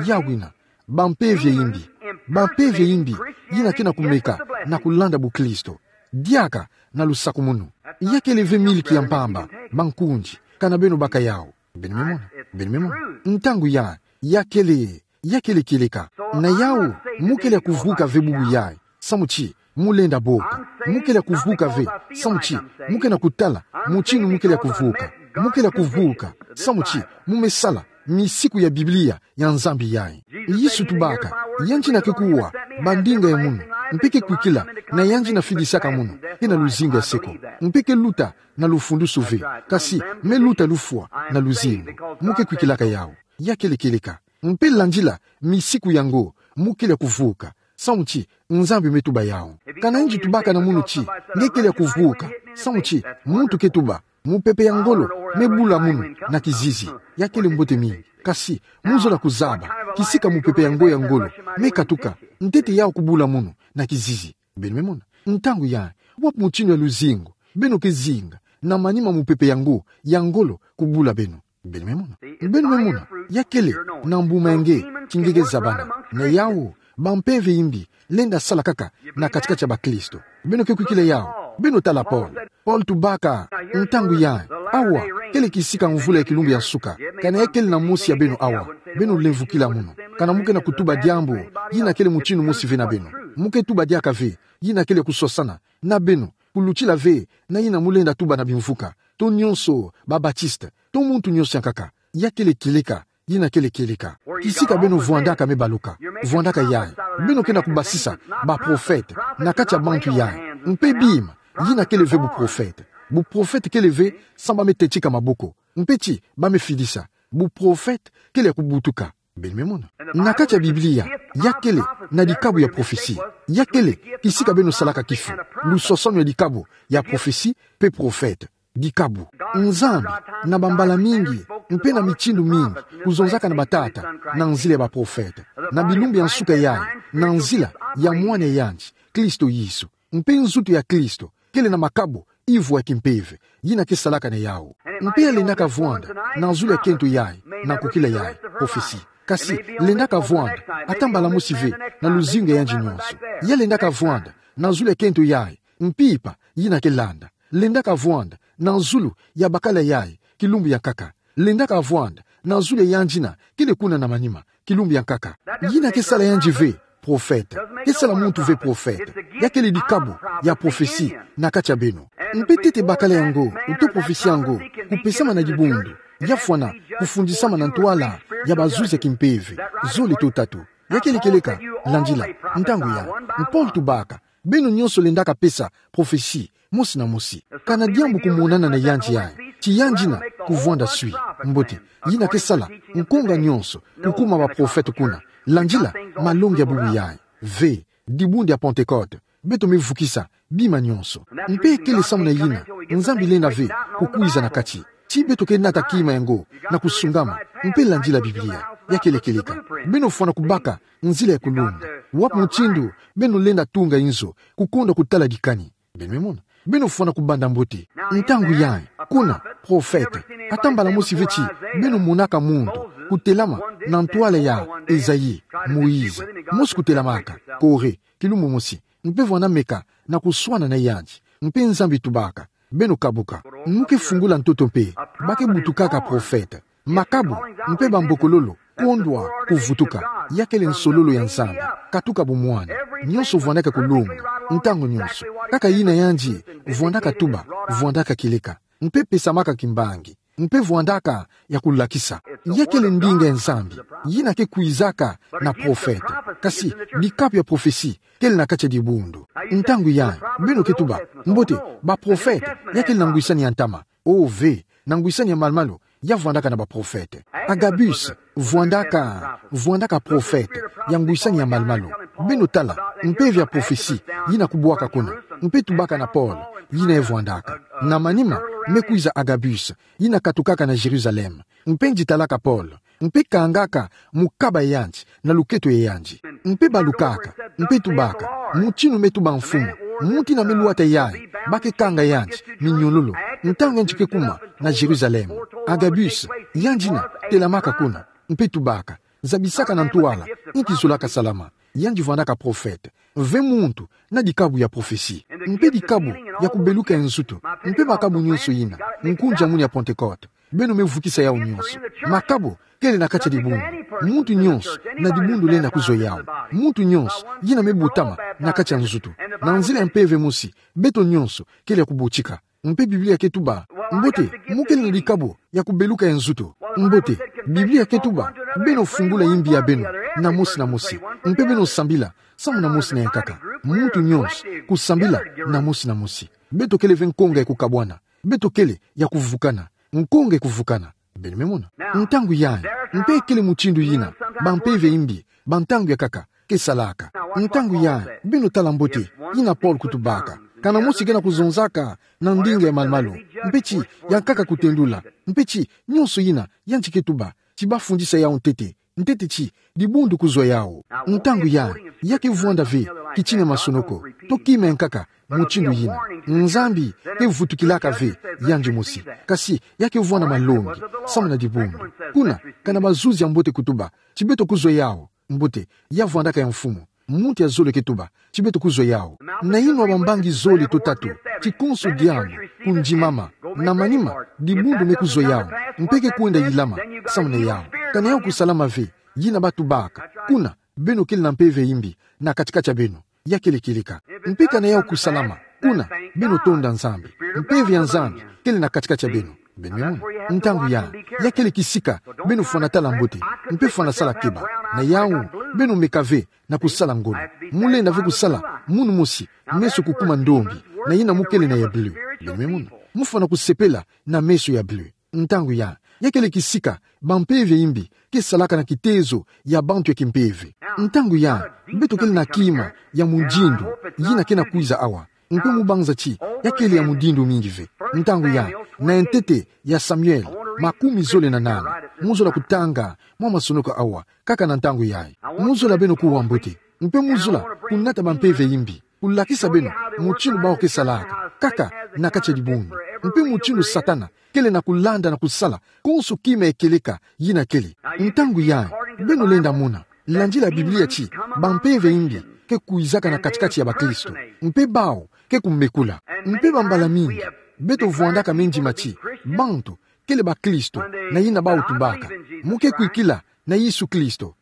Yawu yina, bampeve ya imbi. Bampeve ya imbi yina ke na kumeka na kulanda bukristo. Diaka na lusakumunu. Ya kele ve miliki ya mpamba, bankundi, kana beno baka yawu. Beno me mona. Beno me mona. Ntangu yayi, ya kele, ya kele kieleka. Na yawu, mu kele ya kuvuka ve bubu yayi samu ti mu lenda boka. Mu kele ya kuvuka ve samu ti mu ke na kutala mutinu mu kele ya kuvuka. Mu kele ya kuvuka samu ti mu me sala misiku ya Biblia ya Nzambi yayi. Yesu tubaka, yandi yina ke kuwa bandinga ya munu, mpe ke kwikila na yandi yina fidisaka munu, ke na luzingu ya seko, mpe ke luta na lufundusu ve, kasi me luta lufwa na luzingu. Mu ke kwikilaka yawu. Ya kele kieleka. Mpe landila misiku yango, mu kele ya kuvuka samu ti Nzambi me tuba yawu. Kana yandi tubaka na munu ti nge kele ya kuvuka samu ti muntu ke tuba, mupepe ya ngolo me bula munu na kizizi, ya kele mbote mingi. Kasi mu zola kuzaba kisika mupepe yango ya ngolo me katuka, ntete yawu kubula munu na kizizi. Beno me mona. Ntangu yayi, wapi mutinu ya luzingu beno ke zinga na manima mupepe yango ya ngolo kubula beno? Beno me mona. Beno me mona. Ya kele na mbuma ya nge ti nge ke zabana. Na yawu, bampeve ya imbi lenda sala kaka na kati-kati ya bakristo. Beno ke kwikila yawu. Beno tala Paul. Paul tubaka, ntangu yayi, awa kele kisika mvula ya kilumbu ya nsuka. Kana ya kele na mosi ya beno awa, beno lemvukila mono. Kana mo ke na kutuba diambu yina kele mutinu mosi ve na beno, mo ke tuba diaka ve yina kele kusosana na beno, kulutila ve na yina mo lenda tuba na bimvuka, to nyonso ba Baptiste, to muntu nyonso ya nkaka. Ya kele kieleka, yina kele kieleka. Kisika beno vwandaka me baluka, vwandaka yayi. Beno ke na kubasisa baprofete na kati ya bantu yayi. Mpe bima, yina kele ve buprofete. Buprofete kele ve sa ba me tetika maboko, mpe ti ba me fidisa. Buprofete kele ya kubutuka. Beno me mona. Na kati ya Biblia, ya kele na dikabu ya profesi. Ya kele kisika beno salaka kifu, lusosonu ya dikabu ya profesi mpe profete. Dikabu. Nzambi, na bambala mingi mpe na mitindu mingi, kuzonzaka na batata na nzila ya baprofete, na bilumbu ya nsuka yayi, na nzila ya Mwana ya yandi, Kristo Yesu. Mpe nzutu ya Kristo kele na makabu ivwa ya kimpeve yina ke salaka na yawu. Mpe ya lendaka vwanda na zulu ya kento yayi, na nkokila yayi, profesi. Kasi lendaka vwanda ata mbala mosi ve na luzingu ya yandi nyonso. Ya lendaka vwanda na zulu ya kento yayi, mpimpa yina ke landa. Lendaka vwanda na zulu ya bakala yayi, kilumbu ya nkaka. Lendaka vwanda na zulu ya yandi yina kele kuna na manima, kilumbu ya nkaka. Yina ke sala yandi ve profete. Ke sala muntu ve profete. Ya kele dikabu ya profesi na kati ya beno. Mpe ntete bakala yango, to profesi yango, kupesama na dibundu, ya fwana kufundisama na ntwala ya bazuzi ya kimpeve. Zole to tatu. Ya kele kieleka, landila, ntangu yayi. Paul tubaka, beno nyonso lendaka pesa profesi, mosi na mosi. Kana diambu kumonana na yandi yayi, ti yandi yina kuvwanda swi. Mbote, yina ke sala nkonga nyonso kukuma baprofete kuna. Landila malongi ya bubu yayi. Ve, dibundu ya Pentecote, beto me vukisa bima nyonso. Mpe kele samu na yina Nzambi lenda ve kukwiza na kati, ti beto ke nata kima yango na kusungama mpe landila Biblia. Ya kele kieleka. Beno fwana kubaka nzila ya kulonga. Wapi mutindu beno lenda tunga inzo, kukonda kutala dikani? Beno me mona. Beno fwana kubanda mbote. Ntangu yayi, kuna, profete, ata mbala mosi ve ti beno monaka muntu kutelama na ntwala ya Esaïe, Moïse, mosi kutelamaka, Corée, kilumbu mosi, mpe vwanda meka na kuswana na yandi. Mpe Nzambi tubaka, beno kabuka. Mo ke fungula ntoto mpe ba ke butukaka profete. Makabu mpe bambokololo kondwa kuvutuka. Ya kele nsololo ya Nzambi. Katuka bumwani. Nyonso vwandaka kulonga ntangu nyonso. Kaka yina yandi vwandaka tuba, vwandaka kieleka, mpe pesamaka kimbangi, mpe vwandaka ya kulakisa. Ya kele ndinga ya Nzambi yina ke kwizaka na profete. Kasi dikabu ya profesi kele na kati ya dibundu. Ntangu yayi, beno ke tuba, mbote, baprofete, ya kele na ngwisani ya ntama. O ve, na ngwisani ya malu-malu ya vwandaka na baprofete. Agabus vwandaka, vwandaka profete ya ngwisani ya malu-malu. Beno tala mpeve ya profesi yina kubwaka kuna, mpe tubaka na Paul yina e vwandaka. Na manima me kwiza Agabus, yina katukaka na Jérusalem, mpe ngitalaka Paul, mpe kangaka mukaba ya yandi na luketo ya yandi. Mpe balukaka, mpe tubaka, mutinu me tuba mfumu, muntu yina me lwata yayi, ba ke kanga yandi minyololo ntangu yandi ke kuma na Jérusalem. Agabus, yandi yina telamaka kuna, mpe tubaka, zabisaka na ntwala inki zolaka salama. Yandi vwandaka profete. Ve muntu na dikabu ya profesi, mpe dikabu ya kubeluka ya nzutu, mpe makabu nyonso yina, nkunzi ya munu ya Pentecote. Beno me vukisa yawu nyonso. Makabu kele na kati ya dibundu. Muntu nyonso na dibundu lenda kuzwa yawu. Muntu nyonso yina me botama na kati ya nzutu, na nzila ya mpeve mosi, beto nyonso kele ya kubotika. Mpe Biblia ke tuba, mbote, mo kele na dikabu ya kubeluka ya nzutu. Mbote, Biblia ke tuba, beno fungula yimbi ya beno na mosi na mosi, mpe beno sambila samu na mosi na yankaka. Muntu nyonso kusambila na mosi na mosi. Beto kele ve nkonga ya kukabwana. Beto kele ya kuvukana. Nkonga ya kuvukana. Beno me mona. Ntangu yayi, mpe kele mutindu yina bampeve ya yimbi ba ntangu ya nkaka ke salaka. Ntangu yayi, beno tala mbote yina Paul kutubaka. Kana mosi kena kuzonzaka na ndinga ya malu-malu, mpe ti yankaka kutendula, mpe ti nyonso yina yandi ke tuba, ti bafundisa yawu ntete, ntete ti dibundu kuzwa yawu. Ntangu yayi, ya ke vwanda ve kitina ya masonoko, to kima ya nkaka mutindu yina. Nzambi ke vutukilaka ve yandi mosi, kasi ya ke vwanda malongi samu na dibundu. Kuna, kana bazuzi ya mbote kutuba, ti beto kuzwa yawu, mbote, ya vwandaka ya mfumu. Muntu ya zole ke tuba ti beto kuzwa yawu. Na inwa bambangi zole to tatu ti konso diambu kundimama. Na manima, dibundu me kuzwa yawu, mpe ke kwenda yilama. Samu na yawu, ka na yawu kusalama ve, yina batubaka, kuna beno kele na mpeve ya imbi na kati-kati ya beno. Ya kele kieleka. Mpe ka na yawu kusalama, kuna beno tonda Nzambi. Mpeve ya Nzambi kele na kati-kati ya beno. Beno me mona. Ntangu ya, ya kele kisika beno fwana tala mbote, mpe fwana sala keba. Na yawu, beno meka ve na kusala ngolo. Mu lenda ve kusala munu mosi, meso kukuma ndombi, na yina mu kele na ya bleu. Beno me mona. Mu fwana kusepela na meso ya bleu. Ntangu ya, ya kele kisika bampeve ya imbi ke salaka na kitezo ya bantu ya kimpeve. Ntangu ya, beto kele na kima ya mundindu yina ke na kwiza awa. Mpe mu banza ti ya kele ya mundindu mingi ve. Ntangu ya, na ntete ya Samuel makumi zole na nana. Mu zola kutanga mwa masonoko awa, kaka na ntangu yayi. Mu zola beno kuwa mbote. Mpe mu zola kunata bampeve ya imbi, kulakisa beno mutindu bawu ke salaka, kaka na kati ya dibundu. Mpe mutindu Satana kele na kulanda na kusala konso kima ya kieleka yina kele. Ntangu yayi, beno lenda mona, landila Biblia ti bampeve ya imbi ke kwizaka na kati-kati ya bakristo, mpe bawu ke kumekula. Mpe bambala mingi, beto vwandaka me ndima ti bantu kele bakristo, na yina bawu tubaka: Mu ke kwikila na Yesu Kristo.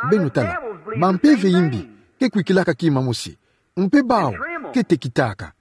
Beno tala, bampeve ya imbi ke kwikilaka kima mosi, mpe bawu ke tekitaka.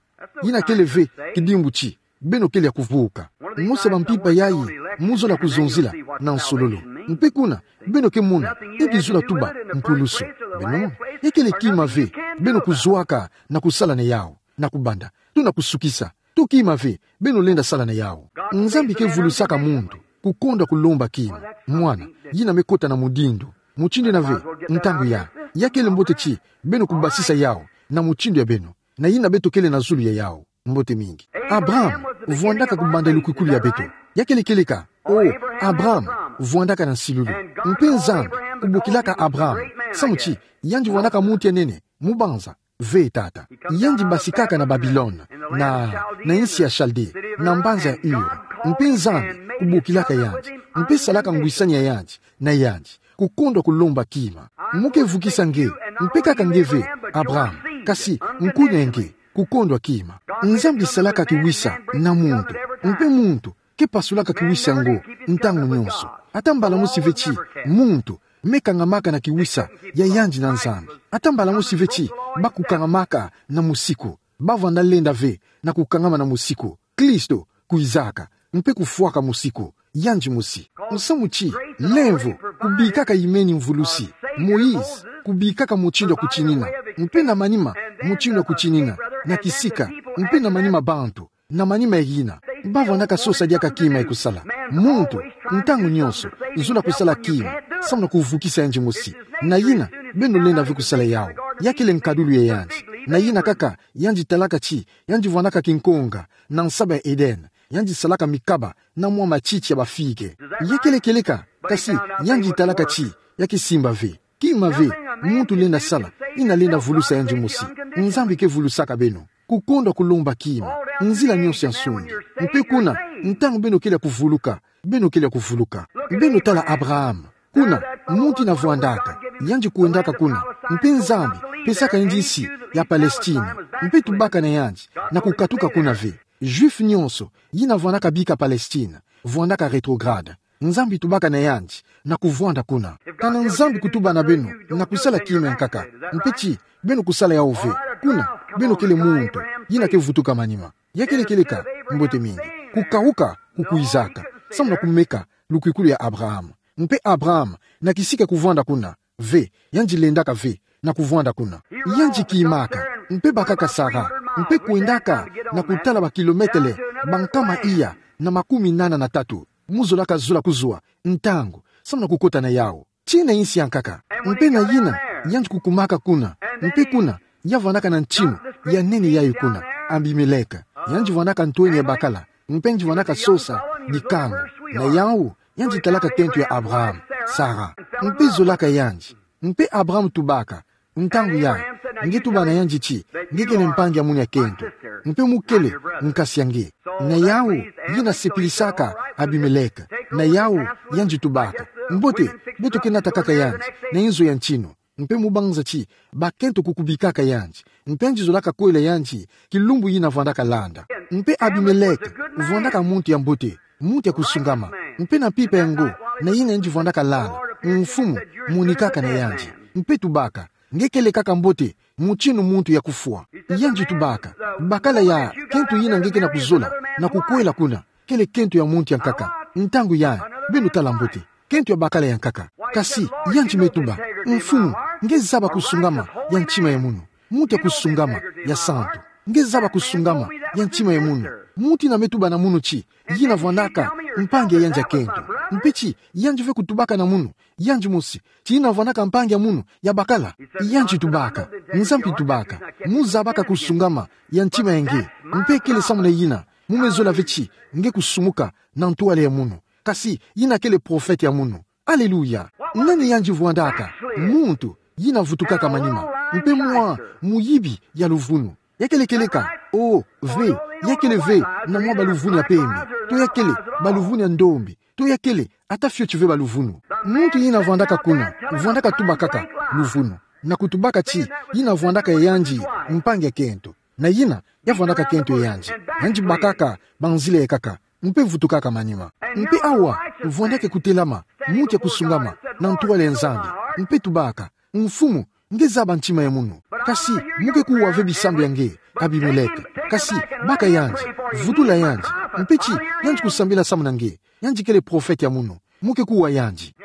Yina kele ve kidimbu ti beno kele ya kuvuka. Mosi ya bampimpa yayi mu zola kuzonzila na nsololo. Mpe kuna, beno ke mona, e ki zola tuba mpulusu. Beno mona, ya kele kima ve beno kuzwaka na kusala na yawu, na kubanda, to na kusukisa. To kima ve beno lenda sala na yawu. Nzambi ke vulusaka muntu kukondwa kulomba kima. Mwana, yina me kota na mundindu. Mutindu yina ve, ntangu ya, ya kele mbote ti beno kubasisa yawu na mutindu ya beno, na yina beto kele na zulu ya yawu. Mbote mingi. Abraham vwandaka kubanda lukwikulu ya beto. Ya kele kieleka. O, Abraham vwandaka na nsilulu. Mpe Nzambi kubokilaka Abraham, samu ti yandi vwandaka muntu ya nene, mu banza. Ve tata. Yandi basikaka na Babilone, na, na insi ya Chaldée, na mbanza ya Ur. Mpe Nzambi kubokilaka yandi, mpe salaka ngwisani ya yandi na yandi, kukondwa kulomba kima. Mu ke vukisa nge, mpe kaka nge ve, Abraham, kasi nkunia nge, kukondwa kima. Nzambi salaka kiwisa na muntu, mpe muntu ke pasulaka kiwisa yango ntangu nyonso. Ata mbala mosi ve ti muntu me kangamaka na kiwisa ya yandi na Nzambi. Ata mbala mosi ve ti ba kukangamaka na mosiku. Ba vanda lenda ve na kukangama na mosiku. Kristo kwizaka, mpe kufwaka mosiku yandi mosi. Musamu ti lemvo kubikaka imeni mvulusi. Moïse kubikaka mutindu ya kutinina, mpe na manima mutindu ya kutinina, na kisika, mpe na manima bantu, na manima ya yina. Ba vandaka sosa diaka kima ya kusala. Muntu, ntangu nyonso, zola kusala kima samu na kuvukisa yandi mosi. Na yina, beno lenda ve kusala yawu. Ya kele nkadulu ya yandi. Na yina kaka, yandi talaka ti yandi vandaka kinkonga na nsaba ya Eden. Yandi salaka mikaba na mwa matiti ya bafige. Ya kele kieleka, kasi yandi talaka ti ya kisimba ve. Kima ve muntu lenda sala yina lenda vulusa yandi mosi. Nzambi ke vulusaka beno. Kukondwa kulomba kima nzila nyonso ya nsungi. Mpe kuna, ntangu beno kele ya kuvuluka, beno kele ya kuvuluka. Beno tala Abraham. Kuna, muntu yina vwandaka, yandi kwendaka kuna. Mpe Nzambi pesaka yandi nsi ya Palestine. Mpe tubaka na yandi na kukatuka kuna ve. Juif nyonso yina vwandaka bika Palestine vwandaka rétrograde. Nzambi tubaka na yandi na kuvwanda kuna. Kana Nzambi kutuba na beno na kusala kima ya nkaka, mpe ti beno kusala yawu ve, kuna beno kele muntu yina ke vutuka manima. Ya kele kieleka, mbote mingi. Kukawuka kukwizaka samu na kumeka lukwikulu ya Abraham. Mpe Abraham, na kisika kuvwanda kuna ve, yandi lendaka ve na kuvwanda kuna. Yandi kimaka, mpe bakaka Sara, mpe kwendaka na kutala bakilometele bankama iya na makumi nana na tatu. Mu zolaka zola kuzwa ntangu samu na kukota na yawu. Tii na insi ya nkaka. Mpe na yina, yandi kukumaka kuna. Mpe kuna, ya vandaka na ntinu ya nene yayi kuna, Abimeleke. Yandi vandaka ntwenya ya bakala. Mpe yandi vandaka sosa bikangu. Na yawu, yandi talaka kento ya Abraham, Sara. Mpe zolaka yandi. Mpe Abraham tubaka, ntangu yayi, nge tuba na yandi ti nge kele mpangi ya munia kento, mpe mu kele nkasi ya nge. Na yawu, yina sepilisaka Abimeleke. Na yawu, yandi tubaka, mbote, beto ke nata kaka yandi na inzo ya ntinu. Mpe mu banza ti bakento kukubikaka yandi. Mpe yandi zolaka kwela yandi kilumbu yina vwandaka landa. Mpe Abimeleke vwandaka muntu ya mbote, muntu ya kusungama. Mpe na mpimpa yango, na yina yandi vwandaka landa, Mfumu monikaka na yandi. Mpe tubaka, nge kele kaka mbote, mutindu muntu ya kufwa. Yandi tubaka, bakala ya kento yina nge ke na kuzola na kukwela kuna, kele kento ya muntu ya nkaka. Ntangu yayi, beno tala mbote, kento ya bakala ya nkaka. Kasi yandi me tuba, Mfumu, nge zaba kusungama ya ntima ya munu, muntu ya kusungama, ya santu. Nge zaba kusungama ya ntima ya munu. Muntu yina me tuba na munu ti yina vwandaka mpangi ya yandi ya kento, mpe ti yandi ve kutubaka na munu, yandi mosi, ti yina vwandaka mpangi ya munu ya bakala. Yandi tubaka, Nzambi tubaka, mu zabaka kusungama ya ntima ya nge. Mpe kele samu na yina mu me zola ve ti nge kusumuka na ntwala ya munu. Kasi yina kele profete ya munu. Aleluya. Nani yandi vwandaka? Muntu yina vutukaka manima, mpe mwa muyibi ya luvunu. Ya kele kieleka, o, ve, ya kele ve na mwa baluvunu ya pembe, to ya kele baluvunu ya ndombi, to ya kele ata fioti ve baluvunu. Muntu yina vwandaka kuna, vwandaka tubakaka luvunu, na kutubaka ti yina vwandaka ya yandi mpangi ya kento, na yina ya vwandaka kento ya yandi. Yandi bakaka banzila ya nkaka, mpe vutukaka manima. Mpe awa, vwandaka kutelama muntu ya kusungama na ntwala ya Nzambi, mpe tubaka, Mfumu, nge zaba ntima ya munu. Kasi mu ke kuwa ve bisambu ya nge, Abimeleke. Kasi baka yandi, vutula yandi, mpe ti yandi kusambila samu na nge. Yandi kele profete ya munu. Mu ke kuwa yandi.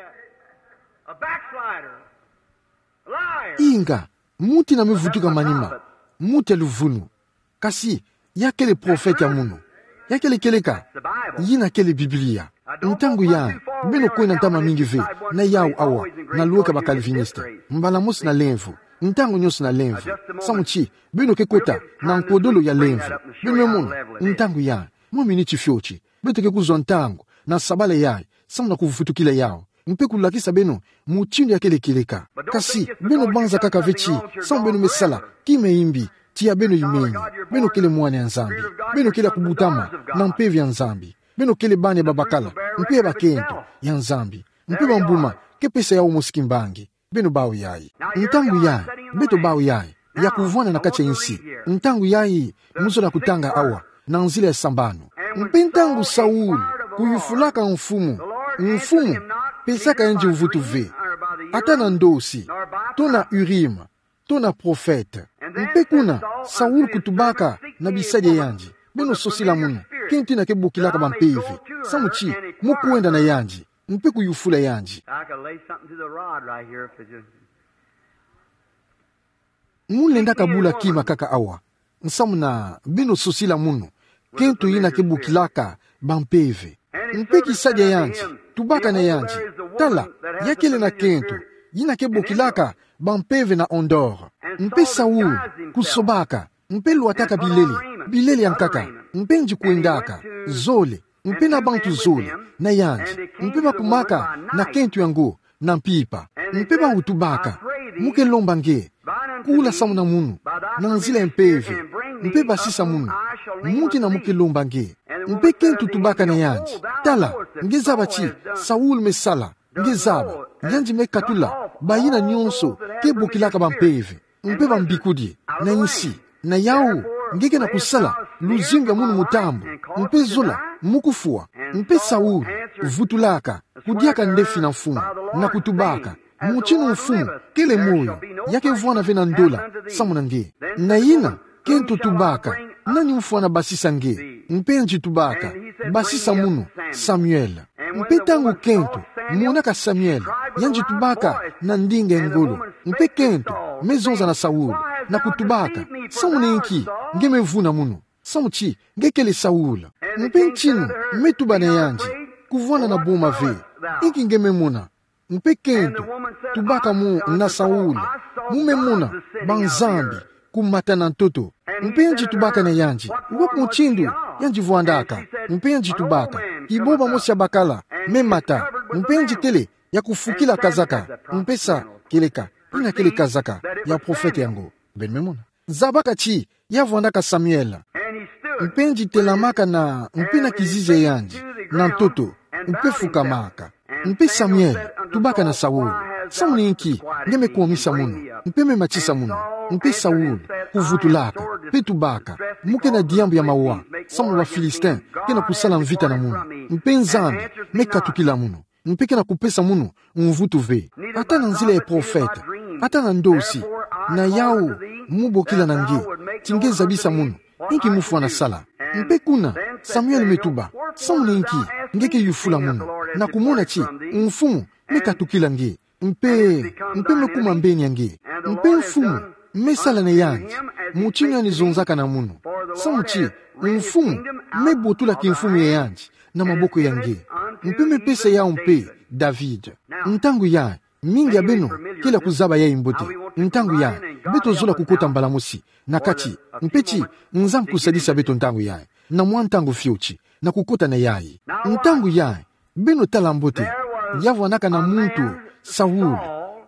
A backslider. Liar. Inga, muntu yina me vutuka manima, muntu ya luvunu. Kasi ya kele profete ya munu. Ya kele kieleka, yina kele Biblia. Ntangu yayi, beno kwenda ntama mingi ve na yawu awa, na luweka ba calviniste. Mbala mosi na lemvo. Ntangu nyonso na lemvo. Samu ti beno ke kota na nkodolo ya lemvo. Beno me mona, ntangu yayi, mwa miniti fioti, beto ke kuzwa ntangu na sabala yayi, samu na kuvutukila yawu, mpe kulakisa beno mutindu ya kele kieleka. Kasi beno banza kaka ve ti samu beno me sala, kima ya mbi, tiya beno yimeni. Beno kele mwana ya Nzambi. Beno kele ya kubutama na mpeve ya Nzambi. Beno kele bana ya babakala, mpe ya bakento ya Nzambi. Mpe bambuma ke pesa yawu mosi kimbangi. Beno bau yayi. Ntangu yayi, beto bau yayi, ya kuvwanda na kati ya insi. Ntangu yayi, mu zola kutanga awa, na nzila ya sambanu. Mpe ntangu Saul kuyufulaka Mfumu, Mfumu pesaka yandi mvutu ve, ata na ndosi, to na Urim, to na profete. Mpe kuna, Saul kutubaka na bisadi ya yandi: Beno sosila munu, kento yina ke bokilaka bampeve. Samu ti mu kwenda na yandi, mpe kuyufula yandi. I could lay something to the rod right here if it just Mu lenda kabula kima kaka awa, samu na beno sosila munu, kento yina ke bokilaka bampeve. Mpe kisadi ya yandi tubaka na yandi: Tala, ya kele na kento yina ke bokilaka bampeve na Endor. Mpe Saul kusobaka, mpe lwataka bilele, bilele ya nkaka, mpe yandi kwendaka zole, mpe na bantu zole na yandi, mpe bakumaka na kento yango na mpimpa. Mpe bawu tubaka: Mu ke lomba nge, kula samu na munu na nzila ya mpeve, mpe basisa munu, muntu yina mu ke lomba nge. Mpe kento tubaka na yandi: Tala, nge zaba ti Saul me sala, nge zaba, yandi me katula bayina nyonso ke bokilaka bampeve, mpe bambikudi na insi. Na yawu, nge ke na kusala luzingu ya munu mutambu, mpe zola mu kufwa. Mpe Saul vutulaka, kudiaka ndefi na Mfumu, na kutubaka: Mutindu Mfumu kele moyo, ya ke vwanda ve na ndola samu na nge. Na yina, kento tubaka: Nani mfwana basisa nge? Mpe yandi tubaka: Basisa munu, Samuel. Mpe ntangu kento monaka Samuel, yandi tubaka na ndinga ya ngolo. Mpe kento me zonza na Saul, na kutubaka: Samu na inki nge me vuna munu? Samu ti nge kele Saul. Mpe ntinu me tuba na yandi: Kuvwanda na boma ve, inki nge me mona? Mpe kento tubaka: Mu na Saul, mu me mona banzambi kumata na ntoto. Mpe yandi tubaka na yandi: Wapi mutindu yandi vwandaka? Mpe yandi tubaka: Kibomba mosi ya bakala me mata. Mpe yandi kele ya kufukila kazaka, mpe sa kieleka, yina kele kazaka ya profete yango. Beno me mona. Zabaka ti ya vwandaka Samuel. Mpe yandi telamaka na, mpe na kizizi ya yandi na ntoto, mpe fukamaka. Mpe Samuel tubaka na Saul: Samu na inki, nge me kwamisa munu, mpe me matisa munu, mpe Saul, kuvutulaka, mpe tubaka, muke na diambu ya mawa, samu na ba Philistin, ke na kusala mvita na munu, mpe Nzambi, me katukila munu, mpe ke na kupesa munu mvutu ve. Ata na nzila ya profeta, ata na ndosi, na yau, mu bokila na nge, ti nge zabisa munu, inki mufwana sala. Mpe kuna, Samuel me tuba, samu na inki, nge ke yufula munu, na kumona ti, mfumu, me katukila nge, mpe, mpe me kuma mbeni ya nge, mpe mfumu, me sala na yandi, mutinu yandi zonzaka na munu. Samu ti, mfumu, me botula kimfumu ya yandi, na maboko ya nge, mpe me pesa yau mpe, David. Ntangu ya, mingi ya beno, kele kuzaba yayi mbote. Ntangu ya, beto zola kukota mbala mosi, na kati, mpe ti, Nzambi kusadisa beto ntangu ya, na mwa ntangu fioti, na kukota na yayi. Ntangu ya, beno tala mbote, ya vwandaka na muntu, Saul,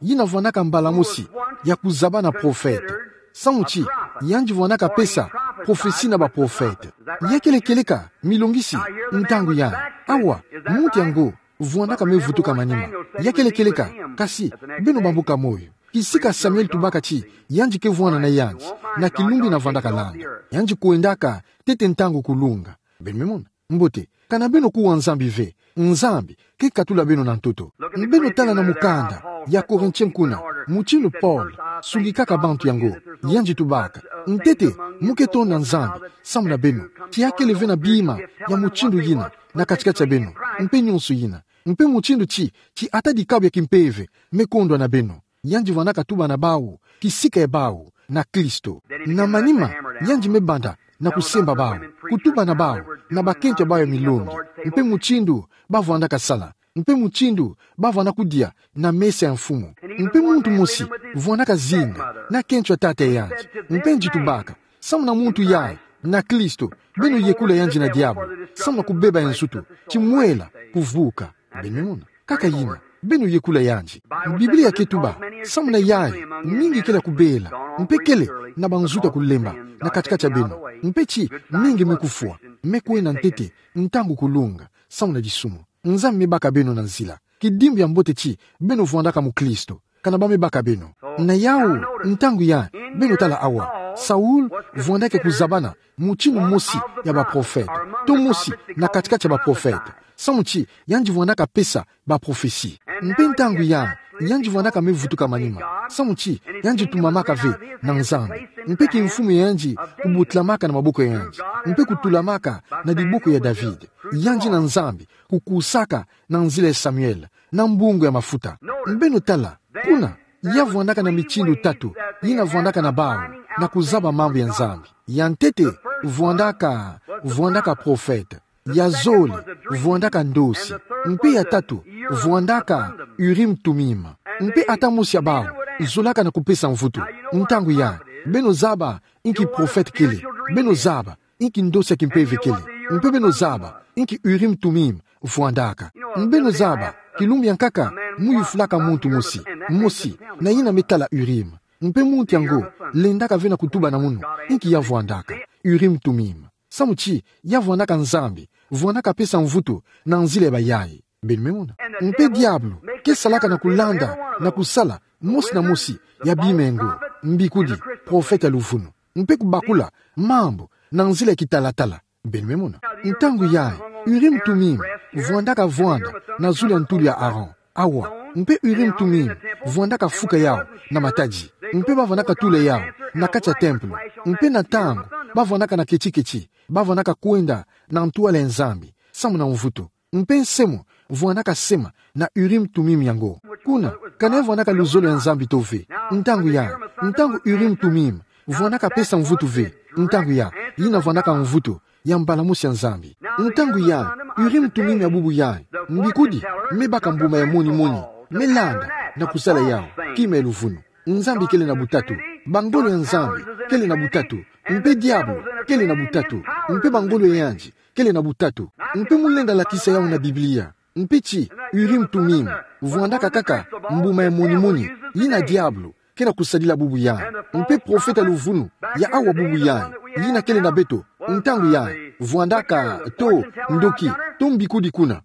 yina vwandaka mbala mosi, ya kuzaba na profeta. Samu ti, yandi vwandaka pesa, profesi na ba profeta. Ya kele kieleka, milongisi, ntangu ya, awa, muntu yango, vwandaka me vutuka manima. Ya kele kieleka, kasi, beno bambuka moyo. Kisika Samuel tubaka ti, yandi ke vwanda na yandi, na kilumbu yina vwandaka landa. Yandi kwendaka, ntete ntangu kulunga. Beno me mona. Mbote, kana beno kuwa Nzambi ve, Nzambi, ke katula beno na ntoto. Beno tala na mukanda, ya Corinthiens kuna, mutindu Paul, sungikaka bantu yango, yandi tubaka. Ntete, muke tonda Nzambi, samu na beno, ti ya kele ve na bima, ya mutindu yina, na kati-kati ya beno, mpe nyonso yina. Mpe mutindu ti, ti ata dikabu ya kimpeve, me kondwa na beno. Yandi vwandaka tuba na bawu, kisika ya bawu, na Kristo. Na manima, yandi me banda, na kusemba bawu, kutuba na bawu, na bakento ya bawu ya milongi, mpe mutindu, ba vwandaka sala, mpe mutindu, ba vwandaka kudia, na mesa ya mfumu. Mpe muntu mosi, vwandaka zinga, na kento ya tata ya yandi, mpe yandi tubaka, samu na muntu yayi, na Kristo, beno yekula yandi na diabu, samu na kubeba ya nsutu, ti mwela, kuvuka. Beno me mona. Kaka yina, beno yekula yandi. Biblia ke tuba, samu na yayi, mingi kele kubela, mpe kele, na banzutu ya kulemba, na kati-kati ya beno. Mpe ti, mingi me kufwa, me kwenda ntete, ntangu kulunga, samu na disumu. Nzambi me baka beno na nzila. Kidimbu ya mbote ti, beno vwandaka mukristo. Kana ba me baka beno. Na yawu, ntangu ya, beno tala awa. Saul, vwandaka kuzabana, mutindu mosi ya ba profeta. To mosi, na kati-kati ya ba profeta. Samu ti, yandi vwandaka pesa, ba profesi. Mpe ntangu ya, yandi vwandaka me vutuka manima. Samu ti, yandi tumamaka ve, na Nzambi. Mpe kimfumu ya yandi, kubutulamaka na maboko ya yandi. Mpe kutulamaka, na diboko ya David. Yandi na Nzambi, kukusaka, na nzila ya Samuel, na mbungu ya mafuta. Beno tala, kuna, ya vwandaka na mitindu tatu, yina vwandaka na bawu, na kuzaba mambu ya Nzambi. Ya ntete, vwandaka, vwandaka profeta. Ya zole, vwandaka ndosi. Mpe ya tatu, vwandaka Urim Tumim. Mpe ata mosi ya bawu, zolaka na kupesa mvutu. Ntangu ya, beno zaba, inki profeta kele. Beno zaba, inki ndosi ya kimpeve kele. Mpe beno zaba, inki Urim Tumim, vwandaka. Beno zaba, kilumbu ya nkaka, mu yufulaka muntu mosi, mosi, na yina me tala Urim. Mpe muntu yango, lendaka ve na kutuba na munu, inki ya vwandaka, Urim Tumim. Samu ti, ya vwandaka Nzambi, vwandaka pesa mvutu, na nzila ya bayayi. Beno me mona. Mpe diabulu, ke salaka na kulanda, na kusala, mosi na mosi, ya bima yango, mbikudi, profeta ya luvunu. Mpe kubakula, mambu, na nzila ya kitalatala. Beno me mona. Ntangu yayi, Urim Tumim, vwandaka vwanda, na zulu ya ntulu ya Aaron. Awa, mpe Urim Tumim, vwandaka fuka yawu, na matadi. Mpe ba vwandaka tula yawu, na kati ya tempelo. Mpe na ntangu, ba vwandaka na keti-keti, ba vwandaka kwenda, na ntwala ya Nzambi, samu na mvutu. Mpe nsemo, vwandaka sema, na Urim Tumim yango. Kuna, kana ya vwandaka luzolo ya Nzambi to ve. Ntangu ya, ntangu Urim Tumim, vwandaka pesa mvutu ve. Ntangu ya, yina vwandaka mvutu, ya mbala mosi ya Nzambi. Ntangu ya, Urim Tumim ya bubu ya, mbikudi, me baka mbuma ya moni-moni, me landa, na kusala yawu, kima ya luvunu. Nzambi kele na butatu. Bangolo ya Nzambi, kele na butatu. Mpe diabulu, kele na butatu. Mpe bangolo ya yandi, kele na butatu. Mpe mu lenda lakisa yawu na Biblia. Mpe ti, Urim Tumim, vwandaka kaka, mbuma ya moni-moni, yina diabulu, ke na kusadila bubu ya. Mpe profeta ya luvunu, ya awa bubu ya, yina kele na beto, ntangu ya, vwandaka, to, ndoki, to mbikudi kuna.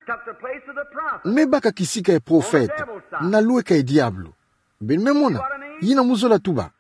Me baka kisika ya profeta. na lweka e diabolo. Beno me mona, yina muzola tuba.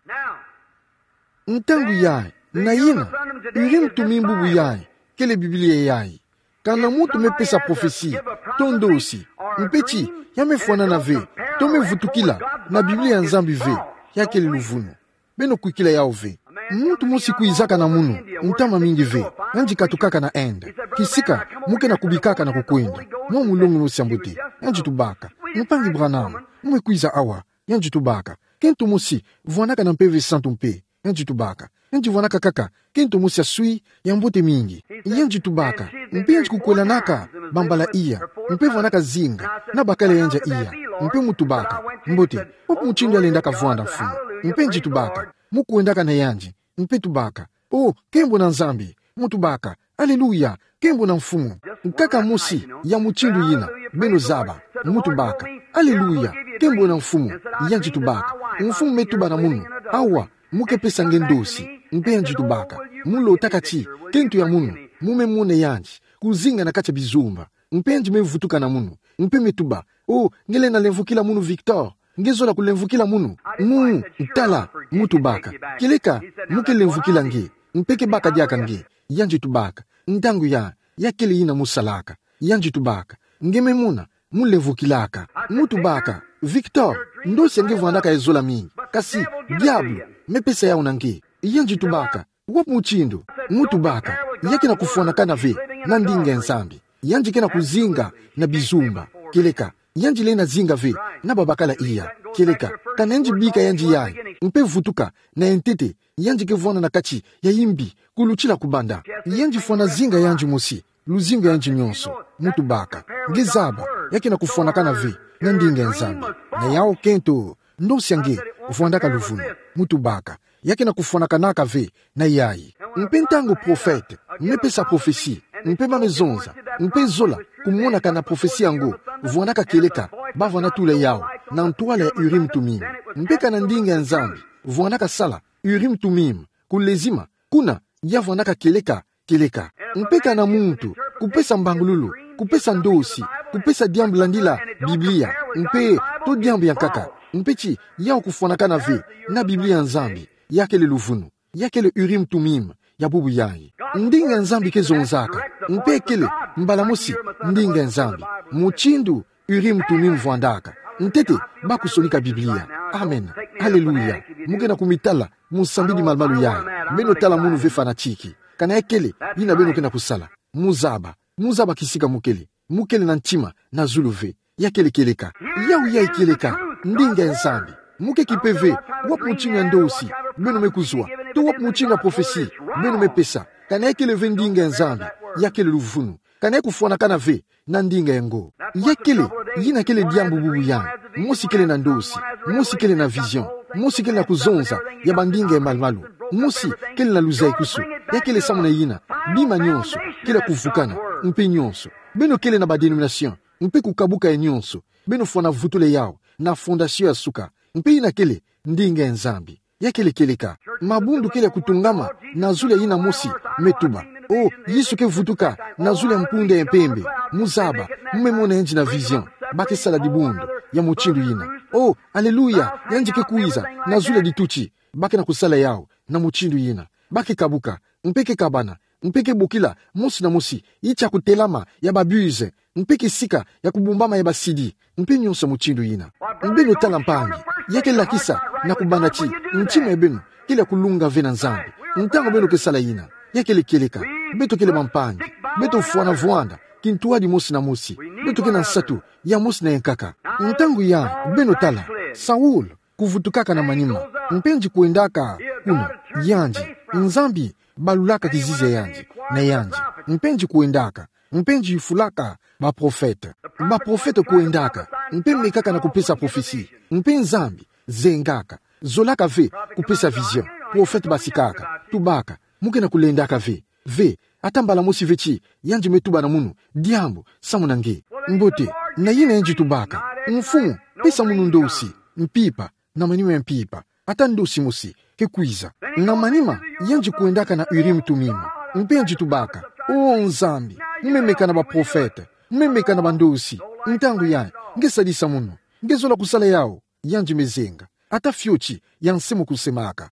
Ntangu yayi, na yina, Urim Tumim bubu yayi, kele Biblia yayi. Ka na muntu me pesa profesi, to ndosi, mpe ti, ya me fwanana ve, to me vutukila, na Biblia ya Nzambi ve, ya kele luvunu. Beno kwikila yawu ve. Muntu mosi kwizaka na munu, ntama mingi ve, yandi katukaka na Inde. Kisika, mu ke na kubikaka na kukwenda. Mwa mulongi mosi ya mbote, yandi tubaka: Mpangi Branham, mu me kwiza awa. Yandi tubaka: Kento mosi, vwanaka na Mpeve Santu mpe. Yandi tubaka: Yandi vwanaka kaka kento mosi ya swi, ya mbote mingi. Yandi tubaka: Mpe yandi kukwelanaka bambala iya, mpe vwanaka zinga, na bakala yandi ya iya. Mpe mu tubaka: Mbote, wapi mutindu ya lendaka vwanda, Mfumu? Mpe yandi tubaka: Mu kwendaka na yandi. Mpe tubaka: O, nkembo na Nzambi. Mu tubaka: Aleluya, nkembo na Mfumu. Nkaka mosi ya mutindu yina, beno zaba. Mu tubaka: Aleluya, nkembo na Mfumu. Yandi tubaka: Mfumu me tuba na munu: Awa, mu ke pesa nge ndosi. Mpe yandi tubaka: Mu lotaka ti kento ya munu, mu me mona yandi kuzinga na kati ya bizumba? Mpe yandi me vutuka na munu, mpe me tuba: O, nge lenda lemvokila munu, Victor? Nge zola kulemvokila munu? Mu, tala, mu tubaka: Kieleka, mu ke lemvokila nge, mpe ke baka diaka nge. Yandi tubaka: Ntangu ya, ya kele yina mu salaka. Yandi tubaka: Nge me mona, mu lemvokilaka. Mu tubaka: Victor, ndosi ya nge vwandaka ya zola mingi, kasi diabolo me pesa yawu na nge. Yandi tubaka: Wapi mutindu? Mu tubaka: Ya ke na kufwanakana ve na ndinga ya Nzambi. Yandi ke na kuzinga na bizumba. Kieleka, yandi lenda zinga ve na babakala iya. Kieleka, ka na yandi bika yandi yayi, mpe vutuka, na ya ntete, yandi ke vwanda na kati ya yimbi, kulutila kubanda. Yandi fwana zinga yandi mosi, luzingu ya yandi nyonso. Mu tubaka: Nge zaba, ya ke na kufwanakana ve na ndinga ya Nzambi. Na yawu kento, ndosi ya nge vwandaka luvunu. Mu tubaka: Ya ke na kufwanakanaka ve na yayi. Mpe ntangu profete me pesa profesi, mpe ba me zonza, mpe zola kumonaka na profesi yango, vwandaka kieleka ba vwanda tula yawu na ntwala ya Urim Tumim. Mpe ka na ndinga ya Nzambi, vwandaka sala Urim Tumim, kulezima, kuna ya vwandaka kieleka, kieleka. Mpe ka na muntu kupesa mbangululu, kupesa ndosi, kupesa diambu landila Biblia, mpe to diambu ya nkaka, mpe ti yawu kufwanakana ve na Biblia ya Nzambi, ya kele luvunu, ya kele Urim Tumim ya bubu yayi. Ndinga ya Nzambi ke zonzaka, mpe kele mbala mosi ndinga ya Nzambi. Mutindu Urim Tumim vwandaka, ntete ba kusonika Biblia. Amen. Aleluya. Mu ke na kumitala, mu nsambidi malumalu yayi. Beno tala munu ve, fanatiki. Ka na ya kele yina beno ke na kusala, mu zaba. Mu zaba kisika mu kele. Mu kele na ntima na zulu ve. Ya kele kieleka. Yawu yayi kieleka. Ndinga ya Nzambi. Mu ke kipe ve wapi mutindu ya ndosi beno me kuzwa, to wapi mutindu ya profesi beno me pesa. Ka na ya kele ve ndinga ya Nzambi, ya kele luvunu. Ka na ya kufwanakana ve na ndinga yango. Ya kele, yina kele diambu bubu yayi. Mosi kele na ndosi, mosi kele na vision, mosi kele na kuzonza ya bandinga ya malumalu, mosi kele na luzayikusu. Ya kele samu na yina, bima nyonso kele ya kuvukana, mpe nyonso. Beno kele na ba dénomination, mpe kukabuka ya nyonso. Beno fwana vutula yawu na fondation ya suka. Mpe yina kele ndinga ya Nzambi. Ya kele kieleka. Mabundu kele ya kutungama na zulu ya yina mosi me tuba. O, Yesu ke vutuka na zulu ya mpunda ya mpembe. Mu zaba, mu me mona yandi na vision. Ba ke sala dibundu ya mutindu yina. O, aleluya, yandi ke kwiza na zulu ya dituti. Ba ke na kusala yawu na mutindu yina. Ba ke kabuka, mpe ke kabana, mpe ke bokila mosi na mosi, yi tia kutelama ya ba bus, mpe kisika ya kubumbama ya ba CD, mpe nyonso mutindu yina. Beno tala, mpangi, ya ke lakisa na kubanda ti ntima ya beno kele ya kulunga ve na Nzambi ntangu beno ke sala yina. Ya kele kieleka. Beto kele bampangi. Beto fwana vwanda kintwadi mosi na mosi. Beto ke na nsatu ya mosi na ya nkaka. Ntangu yayi, beno tala Saul kuvutukaka na manima, mpe yandi kwendaka kuna, yandi, Nzambi balulaka kizizi ya yandi na yandi, mpe yandi kwendaka, mpe yandi yufulaka baprofete. Baprofete kwendaka, mpe mekaka na kupesa profesi, mpe Nzambi zengaka, zolaka ve kupesa vision. Profete basikaka, tubaka: Mu ke na kulendaka ve, ve, ata mbala mosi ve ti yandi me tuba na munu diambu samu na nge. Mbote, na yina yandi tubaka: Mfumu, pesa munu ndosi, mpimpa, na manima ya mpimpa, ata ndosi mosi ke kwiza. Na manima, yandi kwendaka na Urim Tumim, mpe yandi tubaka: O Nzambi, mu me meka na baprofete, mu me meka na bandosi. Ntangu yayi, nge sadisa munu. Nge zola kusala yawu, yandi mezenga. Ata fioti ya nse mo kusemaka.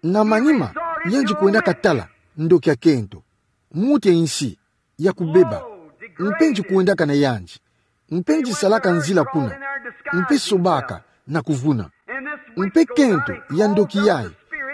Na manima, yandi kwendaka tala ndoki ya kento, muti ya nsi ya kubeba. Mpe ndi kwendaka na yandi. Mpe ndi salaka nzila kuna. Mpe sobaka na kuvuna. Mpe kento ya ndoki yayi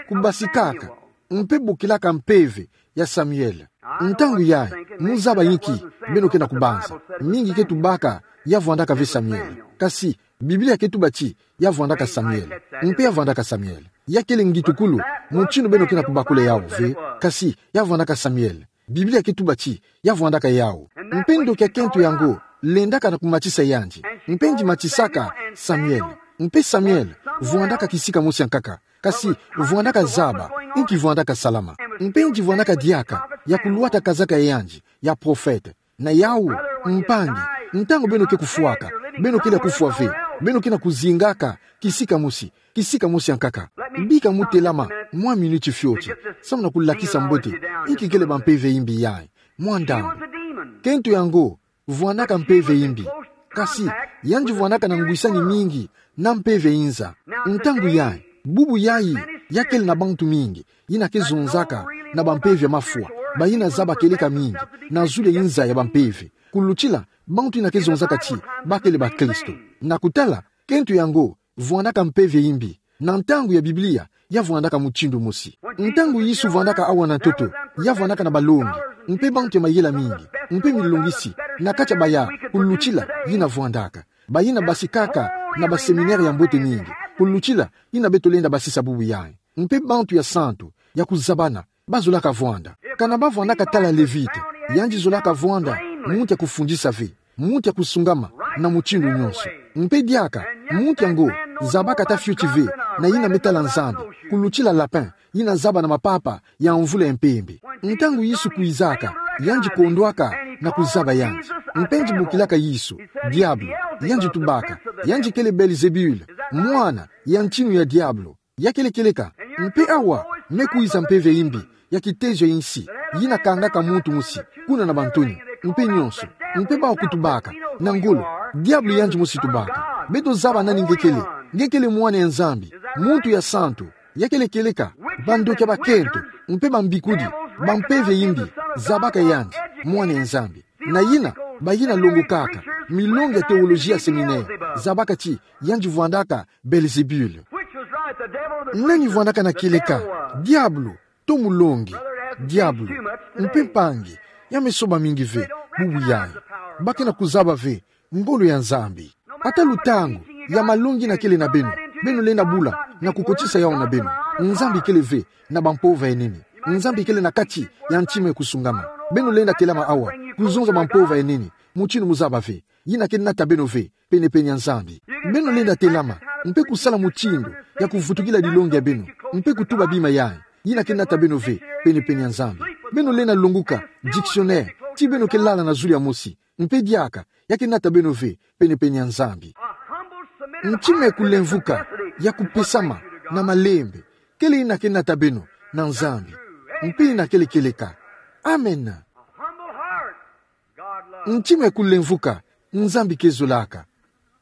kubasikaka, mpe bokilaka mpeve ya Samuel. Ntangu yayi, mu zaba inki beno ke na kubanza. Mingi ke tubaka ya vwandaka ve Samuel. Kasi Biblia ke tuba ti ya vwandaka Samuel. Mpe ya vwandaka Samuel. Ya kele ngitukulu, mutindu beno ke na kubakula yawu ve. Kasi ya vwandaka Samuel. Biblia ke tuba ti ya vwandaka yawu. Mpe ndoki ya kento yango lendaka na kumatisa yandi. Mpe ndi matisaka Samuel. Mpe Samuel vwandaka kisika mosi ya nkaka. Kasi vwandaka zaba inki vwandaka salama. Mpe ndi vwandaka diaka ya kulwata kazaka ya yandi ya profete. Na yawu, mpangi, ntangu beno ke kufwaka, beno kele ya kufwa ve, beno ke na kuzingaka kisika mosi, kisika mosi ya nkaka. Bika mu telama mwa minuti fioti, samu na kulakisa mbote inki kele bampeve ya imbi yayi. Mwa ntangu, kento yango vwandaka mpeve ya imbi. Kasi yandi vwandaka na ngwisani mingi na mpeve ya inza. Ntangu yayi, bubu yayi, ya kele na bantu mingi yina ke zonzaka na bampeve ya mafwa, bayina zaba keleka mingi na zulu ya inza ya bampeve, kulutila bantu yina ke zonzaka ti ba kele bakristo. Na kutala, kento yango vwandaka mpeve ya imbi. Na ntangu ya Biblia, ya vwandaka mutindu mosi. Ntangu Yesu vwandaka awa na ntoto, ya vwandaka na balongi, mpe bantu ya mayela mingi, mpe milongisi na kati ya baya, kulutila yina vwandaka. Bayina basikaka na baseminere ya mbote mingi, kulutila yina beto lenda basisa bubu yayi. Mpe bantu ya santu, ya kuzabana, bazolaka vwanda. Kana ba vwandaka tala Levite, yandi zolaka vwanda mutu ya kufundisa ve, mutu ya kusungama na mutindu nyonso. Mpe diaka, mutu yango zabaka ata fioti ve na yina me tala Nzambi, kulutila lapin yina zaba na mapapa ya mvula ya mpembe. Ntangu Yesu kwizaka, yandi kondwaka na kuzaba yandi. Mpe ndi bokilaka Yesu, diabolo, yandi tubaka, yandi kele Belzebule, mwana ya ntinu ya diabolo. Ya kele kieleka. Mpe awa me kwiza mpeve ya imbi ya kitezo ya insi, yina kangaka muntu mosi kuna na bantoni, mpe nyonso. Mpe bawu kutubaka na ngolo, diabolo yandi mosi tubaka: Beto zaba nani nge kele. Nge kele Mwana ya Nzambi, muntu ya santu. Ya kele kieleka. Bandoki ya bakento mpe bambikudi, bampeve ya imbi, zabaka yandi Mwana ya Nzambi. Na yina, bayina longokaka milongi ya teoloji ya seminere, zabaka ti yandi vwandaka Belzebule. Nani vwandaka na kieleka, diabolo to mulongi? Diabolo. Mpe mpangi, ya me soba mingi ve bubu yayi. Ba ke na kuzaba ve ngolo ya Nzambi. Ata lutangu ya malongi yina kele na beno, beno lenda bula na kukotisa yawu na beno. Nzambi kele ve na bampova ya nene. Nzambi kele na kati ya ntima ya kusungama. Beno lenda telama awa, kuzonza bampova ya nene, mutindu mu zaba ve, yina ke nata beno ve penepene ya Nzambi. Beno lenda telama mpe kusala mutindu ya kuvutukila dilongi ya beno, mpe kutuba bima yayi, yina ke nata beno ve penepene ya Nzambi. Beno lenda longoka dictionnaire, ti beno ke lala na zulu ya mosi, mpe diaka, ya ke nata beno ve penepene ya Nzambi. Ntima ya kulemvuka, ya kupesama na malembe, kele yina ke nata beno na Nzambi. Mpe yina kele kieleka. Amen. Ntima ya kulemvuka, Nzambi ke zolaka.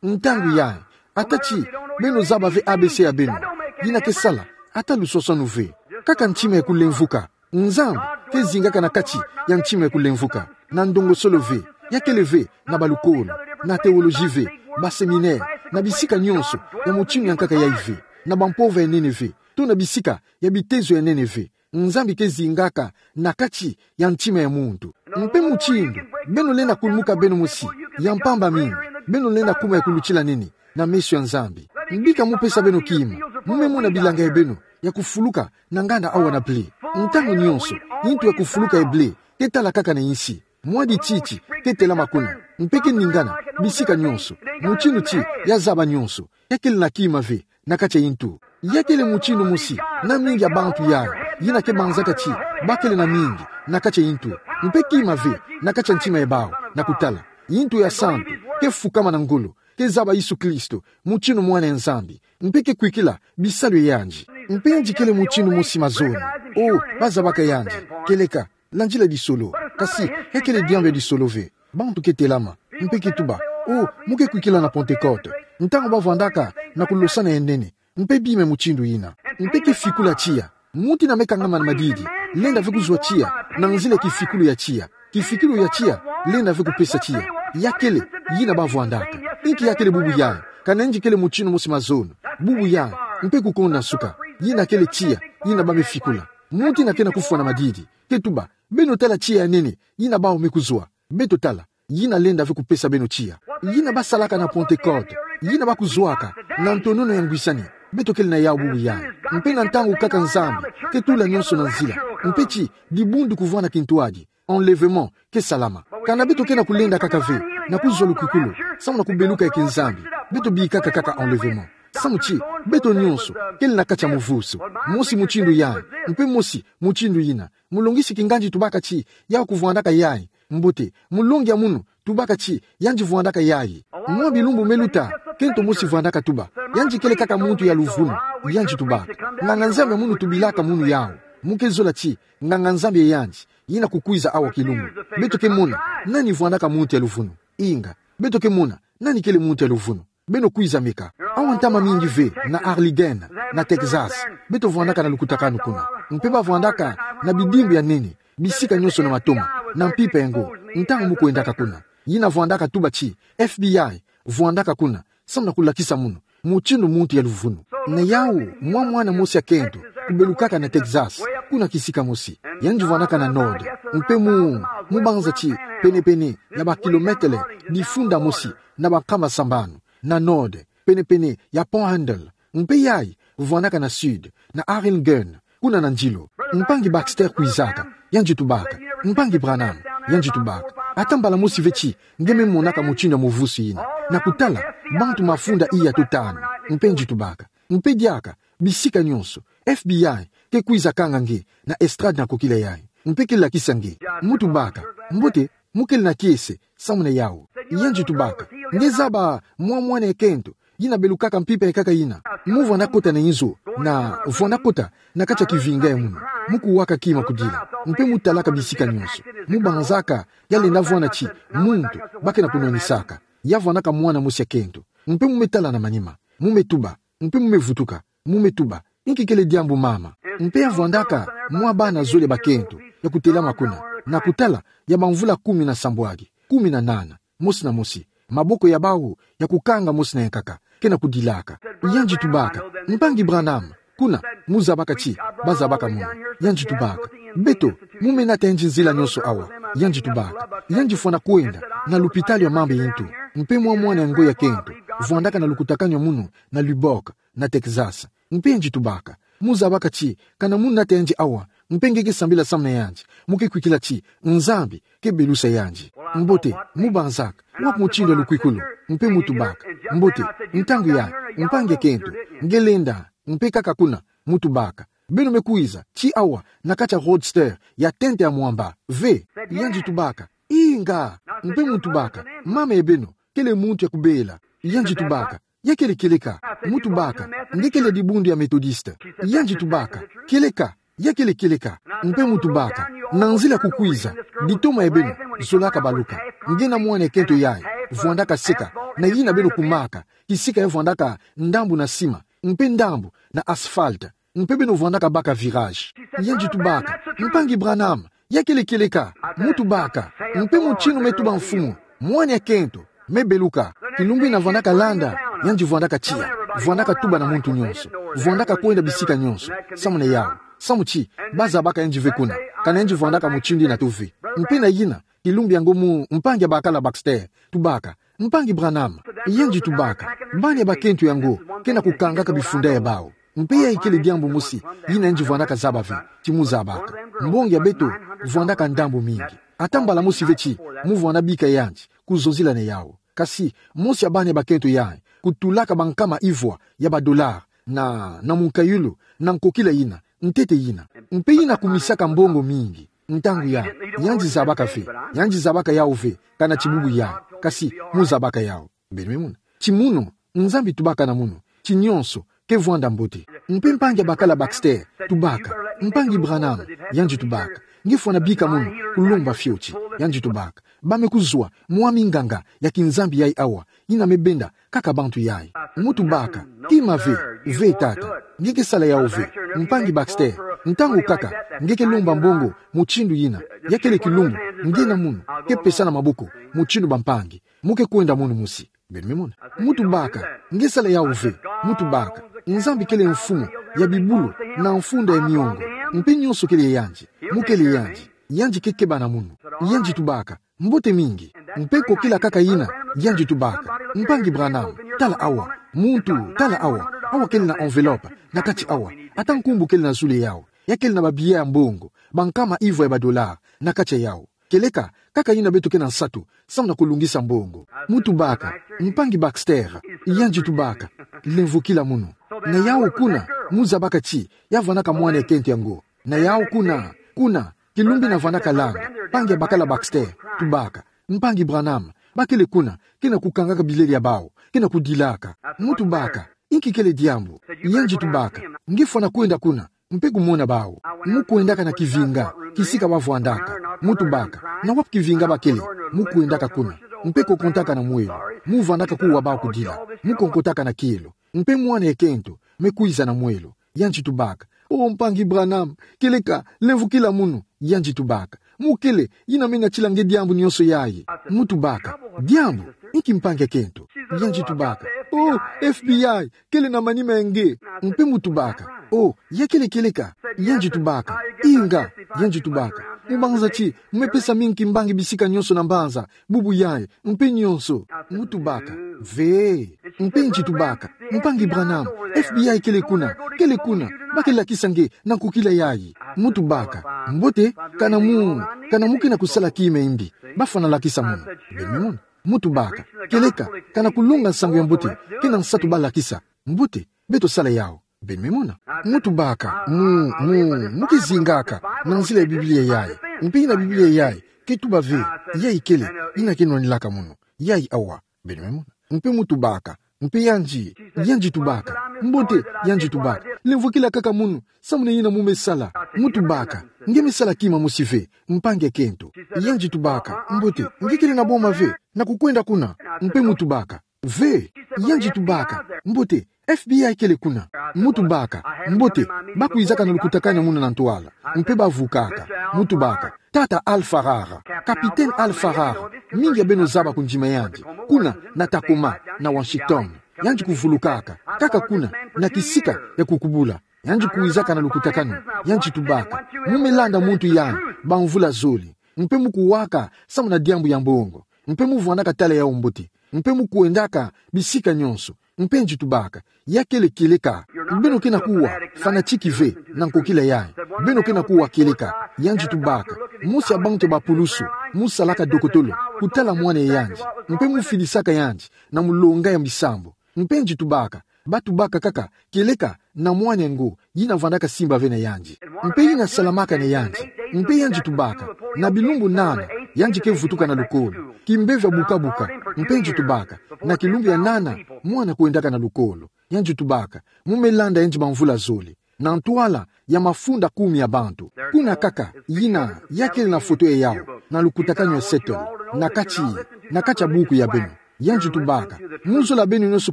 Ntangu yayi, ata ti beno zaba ve A B C ya beno, yina ke sala ata luswaswanu ve. Kaka ntima ya kulemvuka. Nzambi ke zingaka na kati ya ntima ya kulemvuka. Na ndongosolo ve, ya kele ve na balukolo, na teoloji ve, baseminere, na bisika nyonso ya mutindu ya nkaka yayi ve, na bampova ya nene ve, to na bisika ya bitezo ya nene ve. Nzambi ke zingaka na kati ya ntima ya muntu. Mpe mutindu beno lenda kulumuka beno mosi ya mpamba mingi, beno lenda kuma ya kulutila nene na meso ya Nzambi. Bika mu pesa beno kima, mu me mona bilanga ya beno ya kufuluka na nganda awa na blé. Ntangu nyonso, yintu ya kufuluka ya blé ke tala kaka na insi. Mwa dititi ke telama kuna, mpe ke ningana bisika nyonso, mutindu ti ya zaba nyonso. Ya kele na kima ve na kati ya yintu. Ya kele mutindu mosi na mingi ya bantu yayi, yina ke banzaka ti ba kele na mingi na kati ya yintu. Mpe kima ve na kati ya ntima ya bawu na kutala. Yintu ya santu ke fukama na ngolo, ke zaba Yesu Kristo mutindu Mwana ya Nzambi, mpe ke kwikila bisalu ya yandi. Mpe yandi kele mutindu mosi mazono. Oh, ba zabaka yandi kieleka landila lisolo. Kasi ya kele diambu ya lisolo ve. Bantu ke telama, mpe ke tuba: Oh, mu ke kwikila na Pentecote. Ntangu bavwandaka na kulosana ya nene, mpe bima mutindu yina. Mpe kifikulu ya tiya. Muntu ina me kangama na madidi, lenda ve kuzwa tiya na nzila kifikulu ya tiya. Kifikulu ya tiya, lenda ve kupesa tiya. Ya kele, yina bavwandaka. Inki ya kele bubu yayi? Ka nayingi kele mutindu mosi mazono. Bubu yayi, mpe kukonda nsuka. Yina kele tiya, yina ba me fikula. Muntu ina kena kufwa na madidi, ke tuba, beno tala tiya ya nene, yina bawu me kuzwa. Beto tala, yina lenda ve kupesa beno tiya. Yina basalaka na Pentecote, yina bakuzwaka na ntonono ya ngwisani. Beto kele na yawu bubu yayi. Mpe na ntangu kaka Nzambi ke tula nionso na nzila, mpe ti dibundu kuvwanda kintwadi, enlèvement, ke salama. Kana beto kena kulenda kaka ve na kuzwa lukwikulu, samu na kubeluka ya kiNzambi, beto bikaka kaka enlèvement. Samu ti beto nionso kele na kati ya muvusu. Mosi mutindu yayi, mpe mosi mutindu yina. Mulongisi kinganzi tubaka ti, yawu kuvwandaka yayi. Mbote, mulongi ya munu tubaka ti, yandi vwandaka yayi. Mwa bilumbu me luta, kento mosi vwandaka tuba, yandi kele kaka muntu ya luvunu. Yandi tubaka, nganga-Nzambi ya munu tubilaka munu yawu. Mu ke zola ti, nganga-Nzambi ya yandi, yina kukwiza awa kilumbu. Beto ke mona nani vwandaka muntu ya luvunu. Inga, beto ke mona nani kele muntu ya luvunu. Beno kwiza meka. Awa ntama mingi ve na Allegheny, na Texas, beto vwandaka na lukutakanu kuna. Mpe bavwandaka na bidimbu ya nene, bisika nionso na matoma, na mpimpa ya ngo, ntangu mu kwendaka kuna. Yina vwandaka tuba ti, FBI vwandaka kuna, samu na kulakisa munu mutindu muntu ya luvunu. Na yawu, mwa mwana mosi ya kento kubelukaka na Texas, kuna kisika mosi. Yandi vwandaka na Nord, mpe mu, mu banza ti penepene ya bakilometele difunda mosi na bankama sambanu, na Nord, penepene ya Panhandle. Mpe yayi vwandaka na Sud, na Allegheny, kuna na ndilo. Mpangi Baxter kwizaka, yandi tubaka, mpangi Branham, yandi tubaka, ata mbala mosi ve ti nge me monaka mutindu ya muvusu yina, na kutala bantu mafunda iya to tanu. Mpe yandi tubaka, mpe diaka, bisika nionso, FBI ke kwiza kanga nge na estrade na kokila yayi. Mpe ke lakisa nge. Mu tubaka, mbote, mu kele na kiese samu na yawu? Yandi tubaka, nge zaba mwa mwana ya kento yina belukaka mpimpa ya nkaka yina? Mu vwanda kota na inzo, na vwanda kota na kati ya kivinga ya munu, mu kuwaka kima kudila, mpe mu talaka bisika nionso. Mu banzaka ya lenda vwanda ti muntu ba kena kunwanisaka. Ya vwandaka mwana mosi ya kento. Mpe mu me tala na manima, mu me tuba, mpe mu me vutuka, mu me tuba, inki kele diambu mama? Mpe ya vwandaka mwa bana zole bakento ya kutelama kuna, na kutala ya bamvula kumi na sambwadi, kumi na nana, mosi na mosi, maboko ya bawu ya kukanga mosi na ya nkaka, kena kudilaka. Yandi tubaka, mpangi Branham, kuna, mu zabaka ti ba zabaka munu? Yandi tubaka, beto, mu me nata yandi nzila nionso awa. Yandi tubaka, yandi fwana kwenda na lupitalu ya mambu ya ntu. Mpe mwa mwana ya ngo ya kento vwandaka na lukutakanu ya munu na Lubbock, na Texas. Mpe yandi tubaka, mu zabaka ti kana mu nata yandi awa, mpe nge ke sambila samu na yandi, mu ke kwikila ti Nzambi ke belusa yandi. Mbote, mu banzaka, wapi mutindu ya lukwikulu? Mpe mu tubaka, mbote, ntangu yayi, mpangi ya kento, nge lenda, mpe kaka kuna? Mu tubaka, beno me kwiza ti awa na kati ya roadster ya tente ya mwamba ve? Yandi tubaka, inga. Mpe mu tubaka, mama ya beno kele muntu ya kubela? Yandi tubaka, ya kele kieleka. Mu tubaka, nge kele dibundu ya Methodiste? Yandi tubaka, kieleka, ya kele kieleka. Mpe mu tubaka, na nzila kukwiza, ditoma ya beno zolaka baluka. Nge na mwana ya kento yayi vwandaka seka na yina beno kumaka, kisika ya vwandaka ndambu na sima, mpe ndambu na asphalte, mpe beno vwandaka baka virage. Yandi tubaka, mpangi Branham, ya kele kieleka? Mu tubaka, mpe mutinu me tuba mfumu, mwana ya kento me beluka. Kilumbu yina vwandaka landa, yandi vwandaka tiya, vwandaka tuba na muntu nionso, vwandaka kwenda bisika nionso, samu na yawu, samu ti ba zabaka yandi ve kuna, kana yandi vwandaka mutindu yina to ve. Mpe na yina, kilumbu ya ngo mu mpangi ya bakala Baxter tubaka, mpangi Branham, yandi tubaka, bana ya bakento ya ngo kena kukangaka bifunda ya bawu. Mpe yayi kele diambu mosi yina yandi vwandaka zaba ve ti mu zabaka. Mbongi ya beto vwandaka ndambu mingi. Ata mbala mosi ve ti mu vwanda bika yandi kuzonzila na yawu. Kasi mosi ya bana ya bakento yayi kutulaka bankama ivwa ya badolari na, na munkayulu, na nkokila yina, ntete yina. Mpe yina kumisaka mbongo mingi. Ntangu yayi, yandi zabaka ve, yandi zabaka yawu ve, kana ti bubu yayi, kasi mu zabaka yawu. Beno me mona ti munu, Nzambi tubaka na munu ti nionso ke vwanda mbote. Mpe mpangi ya bakala Baxter tubaka, mpangi Branham, yandi tubaka, nge fwana bika munu kulomba fioti? Yandi tubaka, Ba me kuzwa mwami nganga ya kinzambi yayi awa, yina me benda kaka bantu yayi. Muntu baka: Kima ve, ve tata. Nge ke sala yawu ve. Mpangi Baxter, ntangu kaka nge ke lomba mbongo mutindu yina, ya kele kilumbu nge na munu ke pesana maboko mutindu bampangi, mu ke kwenda munu mosi. Beno me mona. Muntu baka: Nge sala yawu ve. Muntu baka: Nzambi kele mfumu ya bibulu na mfunda ya miongo, mpe nionso kele ya yandi. Mu kele yandi. Yandi ke keba na munu. Yandi tubaka: Mbote mingi. Mpe kokila kaka yina, yandi tubaka: Mpangi Branham, tala awa. Muntu, tala awa. Awa kele na enveloppe na kati awa. Ata nkumbu kele na zulu yawu. Ya kele na babillet ya mbongo, bankama ivwa ya badollar na kati yawu. Kieleka kaka yina beto ke na nsatu samu na kulungisa mbongo. Muntu baka: Mpangi Baxter. Yandi tubaka: Lemvokila munu. Na yawu kuna, mu zabaka ti ya vandaka mwana ya kento yango. Na yawu kuna, kuna, kilumbu yina vandaka landa, mpangi ya bakala Baxter tubaka: Mpangi Branham, ba kele kuna, ke na kukangaka bilele ya bawu, ke na kudilaka. Muntu baka: Inki kele diambu? Yandi tubaka: Nge fwana kwenda kuna mpe kumona bawu. Mu kwendaka na kivinga kisika ba vwandaka. Muntu baka: Na wapi kivinga ba kele? Mu kwendaka kuna mpe kokontaka na mwelo. Mu vandaka kuwa bawu kudila. Mu konkotaka na kielo. Mpe mwana ya kento me kwiza na mwelo. Yandi tubaka: O mpangi Branham, kieleka, lemvokila munu. Yandi tubaka: Mu kele yina me natila nge diambu nionso yayi. Muntu baka: Diambu inki, mpangi ya kento? Yandi tubaka: O, F B I kele na manima ya nge. Mpe muntu baka: O, ya kele kieleka? Yandi tubaka: Inga. Yandi tubaka: Mu banza ti mu me pesa mingi kimbangi bisika nionso na mbanza, bubu yayi, mpe nionso. Muntu baka: Ve. Mpe yandi tubaka: Mpangi Branham, F B I kele kuna, kele kuna, ba ke lakisa nge na nkokila yayi. Muntu baka: Mbote, kana mu, kana mu ke na kusala kima ya mbi, ba fwana lakisa munu. Beno me mona. Muntu baka: Kieleka, kana kulonga nsangu ya mbote ke na nsatu ba lakisa. Mbote, beto sala yawu. Beno me mona. Muntu baka: Mu, mu, mu ke zingaka na nzila ya Biblia yayi. Mpe yina Biblia yayi ke tuba ve, yayi kele yina ke nwanilaka munu. Yayi awa. Beno me mona. Mpe muntu baka: Mpe yandi, yandi tubaka: Mbote, yandi tubaka: Lemvokila kaka munu samu na yina mu me sala. Muntu baka: Nge me sala kima mosi ve, mpangi ya kento. Yandi tubaka: Mbote, nge kele na boma ve, na kukwenda kuna? Mpe muntu baka: Ve. Yandi tubaka: Mbote, F B I kele kuna. Muntu baka: Mbote, ba kwizaka na lukutakanu ya munu na ntwala, mpe ba vukaka. Muntu baka: Tata Al Farrar, Capitaine Al Farrar, mingi ya beno zaba kundima yandi, kuna na Tacoma, na Washington. Yandi kuvulukaka kaka kuna na kisika ya kukubula. Yandi kwizaka na lukutakanu. Yandi tubaka: Mu me landa muntu yandi bamvula zole, mpe mu kuwaka samu na diambu ya mbongo, mpe mu vwandaka tala yawu mbote, mpe mu kwendaka bisika nionso. Mpe yandi tubaka: Ya kele kieleka. Beno ke na kuwa fanatique ve na nkokila yayi. Beno ke na kuwa kieleka. Yandi tubaka: Mosi ya bantu ya bapulusu, mu salaka dokotolo, kutala mwana ya yandi, mpe mu filisaka yandi na mulonga ya bisambu. Mpe yandi tubaka: Ba tubaka kaka kieleka na mwana yango, yina vandaka simba ve na yandi, mpe yina salamaka na yandi. Mpe yandi tubaka: Na bilumbu nana, yandi ke vutuka na lukolo, kimpeve ya bukabuka. Mpe yandi tubaka: Na kilumbu ya nana, mwana kwendaka na lukolo. Yandi tubaka: Mu me landa yandi bamvula zole, na ntwala ya mafunda kumi ya bantu. Kuna kaka yina, ya kele na foto ya yawu na lukutakanu ya Seattle, na kati, na kati ya buku ya beno. Yandi tubaka: Mu zola beno nionso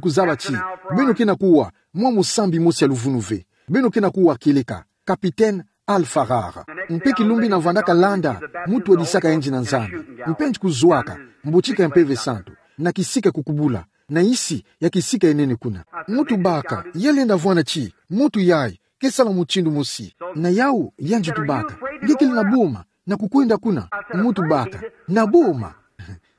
kuzaba ti beno ke na kuwa mwa musambi mosi ya luvunu ve. Beno ke na kuwa kieleka, Capitaine Al Farrar. Mpe kilumbu yina vandaka landa, mu twadisaka yandi na Nzambi. Mpe yandi kuzwaka mbotika ya Mpeve Santu na kisika ya kukubula, na insi ya kisika ya nene kuna. Muntu baka: Ya lenda vwanda ti muntu yayi ke sala mutindu mosi. Na yawu yandi tubaka: Nge kele na boma na kukwenda kuna? Muntu baka: Na boma?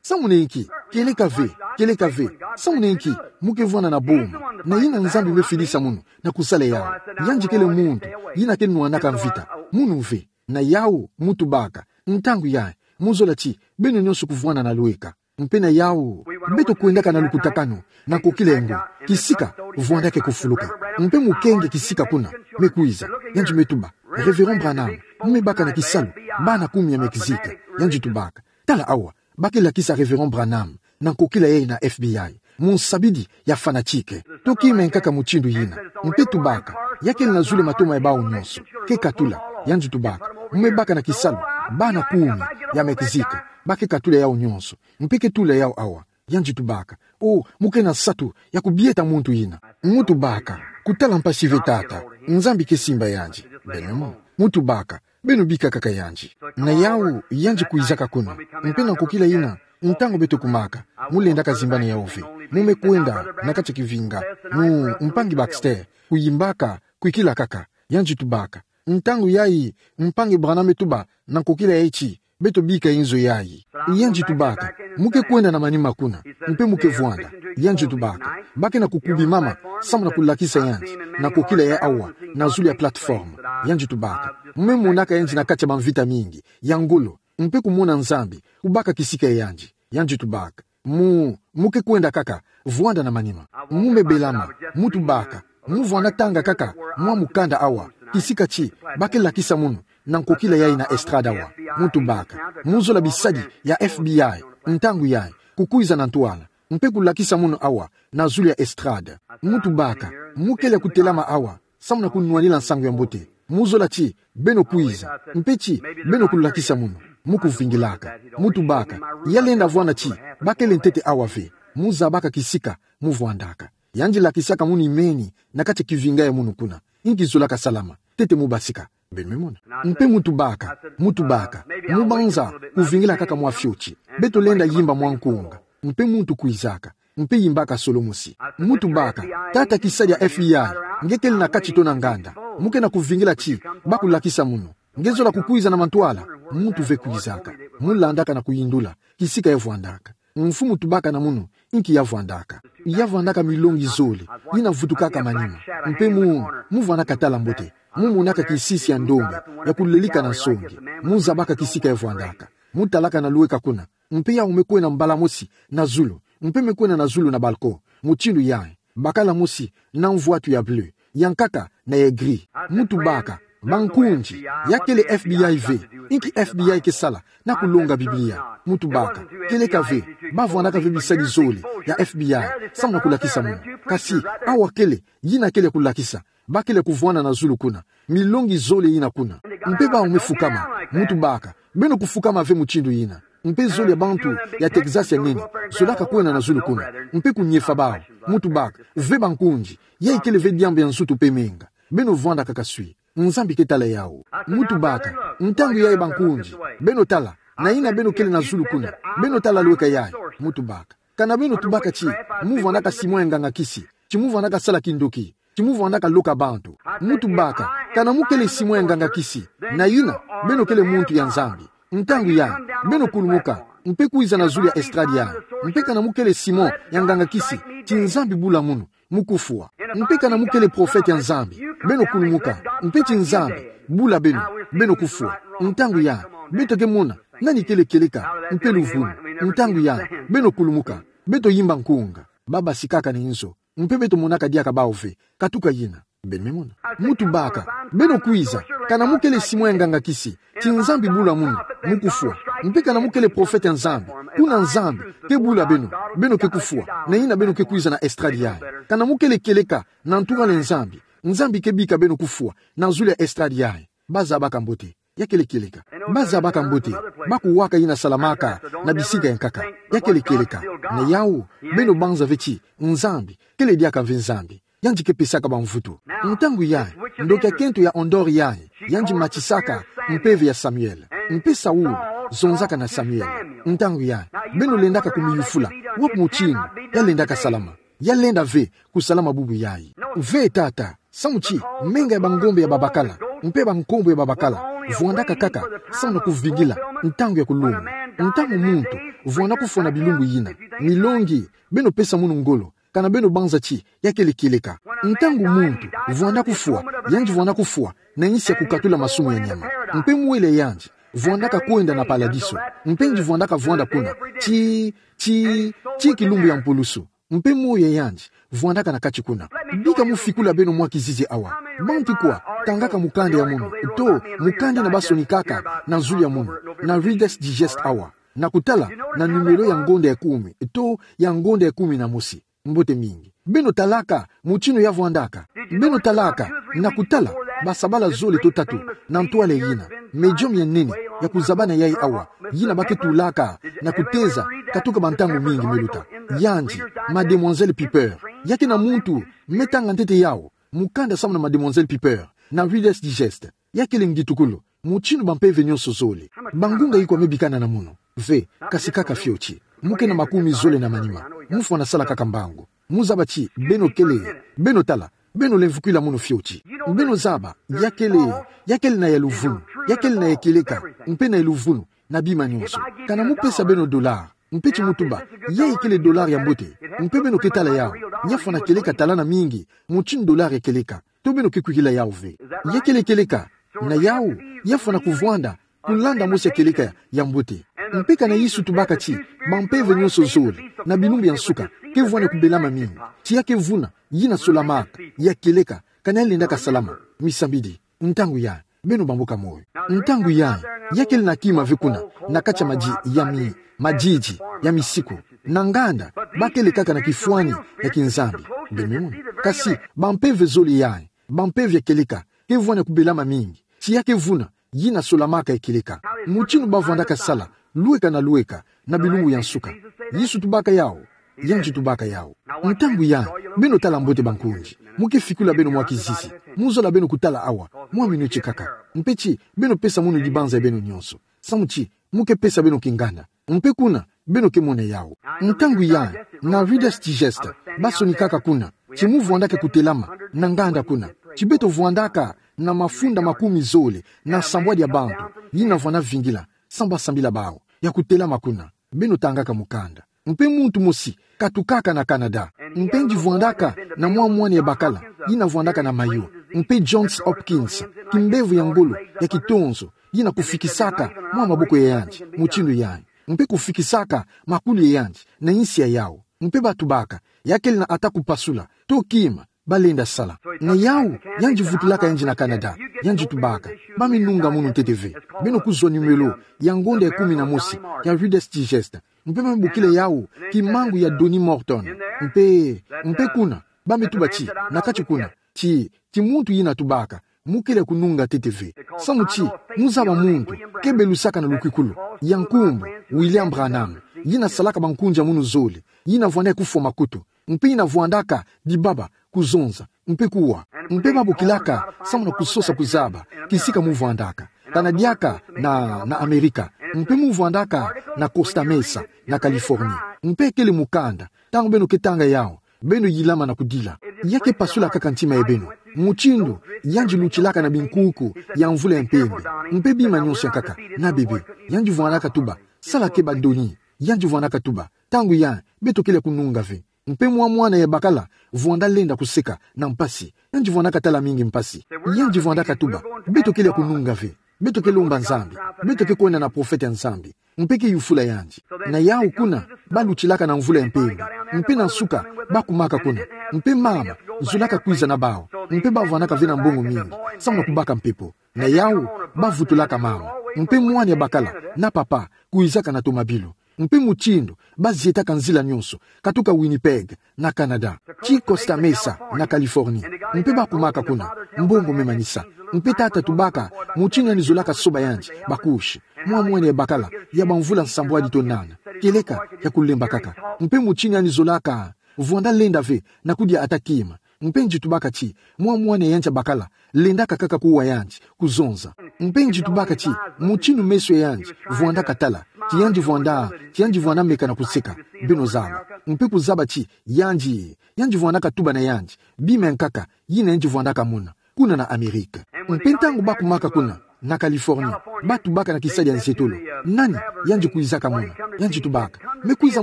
Samu na inki? Kieleka ve, kieleka ve. Samu na inki mu ke vwanda na boma, na yina Nzambi me filisa munu na kusala yawu? Yandi kele muntu yina ke nwanaka mvita. Munu ve. Na yawu muntu baka: Ntangu yayi, mu zola ti beno nionso kuvwanda na lweka. Mpe na yawu, beto kwendaka na lukutakanu na nkokila yango, kisika vwandaka kufuluka. Mpe mu kenge kisika kuna me kwiza. Yandi me tuba: Reverend Branham, mu me baka na kisalu bana kumi ya Mexique. Yandi tubaka: Tala awa, ba ke lakisa Reverend Branham na nkokila yayi na F B I, munsabidi ya fanatique. To kima ya nkaka mutindu yina. Mpe tubaka: Ya kele na zulu ya matoma ya bawu nionso, ke katula. Yandi tubaka: Mu me baka na kisalu bana kumi ya Mexique. ba ke katula yau nyonso. Mpe ke tula yau awa. Yandi tubaka: O, mu ke na nsatu ya kubieta muntu yina. Mu tubaka: Kutala mpasi ve, Tata. Nzambi ke simba yandi. Beno mona. Mu tubaka: Beno bika kaka yandi. Na yau, yandi kwizaka kuna. Mpe na nkokila yina, ntangu beto kumaka, mu lendaka zimbana yau ve. Mu me kwenda na kati ya kivinga. Mu, mpangi Baxter, kuyimbaka, kwikila kaka. Yandi tubaka: Ntangu yayi, mpangi Branham me tuba, na nkokila yayi ti, beto bika inzo yayi. Yandi tubaka: Mu ke kwenda na manima kuna, mpe mu ke vwanda. Yandi tubaka: Ba ke na kukubimama, samu na kulakisa yandi, na nkokila ya awa, na zulu ya plateforme. Yandi tubaka: Mu me monaka yandi na kati ya bamvita mingi, ya ngolo, mpe kumona Nzambi kubaka kisika ya yandi. Yandi tubaka: Mu, mu ke kwenda kaka, vwanda na manima. Mu me belama, mu tubaka: Mu vwanda tanga kaka mwa mukanda awa, kisika ti ba ke lakisa munu, na nkokila yayi na estrade awa. Mu tubaka: Mu zola bisadi ya F B I, ntangu yayi, kukwiza na ntwala, mpe kulakisa munu awa, na zulu ya estrade. Mu tubaka: Mu kele kutelama awa, samu na kunwanila nsangu ya mbote. Mu zola ti beno kwiza, mpe ti beno kulakisa munu. Mu kuvingilaka. Mu tubaka: Ya lenda vwanda ti ba kele ntete awa ve. Mu zabaka kisika mu vwandaka. Yandi lakisaka munu imeni na kati ya kivinga ya munu kuna. Inki zolaka salama, ntete mu basika. Beno me mona. Mpe mu tubaka, mu tubaka: Mu banza kuvingila kaka mwa fioti. Beto lenda yimba mwa nkunga. Mpe muntu kwizaka, mpe yimbaka solo mosi. Mu tubaka: Tata, kisadi ya F B I, nge kele na kati to na nganda? Mu ke na kuvingila ti ba kulakisa munu. Nge zola kukwiza na mantwala? Muntu ve kwizaka. Mu landaka na kuyindula kisika ya vwandaka. Mfumu tubaka na munu inki ya vwandaka. Ya vwandaka milongi zole, yina vutukaka manima. Mpe mu, mu vwandaka tala mbote. Mu monaka kisisi ya ndombe ya kulelika na nsonge. Mu zabaka kisika ya vwandaka. Mu talaka na lweka kuna. Mpe yau me kwenda mbala mosi na zulu. Mpe me kwenda na zulu na balcon. Mutindu yayi. Bakala mosi na mvwatu ya bleu, ya nkaka na ya gris. Mu tubaka: Bankundi, ya kele F B I ve? Inki F B I ke sala na kulonga Biblia? Mu tubaka: Kieleka ve, ba vwandaka ve bisadi zole ya F B I, samu na kulakisa munu. Kasi awa kele, yina kele kulakisa, ba kele kuvwanda na zulu kuna. Milongi zole yina kuna. Mpe bau me fukama. Mu tubaka: Beno kufukama ve mutindu yina? Mpe zole ya bantu ya Texas ya nene zolaka kwenda na zulu kuna, mpe kunyefa bau. Mu tubaka: Ve bankundi, yayi kele ve diambu ya nzutu mpe menga. Beno vwanda kaka swi. Nzambi ke tala yau. Mu tubaka: Ntangu yayi bankundi, beno tala, na yina beno kele na zulu kuna, beno tala lweka yayi. Mu tubaka: Kana beno tubaka ti mu vwandaka simon ya nganga kisi, ti mu vwandaka sala kindoki, ti mu vwandaka loka bantu? Mu tubaka: Kana mu kele simon ya nganga kisi, na yina beno kele muntu ya Nzambi, ntangu yayi beno kulumuka, mpe kwiza na zulu ya estrade yayi. Mpe kana mu kele simon ya nganga kisi, ti Nzambi bula munu, mu kufwa. Mpe kana mu kele profete ya Nzambi, beno kulumuka, mpe ti Nzambi bula beno, beno kufwa. Ntangu yayi beto ke mona nani kele kieleka mpe luvunu. Ntangu yayi beno kulumuka, beto yimba nkunga. Ba basikaka na inzo, mpe beto monaka diaka bau ve, katuka yina. Beno me mona. Mu tubaka: Beno kwiza, kana mu kele simon ya nganga kisi, ti Nzambi bula munu, mu kufwa. Mpe kana mu kele profete ya Nzambi, kuna Nzambi ke bula beno, beno ke kufwa, na yina beno ke kwiza na estrade yayi. Kana mu kele kieleka na ntungwa le Nzambi, Nzambi ke bika beno kufwa na zulu ya estrade yayi. Ba zabaka mbote. Ya kele kieleka. Ba zabaka mbote. Ba kuwaka yina salamaka na bisika ya nkaka. Ya kele kieleka. Na yau, beno banza ve ti Nzambi kele diaka ve Nzambi. Yandi ke pesaka bamvutu. Ntangu yayi, ndoki ya kento ya Andor yayi, yandi matisaka mpeve ya Samuel. Mpe Saul zonzaka na Samuel. Ntangu yayi, beno lendaka kumiyufula: Wapi mutindu ya lendaka salama? Ya lenda ve kusalama bubu yayi. Ve, tata. Samu ti menga ya bangombe ya babakala, mpe bankombo ya babakala, vwandaka kaka samu na kuvingila ntangu ya kuluma. Ntangu muntu vwanda kufwa na bilumbu yina, milongi, beno pesa munu ngolo, kana beno banza ti ya kele kieleka. Ntangu muntu vwanda kufwa, yandi vwanda kufwa na nsi ya kukatula masumu ya nyama. Mpe mwela yandi vwandaka kwenda na paladiso. Mpe yandi vwandaka vwanda kuna ti, ti, ti kilumbu ya mpulusu. Mpe moyo ya yandi vwandaka na kati kuna. Bika mu fikula beno mwa kizizi awa. Bantu kwa tangaka mukanda ya munu, to mukanda yina basonikaka na zulu ya munu, na Reader's Digest awa, na kutala na numéro ya ngonda ya kumi, to ya ngonda ya kumi na mosi? Mbote mingi. Beno talaka mutindu ya vwandaka? Beno talaka na kutala basabala zole to tatu na ntwala yina, medium ya nene, ya kuzabana yayi awa, yina ba ke tulaka na kuteza katuka ba ntangu mingi me luta. Yandi, Mademoiselle Piper. Ya kena muntu me tanga ntete yawu, mukanda samu na Mademoiselle Piper, na Reader's Digest. Ya kele ngitukulu, mutindu ba mpeve nyonso zole. Ba ngunga ikwa me bikana na mono? Ve, kasi kaka fioti. Mu ke na makumi zole na manima. Mu fwana sala kaka mbangu. Mu zaba ti beno kele, beno tala, beno lemvukwila mono fioti. Beno zaba, ya kele, ya kele na ya luvunu, ya kele na ya kieleka, mpe na ya luvunu, na bima nyonso. Kana mu pesa beno dollar, mpe ti mu tuba, yayi kele dollar ya mbote, mpe beno ke tala yawu, ya fwana kieleka talana mingi, mutindu dollar ya kieleka, to beno ke kwikila yawu ve. Ya kele kieleka, na yawu, ya fwana kuvwanda kulanda mosi ya kieleka ya mbote. Mpe kana Yesu tubaka ti ba mpeve nyonso zole, na bilumbu ya nsuka, ke vwani kubelama mingi, ti ya ke vuna, yina solamaka, ya kieleka, kana ya lendaka salama, misambidi, ntangu yayi, beno bamboka moyo. Ntangu yayi, ya kele na kima ve kuna, na kati ya madi-, ya mi-, madidi, ya misiku, na nganda, ba kele kaka na kifwani ya kinzambi. Beno me mona. Kasi, ba mpeve zole yayi, ba mpeve ya kieleka, ke vwani kubelama mingi, ti ya ke vuna, yina solamaka ya kieleka. Mutindu ba vwandaka sala, lweka na lweka, na bilumbu ya nsuka. Yesu tubaka yawu, yandi tubaka yawu. Ntangu yayi, beno tala mbote bankunzi. Mu ke fikula beno mwa kizizi. Mu zola beno kutala awa, mwa minuti kaka. Mpe ti, beno pesa mono dibanza ya beno nyonso. Samu ti, mu ke pesa beno kingana. Mpe kuna, beno ke mona yawu. Ntangu yayi, na Reader's Digest, ba sonikaka kuna, ti mu vwandaka kutelama, na nganda kuna. Ti beto vwandaka, na mafunda makumi zole, na nsambwadi ya bantu, yina vwanda vingila, samu ba sambila bawu, ya kutelama kuna. Beno tangaka mukanda. Mpe muntu mosi, katukaka na Canada. Mpe yandi vwandaka, na mwa mwana ya bakala, yina vwandaka na mayo. Mpe Johns Hopkins, kimbevo ya ngolo, ya kitonzo, yina kufikisaka, mwa maboko ya yandi, mutindu yayi. Mpe kufikisaka, makulu ya yandi, na insi ya yawu. Mpe ba tubaka, ya kele na ata kupasula, to kima, ba lenda sala. Na yawu, yandi vutulaka yandi na Canada, yandi tubaka, ba me nunga mono ntete ve. Beno kuzwa numéro, ya ngonda ya kumi na mosi, ya Reader's Digest. Mpe ba me bokila yawu, kimangu ya Donnie Morton. Mpe, mpe kuna, ba me tuba ti, na kati kuna, ti, ti muntu yina tubaka, mu kele kununga ntete ve. Samu ti, mu zaba muntu, ke belusaka na lukwikulu, ya nkumbu, William Branham, yina salaka bankunzi ya mono zole, yina vwanda kufwa makutu, mpe yina vwandaka, dibaba, kuzonza, mpe kuwa. Mpe ba bokilaka, samu na kusosa kuzaba, kisika mu vwandaka. Kana diaka, na, na Amerika, mpe mu vwandaka, na Costa Mesa, na Californie. Mpe kele mukanda, ntangu beno ke tanga yawu, beno yilama na kudila. Ya ke pasulaka kaka ntima ya beno. Mutindu, yandi lutilaka na binkuku, ya mvula ya mpembe. Mpe bima nyonso ya nkaka, na bebe. Yandi vwandaka tuba, sala keba Donnie. Yandi vwandaka tuba, ntangu yayi, beto kele kununga ve. Mpe mwa mwana ya bakala, vwanda lenda kuseka, na mpasi. Yandi vwandaka tala mingi mpasi. Yandi vwandaka tuba, beto kele kununga ve. Beto ke lomba Nzambi. Beto ke kwenda na profeta ya Nzambi. Mpe ke yufula yandi. Na yawu kuna, ba lutilaka na mvula ya mpembe. Mpe na nsuka, ba kumaka kuna. Mpe mama, zolaka kwiza na bawu. Mpe ba vwandaka ve na mbongo mingi. Samu na kubaka mpepo. Na yawu, ba vutulaka mama. Mpe mwana ya bakala, na papa, kwizaka na tomabilu. Mpe mutindu, ba zietaka nzila nyonso, katuka Winnipeg, na Canada, ti Costa Mesa, na Californie. Mpe ba kumaka kuna, mbongo me manisa. Mpe tata tubaka, mutindu yandi zolaka soba yandi, ba couches. Mwa mwana ya bakala, ya bamvula nsambwadi to nana. Kieleka, ya kulemba kaka. Mpe mutindu yandi zolaka, vwanda lenda ve, na kudia ata kima. Mpe yandi tubaka ti, mwa mwana ya yandi ya bakala, lendaka kaka kuwa yandi, kuzonza. Mpe yandi tubaka ti, mutindu meso ya yandi, vwandaka tala, ti yandi vwanda, ti yandi vwanda meka na kuseka, beno zaba. Mpe kuzaba ti, yandi, yandi vwandaka tuba na yandi, bima ya nkaka, yina yandi vwandaka mona, kuna na Amerika. Mpe ntangu ba kumaka kuna, na Californie, ba tubaka na kisadi ya nzietolo. Nani, yandi kwizaka mona, yandi tubaka. Me kwiza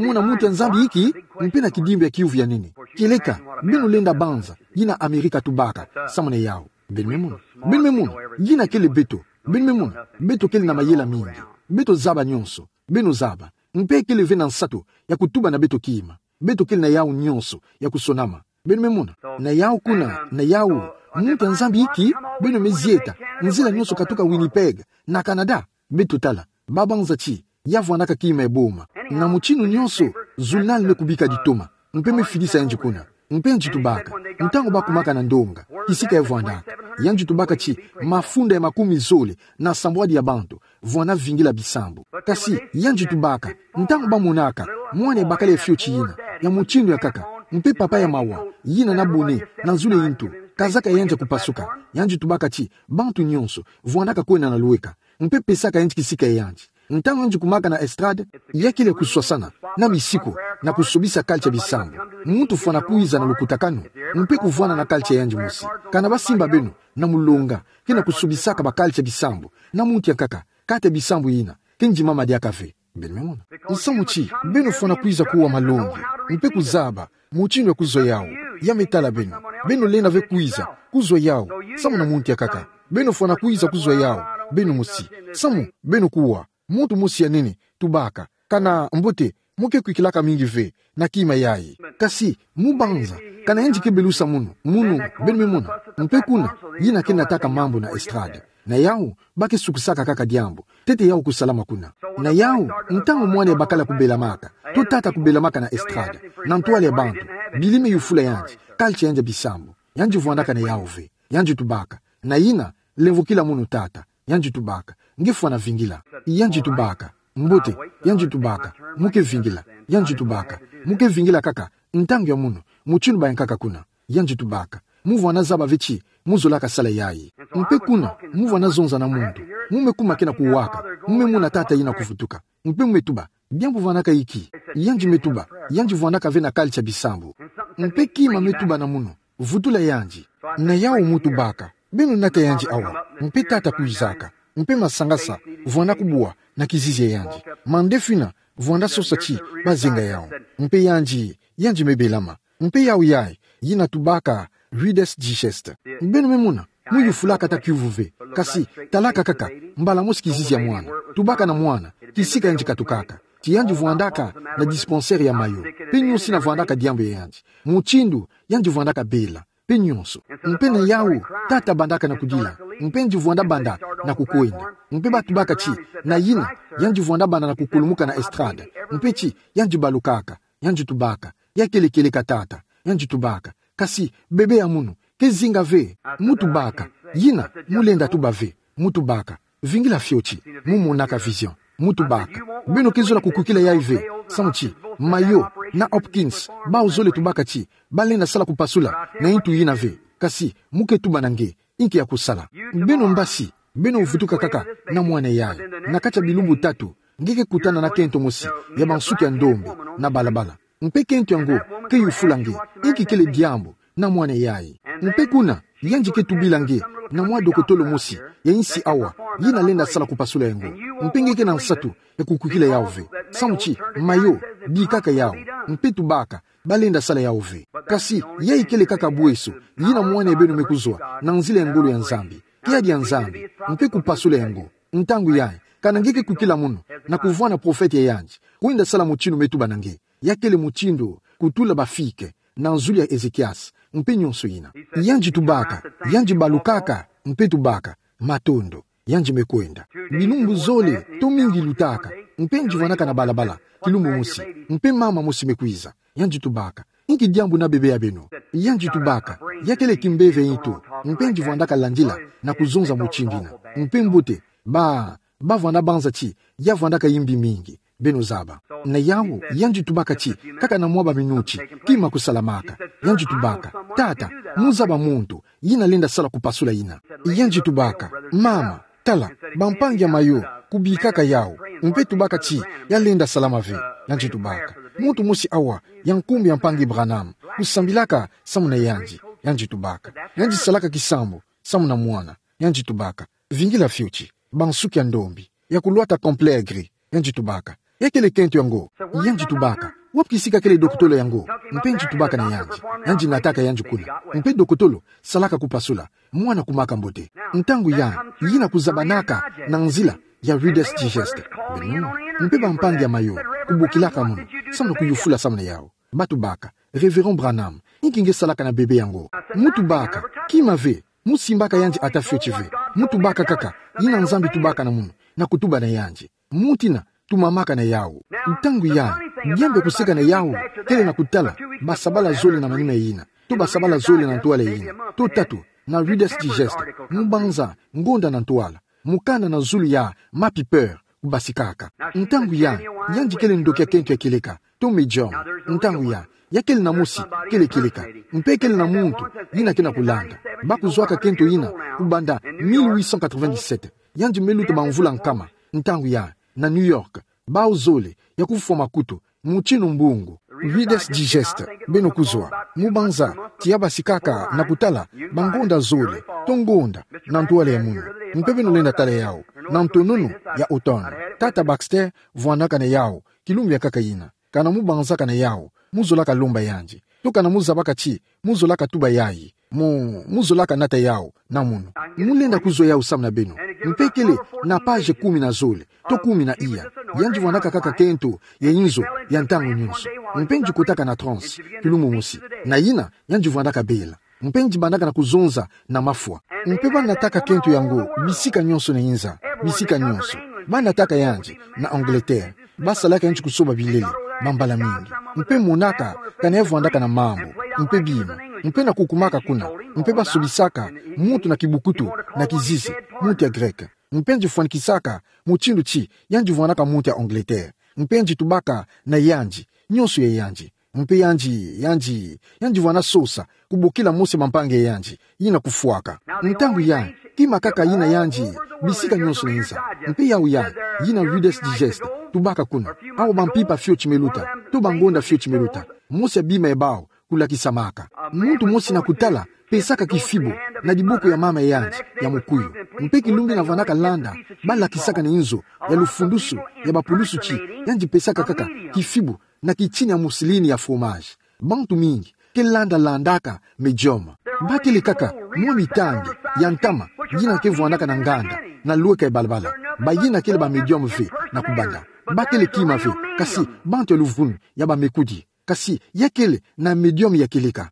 mona muntu ya Nzambi inki, mpe na kidimbu ya kiyuvu ya nene. Kieleka, beno lenda banza, yina Amerika tubaka, samu na yawu. Beno me mona. Beno me mona, yina kele beto. Beno me mona, beto kele na mayela mingi. Beto zaba nyonso. Beno zaba. Mpe kele ve na nsatu, ya kutuba na beto kima. Beto kele na yawu nyonso, ya kusonama. Beno me mona. Na yawu kuna, na yawu. Muntu ya Nzambi inki, beno me zieta. Nzila nyonso katuka Winnipeg, na Canada. Beto tala. Ba banza ti, ya vwandaka kima ya boma. Na mutindu nyonso, journal me kubika ditoma. Mpe me fidisa yandi kuna. Mpe yandi tubaka, ntangu bakumaka na ndonga, kisika ya vwandaka, yandi tubaka ti mafunda ya makumi zole na sambwadi ya bantu vwanda vingila bisambu. Kasi yandi tubaka, ntangu bamonaka mwana ya bakala ya fioti yina, ya mutindu ya nkaka, mpe papa ya mawa, yina na bone na zulu ya ntu, kazaka ya yandi ya kupasuka, yandi tubaka ti bantu nyonso vwandaka kwenda na lweka, mpe pesaka yandi kisika ya yandi. Ntangu yandi kumaka na estrade, ya kele kuswasana na misiku na kusobisa culture ya bisambu. Muntu fwana kwiza na lukutakanu, mpe kuvwana na culture ya yandi mosi. Kana basimba beno na mulonga, ke na kusobisaka ba culture ya bisambu na muntu ya nkaka, kati ya bisambu yina ke ndimama diaka ve. Beno me mona. Nsamu ti beno fwana kwiza kuwa malongi, mpe kuzaba mutindu ya kuzwa yawu. Ya me tala beno, beno lenda ve kwiza kuzwa yawu samu na muntu ya nkaka. Beno fwana kwiza kuzwa yawu beno mosi, samu beno kuwa muntu mosi ya nene, tubaka. Kana mbote, mu ke kwikilaka mingi ve na kima yayi. Kasi mu banza, kana yandi ke belusa munu, munu, beno me mona, mpe kuna, yina ke nataka mambu na estrade. Na yawu, ba ke sukusaka kaka diambu, ntete yawu kusalama kuna. Na yawu, ntangu mwana ya bakala kubelamaka, to tata kubelamaka na estrade, na ntwala ya bantu, bili me yufula yandi, culture ya yandi ya bisambu, yandi vwandaka na yawu ve. Yandi tubaka, na yina, lemvokila munu tata. Yandi tubaka, nge fwana vingila. Yandi tubaka, mbote. Yandi tubaka, mu ke vingila. Yandi tubaka, mu ke vingila kaka ntangu ya munu, mutindu bayankaka kuna. Yandi tubaka, mu vwana zaba ve ti mu zolaka sala yayi. Mpe kuna, mu vwana zonza na muntu, mu me kuma ke na kuwaka, mu me mona tata yina kuvutuka. Mpe mu me tuba, diambu vwanaka inki? Yandi me tuba, yandi vwandaka ve na culture ya bisambu. Mpe kima me tuba na munu, vutula yandi. Na yawu mu tubaka, beno nata yandi awa, mpe tata kwizaka, mpe masangasa vwanda kubwa na kizizi ya yandi. Mandefina vwanda sosa ti bazenga yawu. Mpe yandi, yandi me belama. Mpe yawu yayi, yina tubaka, Reader's Digest. Beno me mona, mu yufulaka ata kiuvu ve. Kasi talaka kaka mbala mosi kizizi ya mwana, tubaka na mwana kisika yandi katukaka, ti yandi vwandaka na dispensaire ya Mayo, mpe nyonso yina vwandaka diambu ya yandi, mutindu yandi vwandaka bela, mpe nyonso. Mpe na yawu, tata bandaka na kudila, mpe yandi vwanda banda na kukwenda. Mpe ba tubaka ti na yina, yandi vwanda banda na kukulumuka na estrade, mpe ti yandi balukaka. Yandi tubaka, ya kele kieleka tata. Yandi tubaka, kasi bebe ya munu ke zinga ve. Mu tubaka, yina mu lenda tuba ve. Mu tubaka, vingila fioti, mu monaka vision. Mu tubaka, beno ke zola kukwikila yayi ve. Samu ti Mayo na Hopkins, bawu zole tubaka ti ba lenda sala kupasula na yintu yina ve. Kasi mu ke tuba na nge inki ya kusala. Beno mbasi, beno vutuka kaka na mwana yayi. Na kati ya bilumbu tatu, nge ke kutana na kento mosi ya bansuki ya ndombe na balabala. Mpe kento yango ke yufula nge inki kele diambu na mwana yayi. Mpe kuna, yandi ke tubila nge na mwa dokotolo mosi ya insi awa, yina lenda sala kupasula yango. Mpe nge ke na nsatu ya kukwikila yawu ve. Samu ti Mayo bikaka yawu, mpe tubaka ba lenda sala yawu ve. Kasi yayi kele kaka bweso yina mwana ya beno me kuzwa na nzila ya ngolo ya Nzambi. Kiadi ya Nzambi, mpe kupasula yango. Ntangu yayi, kana nge ke kwikila munu na kuvwanda profete ya yandi, kwenda sala mutindu me tuba na nge. Ya kele mutindu kutula ba fike na zulu ya Ezekiasi, mpe nyonso yina. Yandi tubaka, yandi balukaka, mpe tubaka, matondo. Yandi me kwenda. Bilumbu zole, to mingi lutaka, mpe yandi vwandaka na balabala kilumbu mosi, mpe mama mosi me kwiza. Yandi tubaka, inki diambu na bebe ya beno? Yandi tubaka, ya kele kimpeve ya ntu, mpe yandi vwandaka landila na kuzonza mutindu yina. Mpe mbote, ba, ba vwanda banza ti ya vwandaka yimbi mingi. Beno zaba. Na yawu, yandi tubaka ti kaka na mwa ba minuti kima kusalamaka. Yandi tubaka, tata, mu zaba muntu yina lenda sala kupasula yina. Yandi tubaka, mama, tala, bampangi ya Mayo kubikaka yawu, mpe tubaka ti ya lenda salama ve. Yandi tubaka, muntu mosi awa ya nkumbu ya mpangi Branham kusambilaka samu na yandi. Yandi tubaka, yandi salaka kisambu samu na mwana. Yandi tubaka, vingila fioti, bansuki ya ndombe, ya kulwata complet gris. Yandi tubaka, ya kele kento yango? Yandi tubaka, wapi kisika kele dokotolo yango? Mpe yandi tubaka na yandi. Yandi nataka yandi kuna. Mpe dokotolo salaka kupasula, mwana kumaka mbote. Ntangu yayi, yina kuzabanaka na nzila ya Reader's Digest. Beno, mpe bampangi ya Mayo kubokilaka munu samu na kuyufula samu na yawu. Ba tubaka, Reverend Branham, inki nge salaka na bebe yango? Mu tubaka, kima ve, mu simbaka yandi ata fioti ve. Mu tubaka kaka yina Nzambi tubaka na munu, na kutuba na yandi. Mutina tumamaka na yawu. Ntangu yayi, Diambu ya kuseka na yawu kele na kutala basabala zole na manima yina, to basabala zole na ntwala yina, to tatu, na Reader's Digest, mubanza, ngonda na ntwala, mukanda na zulu ya ma Piper, kubasikaka. Ntangu ya, yandi kele ndoki ya kento ya kieleka, to medium. Ntangu ya, ya kele na mosi kele kieleka. Mpe kele na muntu yina ke na kulanda. Ba kuzwaka kento yina kubanda mille huit cent quatre-vingt-dix-sept. Yandi me luta bamvula nkama. Ntangu ya, na New York, bawu zole ya kufwa makutu, mutindu mbungu. Reader's Digest, beno kuzwa, mubanza, ti ya basikaka na kutala bangonda zole, to ngonda, na ntwala ya munu. Mpe beno lenda tala yawu, na ntononu ya automne. Tata Baxter vwandaka na yawu, kilumbu ya nkaka yina. Kana mubanzaka na yawu, muzolaka lomba yandi. To kana muzabaka ti muzolaka tuba yayi, mu, muzolaka nata yawu na munu. Mulenda kuzwa yawu samu na beno. Mpe kele na page kumi na zole, to kumi na iya. Yandi vwandaka kaka kento ya inzo ya ntangu nyonso. Mpe ndi kotaka na transe, kilumbu mosi. Na yina, yandi vwandaka bela. Mpe ndi bandaka na kuzonza na mafwa. Mpe ba nataka kento yango bisika nyonso na inza, bisika nyonso. Ba nataka yandi na Angleterre. Ba salaka yandi kusoba bilele, bambala mingi. Mpe monaka kana ya vwandaka na mambu, mpe bima. Mpe na kukumaka kuna, mpe ba sobisaka muntu na kibukutu, na kizizi, muntu ya Grec. Mpe ndi fwanikisaka mutindu ti yandi vwandaka muntu ya Angleterre. Mpe ndi tubaka na yandi, nyonso ya yandi. Mpe yandi, yandi, yandi vwanda sosa kubokila mosi ya bampangi ya yandi yina kufwaka. Ntangu ya, kima kaka yina yandi, bisika nyonso na inza. Mpe yawu ya, yina Reader's Digest, tubaka kuna. Awa bampimpa fioti me luta, to bangonda fioti me luta. Mosi ya bima ya bawu kulakisamaka. Muntu mosi na kutala pesaka kifibu na diboko ya mama ya yandi ya mukuyu. Mpe kilumbu yina vwandaka landa, ba lakisaka na inzo ya lufundusu ya bapulusu ti yandi pesaka kaka kifibu na kitini ya mousseline ya fromage. Bantu mingi ke landa landaka medium. Ba kele kaka mwa mitangi ya ntama yina ke vwandaka na nganda, na lweka ya balabala. Bayina kele ba medium ve na kubanda. Ba kele kima ve, kasi bantu ya luvunu ya bamekudi. Kasi ya kele na medium ya kieleka.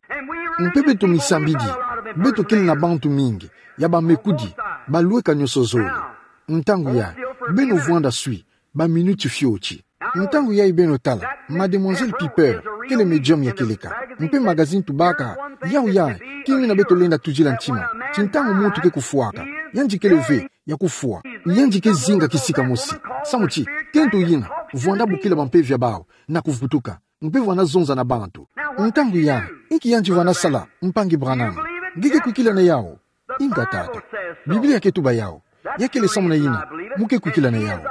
Mpe beto misambidi, beto kele na bantu mingi ya bamekudi, balweka nyonso zole. Ntangu ya, beno vwanda swi, ba minuti fioti. Ntangu yayi beno tala, Mademoiselle Piper kele medium ya kieleka. Mpe magazine tubaka, yawu ya, kima yina beto lenda tudila ntima ti ntangu muntu ke kufwaka, yandi kele ve ya kufwa, yandi ke zinga kisika mosi, samu ti kento yina vwanda bokila bampeve ya bawu na kuvutuka. Mpe vwanda zonza na bantu. Ntangu ya, inki yandi vwanda sala, mpangi Branham? Nge ke kwikila na yawu? Inga tata. Biblia ke tuba yawu. Ya kele samu na yina mu ke kwikila na yawu.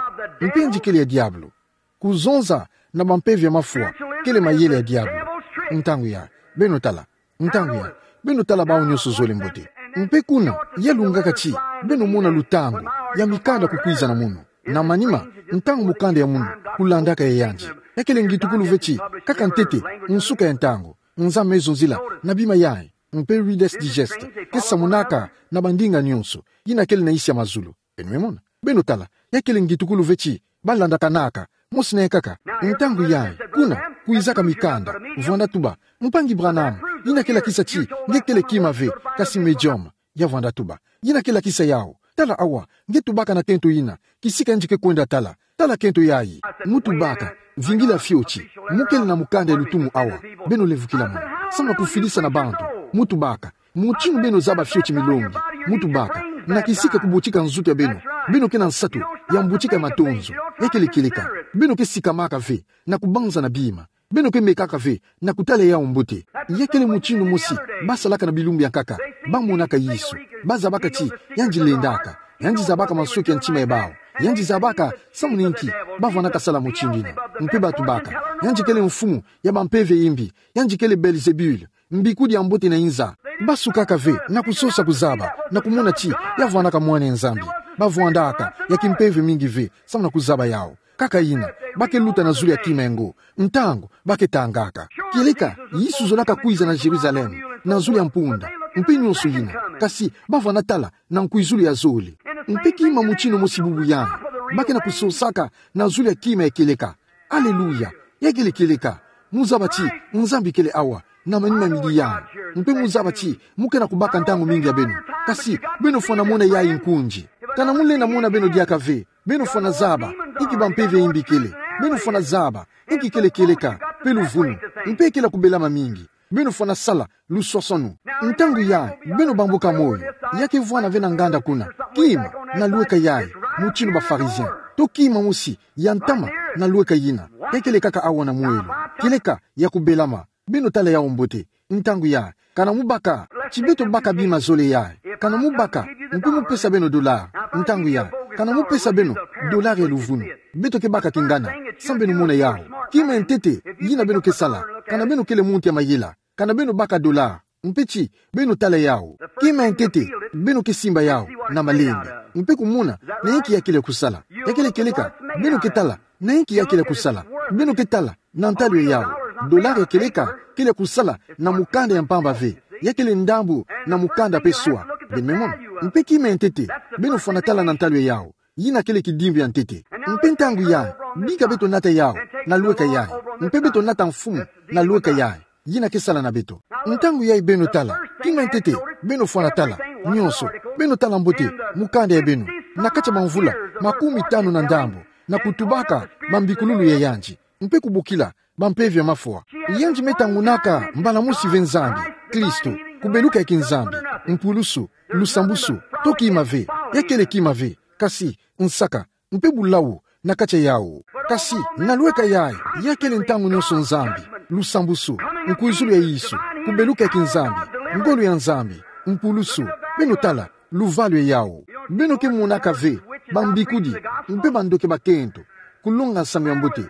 Mpe yandi kele ya diabulu. Kuzonza na bampeve ya mafwa kele mayele ya diabulu. Ntangu ya, beno tala. Ntangu ya, beno tala bawu nyonso zole mbote. Mpe kuna, ya lungaka ti beno mona lutangu ya mikanda kukwiza na munu. Na manima, ntangu mukanda ya munu kulandaka ya yandi, ya kele ngitukulu ve ti kaka ntete, nsuka ya ntangu, Nzambi me zonzila na bima yayi. Mpe Reader's Digest ke samunaka na bandinga nyonso yina kele na nsi ya mazulu. Beno me mona? Beno tala, ya kele ngitukulu ve ti ba landakanaka mosi na yankaka. Ntangu yayi, kuna kwizaka mikanda, vwanda tuba: Mpangi Branham, yina ke lakisa ti nge kele kima ve, kasi medium. Ya vwanda tuba: Yina ke lakisa yawu. Tala awa, nge tubaka na kento yina, kisika yandi ke kwenda tala. Tala kento yayi. Mu tubaka: Vingila fioti. Mu kele na mukanda ya lutumu awa. Beno lemvukila munu. Samu na kufidisa na bantu. Mu tubaka: Mutindu beno zaba fioti milongi. Mu tubaka: Na kisika kubutika nzutu ya beno, beno ke na nsatu ya mbutika ya matonzo. Ya kele kieleka. Beno ke sikamaka ve na kubanza na bima. Beno ke mekaka ve na kutala yawu mbote. Ya kele mutindu mosi ba salaka na bilumbu ya nkaka. Ba monaka Yesu. Ba zabaka ti yandi lendaka. Yandi zabaka masoki ya ntima ya bawu. Yandi zabaka samu na inki ba vwandaka sala mutindu yina. Mpe ba tubaka: Yandi kele mfumu ya bampeve ya imbi. Yandi kele Belzebul, mbikudi ya mbote na inza. Ba sukaka ve na kusosa kuzaba na kumona ti ya vwandaka Mwana ya Nzambi. Ba vwandaka ya kimpeve mingi ve samu na kuzaba yawu. Kaka yina, ba ke luta na zulu ya kima yango. Ntangu ba ke tangaka. Kieleka, Yesu zolaka kwiza na Jérusalem na zulu ya mpunda, mpe nyonso yina. Kasi ba vwanda tala na nkwizulu ya zole. Mpe kima mutindu mosi bubu yandi, ba ke na kusosaka na zulu ya kima ya kieleka. Aleluya! Ya kele kieleka. Mu zaba ti Nzambi kele awa na manima midi yandi. Mpe mu zaba ti mu ke na kubaka ntangu mingi ya beno. Kasi beno fwana mona yayi nkunzi. Kana mu lenda mona beno diaka ve, beno fwana zaba inki bampeve ya imbi kele. Beno fwana zaba, inki kele kieleka, pe luvunu, mpe kele kubelama mingi. Beno fwana sala luswaswanu. Ntangu yayi, beno bambuka moyo. Ya kevwana ve na nganda kuna. Kima, na lueka yayi, mutindu ba Pharisiens. To kima mosi, ya ntama, na lueka yina. Ya kele kaka awa na mwelo. Kieleka, ya kubelama. Beno tala yawu mbote. Ntangu yayi, kana mubaka, ti beto baka bima zole yayi. Kana mubaka, mpe mupesa beno dollar. Ntangu yayi, kana mupesa beno dollar ya luvunu. Beto kebaka kingana, samu beno mona yawu. Kima ya ntete, yina beno kesala. Kana beno kele muntu ya mayela. Kana beno baka dollar. Mpe ti, beno tala yawu. Kima ya ntete, beno kesimba yawu, na malembe. Mpe kumona, na inki ya kele kusala. Ya kele kieleka, beno ketala, na inki ya kele kusala. Beno ketala, na ntalu ya yawu. Dollar ya kieleka, kele kusala, na mukanda ya mpamba ve. Ya kele ndambu, na mukanda pe swa. Beno me mona. Mpe kima ya ntete, beno fwana tala na ntalu ya yawu. Yina kele kidimbu ya ntete. Mpe ntangu yayi, bika beto nata yawu, na lueka yayi. Mpe beto nata mfumu, na lueka yayi. Yina kesala na beto. Ntangu yayi beno tala, kima ya ntete, beno fwana tala, nyonso, beno tala mbote, mukanda ya beno, na kati ya bamvula, makumi tanu na ndambu, na kutubaka, bambikululu ya yandi, mpe kubokila, bampeve ya mafwa. Yandi me tangunaka, mbala mosi ve Nzambi, Kristo, kubeluka ya kinzambi, mpulusu, lusambusu, to kima ve, ya kele kima ve, kasi, nsaka, mpe bulawu, na kati ya yawu. Kasi, na lueka yayi, ya kele ntangu nyonso Nzambi, lusambusu, nkwizulu ya Yesu, kubeluka ya kinzambi, ngolo ya Nzambi, mpulusu, beno tala, luvalu ya yawu. Beno kemonaka ve, bambikudi, mpe bandoki bakento, kulonga nsangu ya mbote.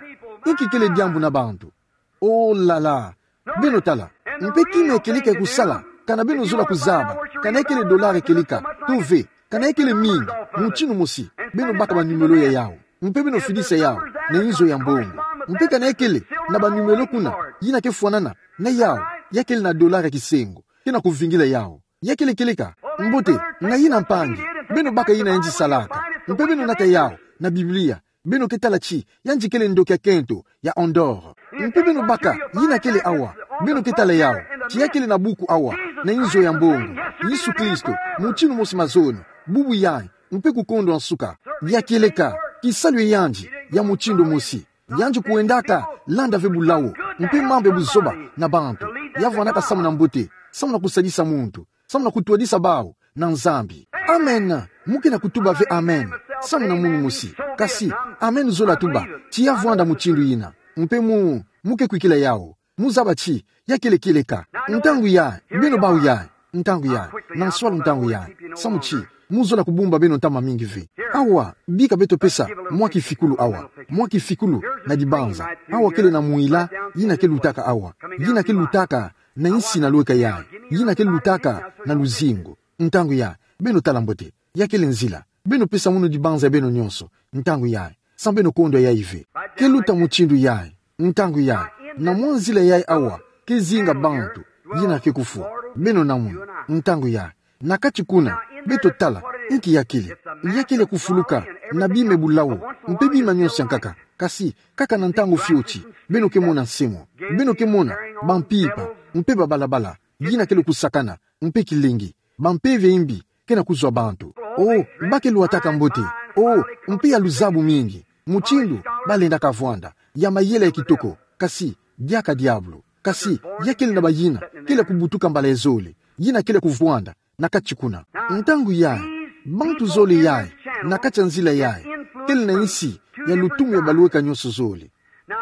Inki kele diambu na bantu. Oh là là. Beno tala. Mpe kima ya kieleka kusala, kana beno zola kuzaba, kana ya kele dollar ya kieleka, to ve, kana ya kele mingi, mutindu mosi, beno baka banumelo ya yawu. Mpe beno fidisa yawu, na inzo ya mbongo. Mpe kana ya kele, na banumelo kuna, yina kefwanana, na yawu, ya kele na dollar ya kisengo, kena kuvingila yawu. Ya kele kieleka, mbote, na yina mpangi, beno baka yina yandi salaka, mpe beno nata yawu, na Biblia, beno ketala ti, yandi kele ndoki ya kento, ya en or. Mpe beno baka, yina kele awa, beno ketala yawu, ti ya kele na buku awa, na inzo ya mbongo, Yesu Kristo, mutindu mosi mazono, bubu yayi, mpe kukondwa nsuka, ya kieleka, kisalu ya yandi, ya mutindu mosi. Yandi kuendaka, landa ve bulawu, mpe mambu ya buzoba, na bantu. Ya vwanaka samu na mbote, samu na kusadisa muntu, samu na kutwadisa bawu, na Nzambi. Amen. Mu kena kutuba ve amen. Samu na munu mosi. Kasi, amen zola tuba, ti ya vwanda mutindu yina. Mpe mu, mu ke kwikila yawu. Mu zaba ti, ya kele kieleka. Ntangu yayi, beno bawu yayi. Ntangu yayi, na nswalu ntangu yayi. Samu ti, mu zola kubumba beno ntama mingi ve. Awa, bika beto pesa, mwa kifikulu awa. Mwa kifikulu, na dibanza. Awa kele na mwila, yina kelutaka awa. Yina kelutaka, na insi na lueka yayi. Yina kelutaka, na luzingu. Ntangu yayi, beno tala mbote. Ya kele nzila. Beno pesa munu dibanza ya beno nyonso. Ntangu yayi. Samu beno kondwa yayi ve. Keluta mutindu yayi. Ntangu yayi. Na mwa nzila yayi awa. Kezinga bantu. Yina ke kufwa. Beno na munu. Ntangu yayi. Na kati kuna. Beto tala. Inki ya kele. Ya kele kufuluka. Na bima ya bulawu. Mpe bima nyonso ya nkaka. Kasi, kaka na ntangu fioti. Beno kemona nsemo. Beno kemona. Bampimpa. Mpe babalabala. Yina kele kusakana. Mpe kilengi. Bampeve ya imbi, kena kuzwa bantu. Oh, ba ke lwataka mbote. Oh, mpe ya luzabu mingi. Mutindu, balendaka vwanda. Ya mayela ya kitoko. Kasi, diaka diabulu. Kasi, ya kele na bayina, kele kubutuka mbala ya zole. Yina kele kuvwanda, na kati kuna. Ntangu yayi, bantu zole yayi, na kati ya nzila yayi. Kele na insi, ya lutumu ya balueka nyonso zole.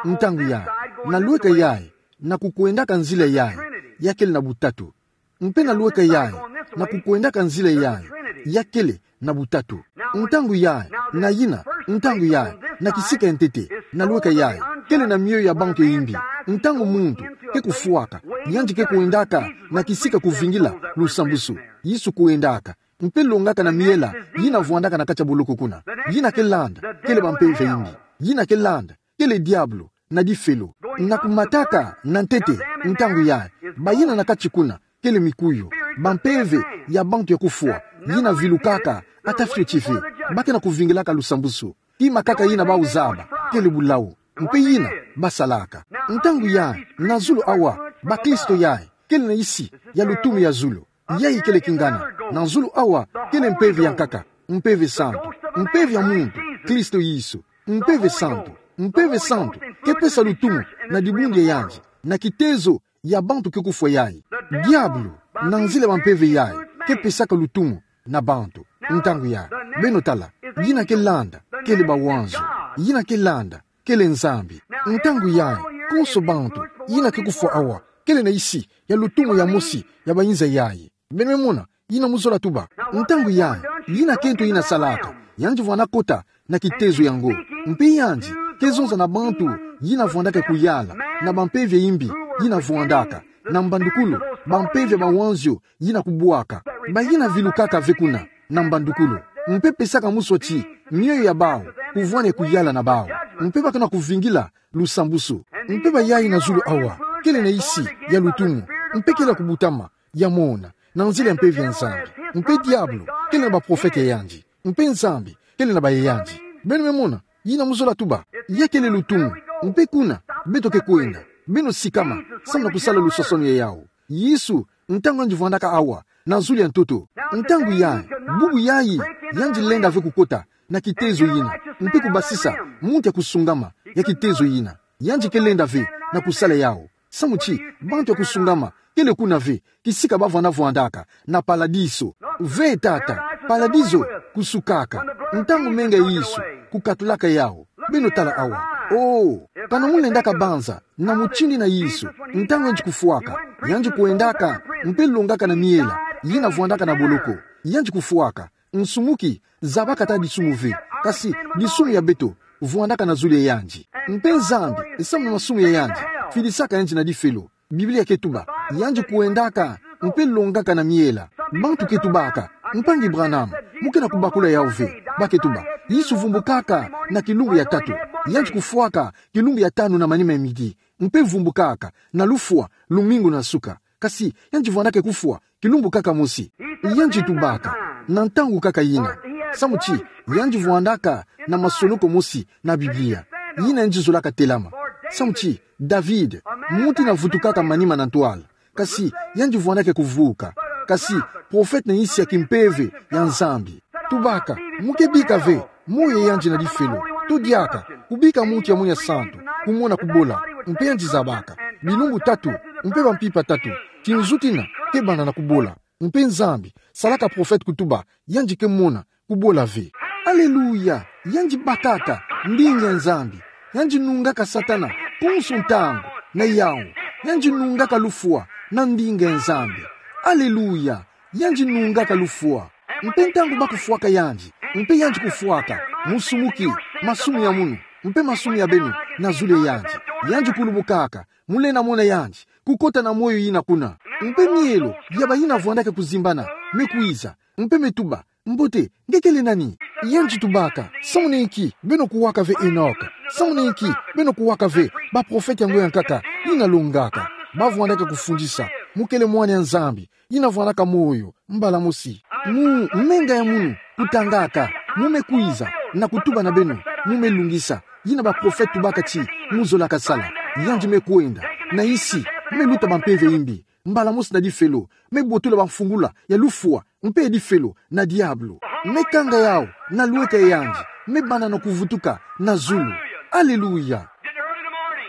Ntangu yayi, na lueka yayi, na kukwendaka nzila yayi, ya kele na butatu. Mpe na lueka yayi, na kukwendaka nzila yayi, ya kele na butatu. Ntangu yayi, na yina, ntangu yayi, na kisika ya ntete, na lueka yayi, kele na miyo ya bantu ya imbi. Ntangu muntu, ke kufwaka, yandi ke kwendaka, na kisika kuvingila, lusambusu. Yesu kwendaka, mpe longaka na miela, yina vwandaka na kati ya boloko kuna. Yina ke landa, kele bampeve ya imbi. Yina ke landa, kele diabulu, na difelo, na kumataka, na ntete, ntangu yayi, bayina na kati kuna, kele mikuyu, bampeve, ya bantu ya kufwa, yina vilukaka, ata fioti ve, ba kena kuvingilaka lusambusu, kima kaka yina bawu zaba, kele bulawu, mpe yina, basalaka. Ntangu yayi, na zulu awa, bakristo yayi, kele na insi, ya lutumu ya zulu, yayi kele kingana, na zulu awa, kele mpeve ya nkaka, mpeve santu, mpeve ya muntu, Kristo Yesu, mpeve santu, Mpeve santu ke pesa lutumu na dibundu ya yandi, na kitezo ya bantu ke kufwa yayi. Diabulu, na nzila ya bampeve yayi, ke pesaka lutumu na bantu. Ntangu yayi, beno tala, yina ke landa, kele bawanzo. Yina ke landa, kele Nzambi. Ntangu yayi, konso bantu yina ke kufwa awa, kele na isi ya lutumu ya mosi ya bayinza yayi. Beno me mona yina mu zola tuba. Ntangu yayi, yina kento yina salaka, yandi vwanda kota na kitezo yango. Mpe yandi ke zonza na bantu yina vwandaka kuyala na bampeve ya imbi yina vwandaka, na mbandukulu, bampeve ya mawanzio yina kubwaka. Bayina vilukaka ve kuna na mbandukulu, mpe pesaka muswati mioyo ya bawu kuvwani kuyala na bawu, mpe baka na kuvingila lusambusu. Mpe bayayi na zulu awa, kele na isi ya lutumu, mpe kele ya kubutama, ya mona, na nzila ya mpeve ya Nzambi. Mpe diabulu kele na baprofete ya yandi, mpe Nzambi kele na baye yandi. Beno me mona yina mu zola tuba. Ya kele lutumu. Mpe kuna beto ke kwenda, beno sikama, samu na kusala lusasanu ya yawu. Yesu, ntangu yandi vwandaka awa na zulu ya ntoto. Ntangu yayi, bubu yayi, yandi lenda ve kukota na kitezo yina, mpe kubasisa muntu ya kusungama ya kitezo yina. Yandi ke lenda ve na kusala yawu. Samu ti bantu ya kusungama kele kuna ve, kisika bavwanda vwandaka na paladizo. Ve tata, paladizo kusukaka ntangu menga ya Yesu kukatulaka yawu. Beno tala awa. Oh, kana mu lendaka banza na mutindu yina Yesu, ntangu yandi kufwaka, yandi kwendaka mpe longaka na miela yina vwandaka na boloko. Yandi kufwaka, nsumuki zabaka ata disumu ve, kasi disumu ya beto vwandaka na zulu ya yandi. Mpe Nzambi, samu na masumu ya yandi, filisaka yandi na difelo. Biblia ke tuba, yandi kwendaka mpe longaka na miela. Bantu ke tubaka: Mpangi Branham, mu ke na kubakula yawu ve. Ba ke tuba: Yesu vumbukaka na kilumbu ya tatu. Yandi kufwaka kilumbu ya tanu na manima ya midi, mpe vumbukaka na lufwa lumingu na suka. Kasi yandi vwandaka kufwa kilumbu kaka mosi. Yandi tubaka na ntangu kaka yina, samu ti yandi vwandaka na masoloko mosi na Biblia yina yandi zolaka telama. Samu ti David, muntu yina vutukaka manima na ntwala, kasi yandi vwandaka kuvuka. Kasi profete na isi ya kimpeve ya Nzambi. Tubaka, mu ke bika ve moyo ya yandi na difelo. To diaka kubika muntu ya munu ya santu kumona kubola, mpe yandi zabaka bilumbu tatu mpe bampimpa tatu, tinzuti yina ke banda na kubola. Mpe Nzambi salaka profete kutuba yandi ke mona kubola ve. Aleluya! Yandi bakaka ndinga ya Nzambi. Yandi nungaka Satana konso ntangu na yawu. Yandi nungaka lufwa na ndinga ya Nzambi. Aleluya! Yandi nungaka lufwa. Mpe ntangu ba kufwaka yandi, mpe yandi kufwaka, musumuki masumu ya munu mpe masumu ya beno na zulu ya yandi. Yandi kulubukaka, mu lenda mona yandi kukota na moyo yina kuna. Mpe mielo ya bayina vwandaka kuzimbana me kwiza, mpe me tuba: Mbote, nge kele nani? Yandi tubaka: Samu na inki beno kuwaka ve Enoka? Samu na inki beno kuwaka ve baprofete yango ya nkaka yina longaka? Ba vwandaka kufundisa. Mu kele mwana ya Nzambi yina vwandaka moyo mbala mosi. Mu menga ya munu kutangaka, mu me kwiza na kutuba na beno, mu me lungisa yina baprofete tubaka ti mu zolaka sala. Yandi me kwenda na isi, me luta bampeve ya imbi, mbala mosi na difelo, me botula bamfungula ya lufwa mpe ya difelo na diabulu. Me kanga yawu na lweka ya yandi, me banda na kuvutuka na zulu. Aleluya!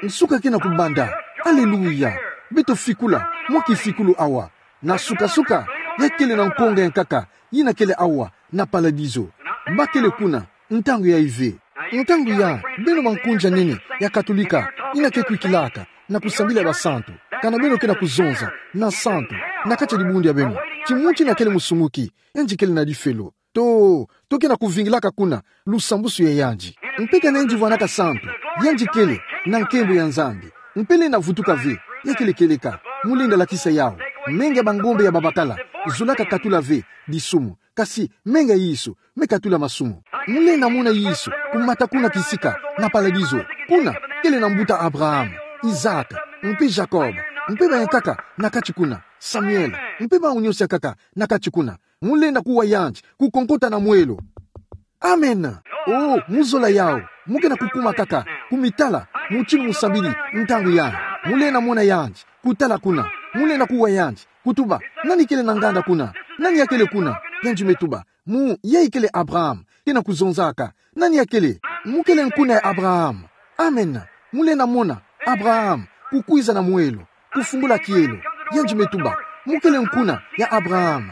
Nsuka ke na kubanda. Aleluya! Beto fikula mwa kifikulu awa. Na suka-suka, ya kele na nkonga ya nkaka yina kele awa na paladizo. Ba kele kuna ntangu yayi ve. Ntangu yayi, beno bankunzi ya nene ya Katolika yina ke kwikilaka na kusambila ya basantu, kana beno ke na kuzonza na santu na kati ya dibundu ya beno ti muntu yina kele musumuki, yandi kele na difelo. To, to ke na kuvingilaka kuna lusambusu ya yandi. Mpe kana yandi vwanaka santu, yandi kele na nkembo ya Nzambi. Mpe lenda vutuka ve, ya kele kieleka. Mu lenda lakisa yawu. Menga ya bangombe ya babakala zolaka katula ve disumu. Kasi menga ya Yesu me katula masumu. Mu lenda mona Yesu kumata kuna kisika na paladizo. Kuna kele na mbuta Abraham, Isaac, mpe Jacob, mpe bayankaka na kati kuna, Samuel, mpe bawu nyonso yankaka na kati kuna. Mu lenda kuwa yandi, kukonkota na mwelo. Amen. Oh, mu zola yawu, mu ke na kukuma kaka kumitala mutindu mu sambidi ntangu yayi. Mu lenda mona yandi kutala kuna. Mu lenda kuwa yandi, kutuba: Nani kele na nganda kuna? Nani ya kele kuna? Yandi me tuba: Mu, yayi kele Abraham. Ke na kuzonzaka: Nani ya kele? Mu kele nkuna ya Abraham. Amen. Mu lenda mona Abraham kukwiza na mwelo, kufungula kielo. Yandi me tuba: Mu kele nkuna ya Abraham.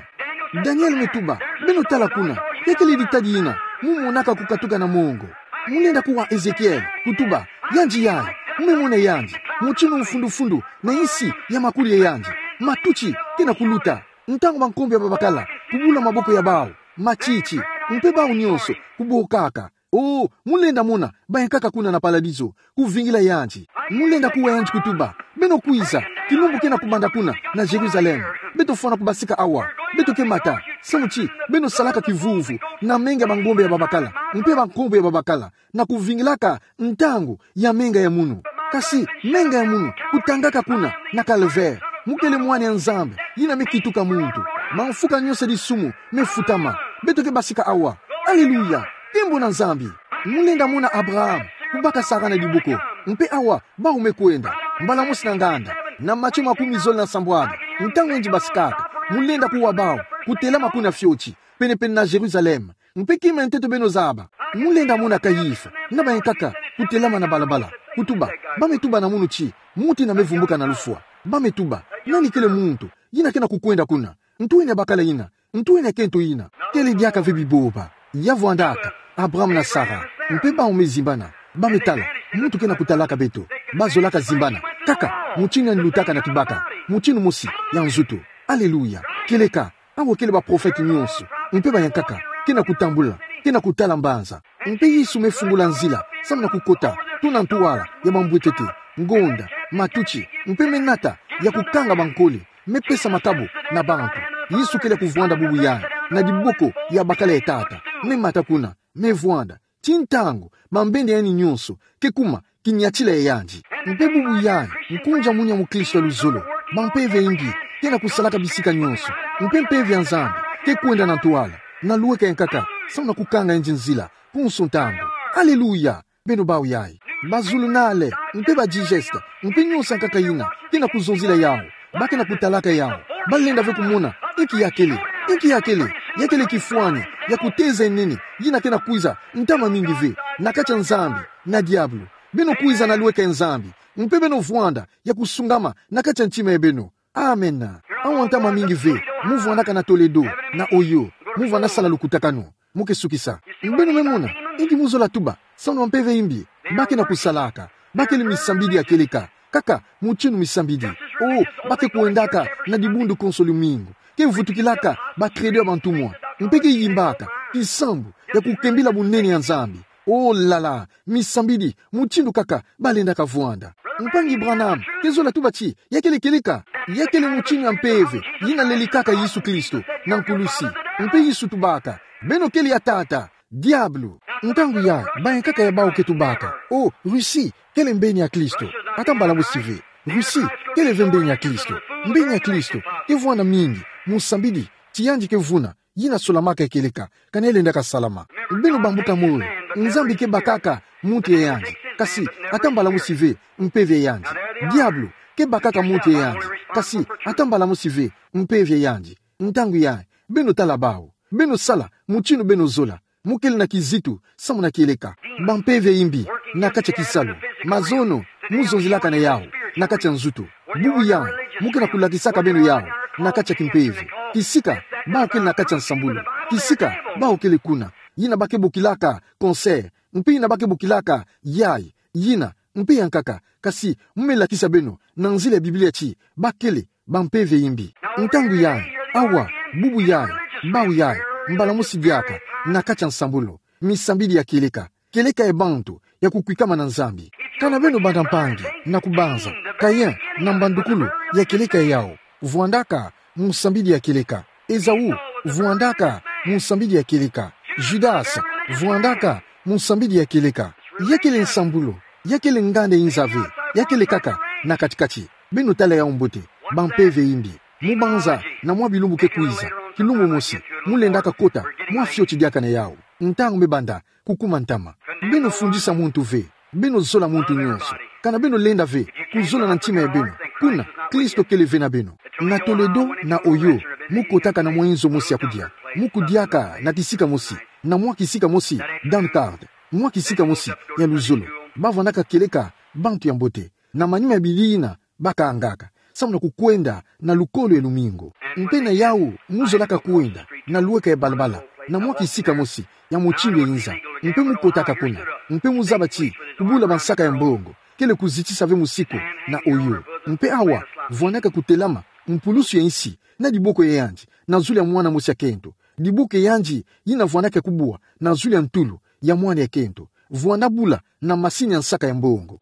Daniel me tuba: Beno tala kuna, ya kele ditadi yina mu monaka kukatuka na mongo. Mu lenda kuwa Ezekiel, kutuba: Yandi yayi, mu me mona yandi, mutinu mfundu-mfundu na insi ya makuli ya yandi. Matuti kena kuluta, ntangu bankombo ya babakala kubula maboko ya bawu, matiti, mpe bawu nyonso kubokaka. Oh, mu lenda mona bayankaka kuna na paladizo, kuvingila yandi. Mu lenda kuwa yandi, kutuba: Beno kwiza, kilumbu kena kubanda kuna na Jerusalem. Beto fwana kubasika awa. Beto ke mata samu ti beno salaka kivuvu na menga ya bangombe ya babakala, mpe bankombo ya babakala, na kuvingilaka ntangu ya menga ya munu. Kasi menga ya munu kutangaka kuna na Calvaire. Mu kele Mwana ya Nzambi yina me kituka muntu. Mamfuka nyonso ya disumu me futama. Beto ke basika awa. Aleluya! Nkembo na Nzambi. Mu lenda mona Abraham kubaka Sara na diboko. Mpe awa bawu me kwenda, mbala mosi na nganda, na Matthieu makumi zole na sambwadi. Ntangu yandi basikaka, mu lenda kuwa bawu kutelama kuna fioti, pene-pene na Jerusalem. Mpe kima ya nteto beno zaba, mu lenda mona Kayifa na bayankaka kutelama na balabala, kutuba, ba me tuba na munu ti muntu yina me vumbuka na lufwa. Ba me tuba: Nani kele muntu yina kena kukwenda kuna? Ntu ena ya bakala yina? Ntu ena ya kento yina? Kele diaka ve bibomba. Ya vwandaka Abraham na Sara, mpe bawu me zimbana. Ba me tala muntu kena kutalaka beto. Ba zolaka zimbana kaka mutinu yandi lutaka na kibaka, mutinu mosi ya nzutu. Aleluya! Kieleka, awa kele baprofete nyonso, mpe bayankaka kena kutambula, kena kutala mbanza. Mpe Yesu me fungula nzila samu na kukota tuna ntwala ya bambwetete, ngonda, matuti, mpe me nata ya kukanga bankole, me pesa makabu na bantu. Yesu kele kuvwanda bubu yayi na diboko ya bakala ya Tata. Me mata kuna, me vwanda, ti ntangu bambende ya yandi nyonso ke kuma kiniatila ya yandi. Mpe bubu yayi, nkunzi ya munia mukristo ya luzolo, bampeve ya imbi kena kusalaka bisika nyonso. Mpe Mpeve ya Nzambi ke kwenda na ntwala, na lweka yankaka, samu na kukanga yandi nzila, konso ntangu. Aleluya! Beno bawu yayi. Bazulunale, mpe badigeste, mpe nyonso yankaka yina kena kuzonzila yawu, ba kena kutalaka yawu. Ba lenda ve kumona inki ya kele, inki ya kele. Ya kele kifwani ya kuteza ya nene yina kena kwiza ntama mingi ve na kati ya Nzambi na diabulu. Beno kwiza na lweka ya Nzambi, mpe beno vwanda ya kusungama na kati ya ntima ya beno. Amen. Awa ntama mingi ve mu vwandaka na Toledo, na Ohio, mu vwanda sala lukutakanu. Mu ke sukisa. Beno me mona inki mu zola tuba, samu na bampeve ya imbi ba kena kusalaka. Ba kele misambidi ya kieleka, kaka mutinu misambidi. Oh, ba ke kwendaka na dibundu konso lumingu, ke vutukilaka bakredo ya bantumwa, mpe ke yimbaka kisambu ya kukembila bunene ya Nzambi. Oh la la, misambidi mutindu kaka ba lendaka vwanda. Mpangi Branham ke zola tuba ti ya kele kieleka. Ya kele mutinu ya mpeve yina lelikaka Yesu Kristo na nkulusi. Mpe Yesu tubaka: Beno kele ya tata, diabulu. Ntangu yayi bayankaka ya bawu ke tubaka: Oh, Russie kele mbeni ya Kristo. Ata mbala mosi ve. Russie kele ve mbeni ya Kristo. Mbeni ya Kristo ke vwanda mingi, musambidi, ti yandi ke vuna yina solamaka ya kieleka, ka yandi lendaka salama. Beno bambuka moyo. Nzambi ke bakaka muntu ya yandi, kasi ata mbala mosi ve mpeve ya yandi. Diabulu ke bakaka muntu ya yandi, kasi ata mbala mosi ve mpeve ya yandi. Ntangu yayi, beno tala bawu. Beno sala mutinu beno zola. Mu kele na kizitu samu na kieleka. Bampeve ya imbi na kati ya kisalu. Mazono mu zonzilaka na yawu na kati ya nzutu. Bubu yayi mu kena kulakisaka beno yawu na kati ya kimpeve. Kisika bawu kele na kati ya nsambulu. Kisika bawu kele kuna. Yina ba ke bokilaka cancer. Mpe yina ba ke bokilaka yayi. Yina mpe yankaka. Kasi mu me lakisa beno na nzila ya Biblia ti ba kele bampeve ya imbi. Ntangu yayi, awa, bubu yayi, bawu yayi, mbala mosi diaka na kati ya nsambulu. Misambidi ya kieleka. Kieleka ya bantu ya kukwikama na Nzambi. Kana beno banda mpangi na kubanza Kain na mbandukulu ya kieleka ya yawu? Vwandaka musambidi ya kieleka. Esaü vwandaka musambidi ya kieleka. Judas vwandaka musambidi ya kieleka. Ya kele nsambulu, ya kele nganda ya nza ve, ya kele kaka na kati-kati. Beno tala yawu mbote, bampeve ya imbi. Mu banza na mwa bilumbu ke kwiza, kilumbu mosi mu lendaka kota mwa fioti diaka na yawu. Ntangu me banda kukuma ntama. Beno fundisa muntu ve. Beno zola muntu nyonso. Kana beno lenda ve kuzola na ntima ya beno kuna Kristo kele ve na beno. Na Toledo, na Ohio, mu kotaka na mwa inzo mosi ya kudia. Mu kudiaka na kisika mosi, na mwa kisika mosi Dunkard, mwa kisika mosi ya luzolo. Bavwandaka kieleka bantu ya mbote. Na manima ya bidii yina bakangaka, samu na kukwenda na lukolo ya lumingu. Mpe na yawu, mu zolaka kwenda na luweka ya balabala, na mwa kisika mosi ya mutindu ya inza. Mpe mu kotaka kuna. Mpe mu zaba ti kubula bansaka ya mbongo kele kuzitisa ve musiku na oyo. Mpe awa, vwandaka kutelama, mpulusu ya insi, na diboko ya yandi, na zulu ya mwana mosi ya kento. Diboko ya yandi yina vwandaka kubwa na zulu ya ntulu ya mwana ya kento. Vwanda bula na masini ya nsaka ya mbongo.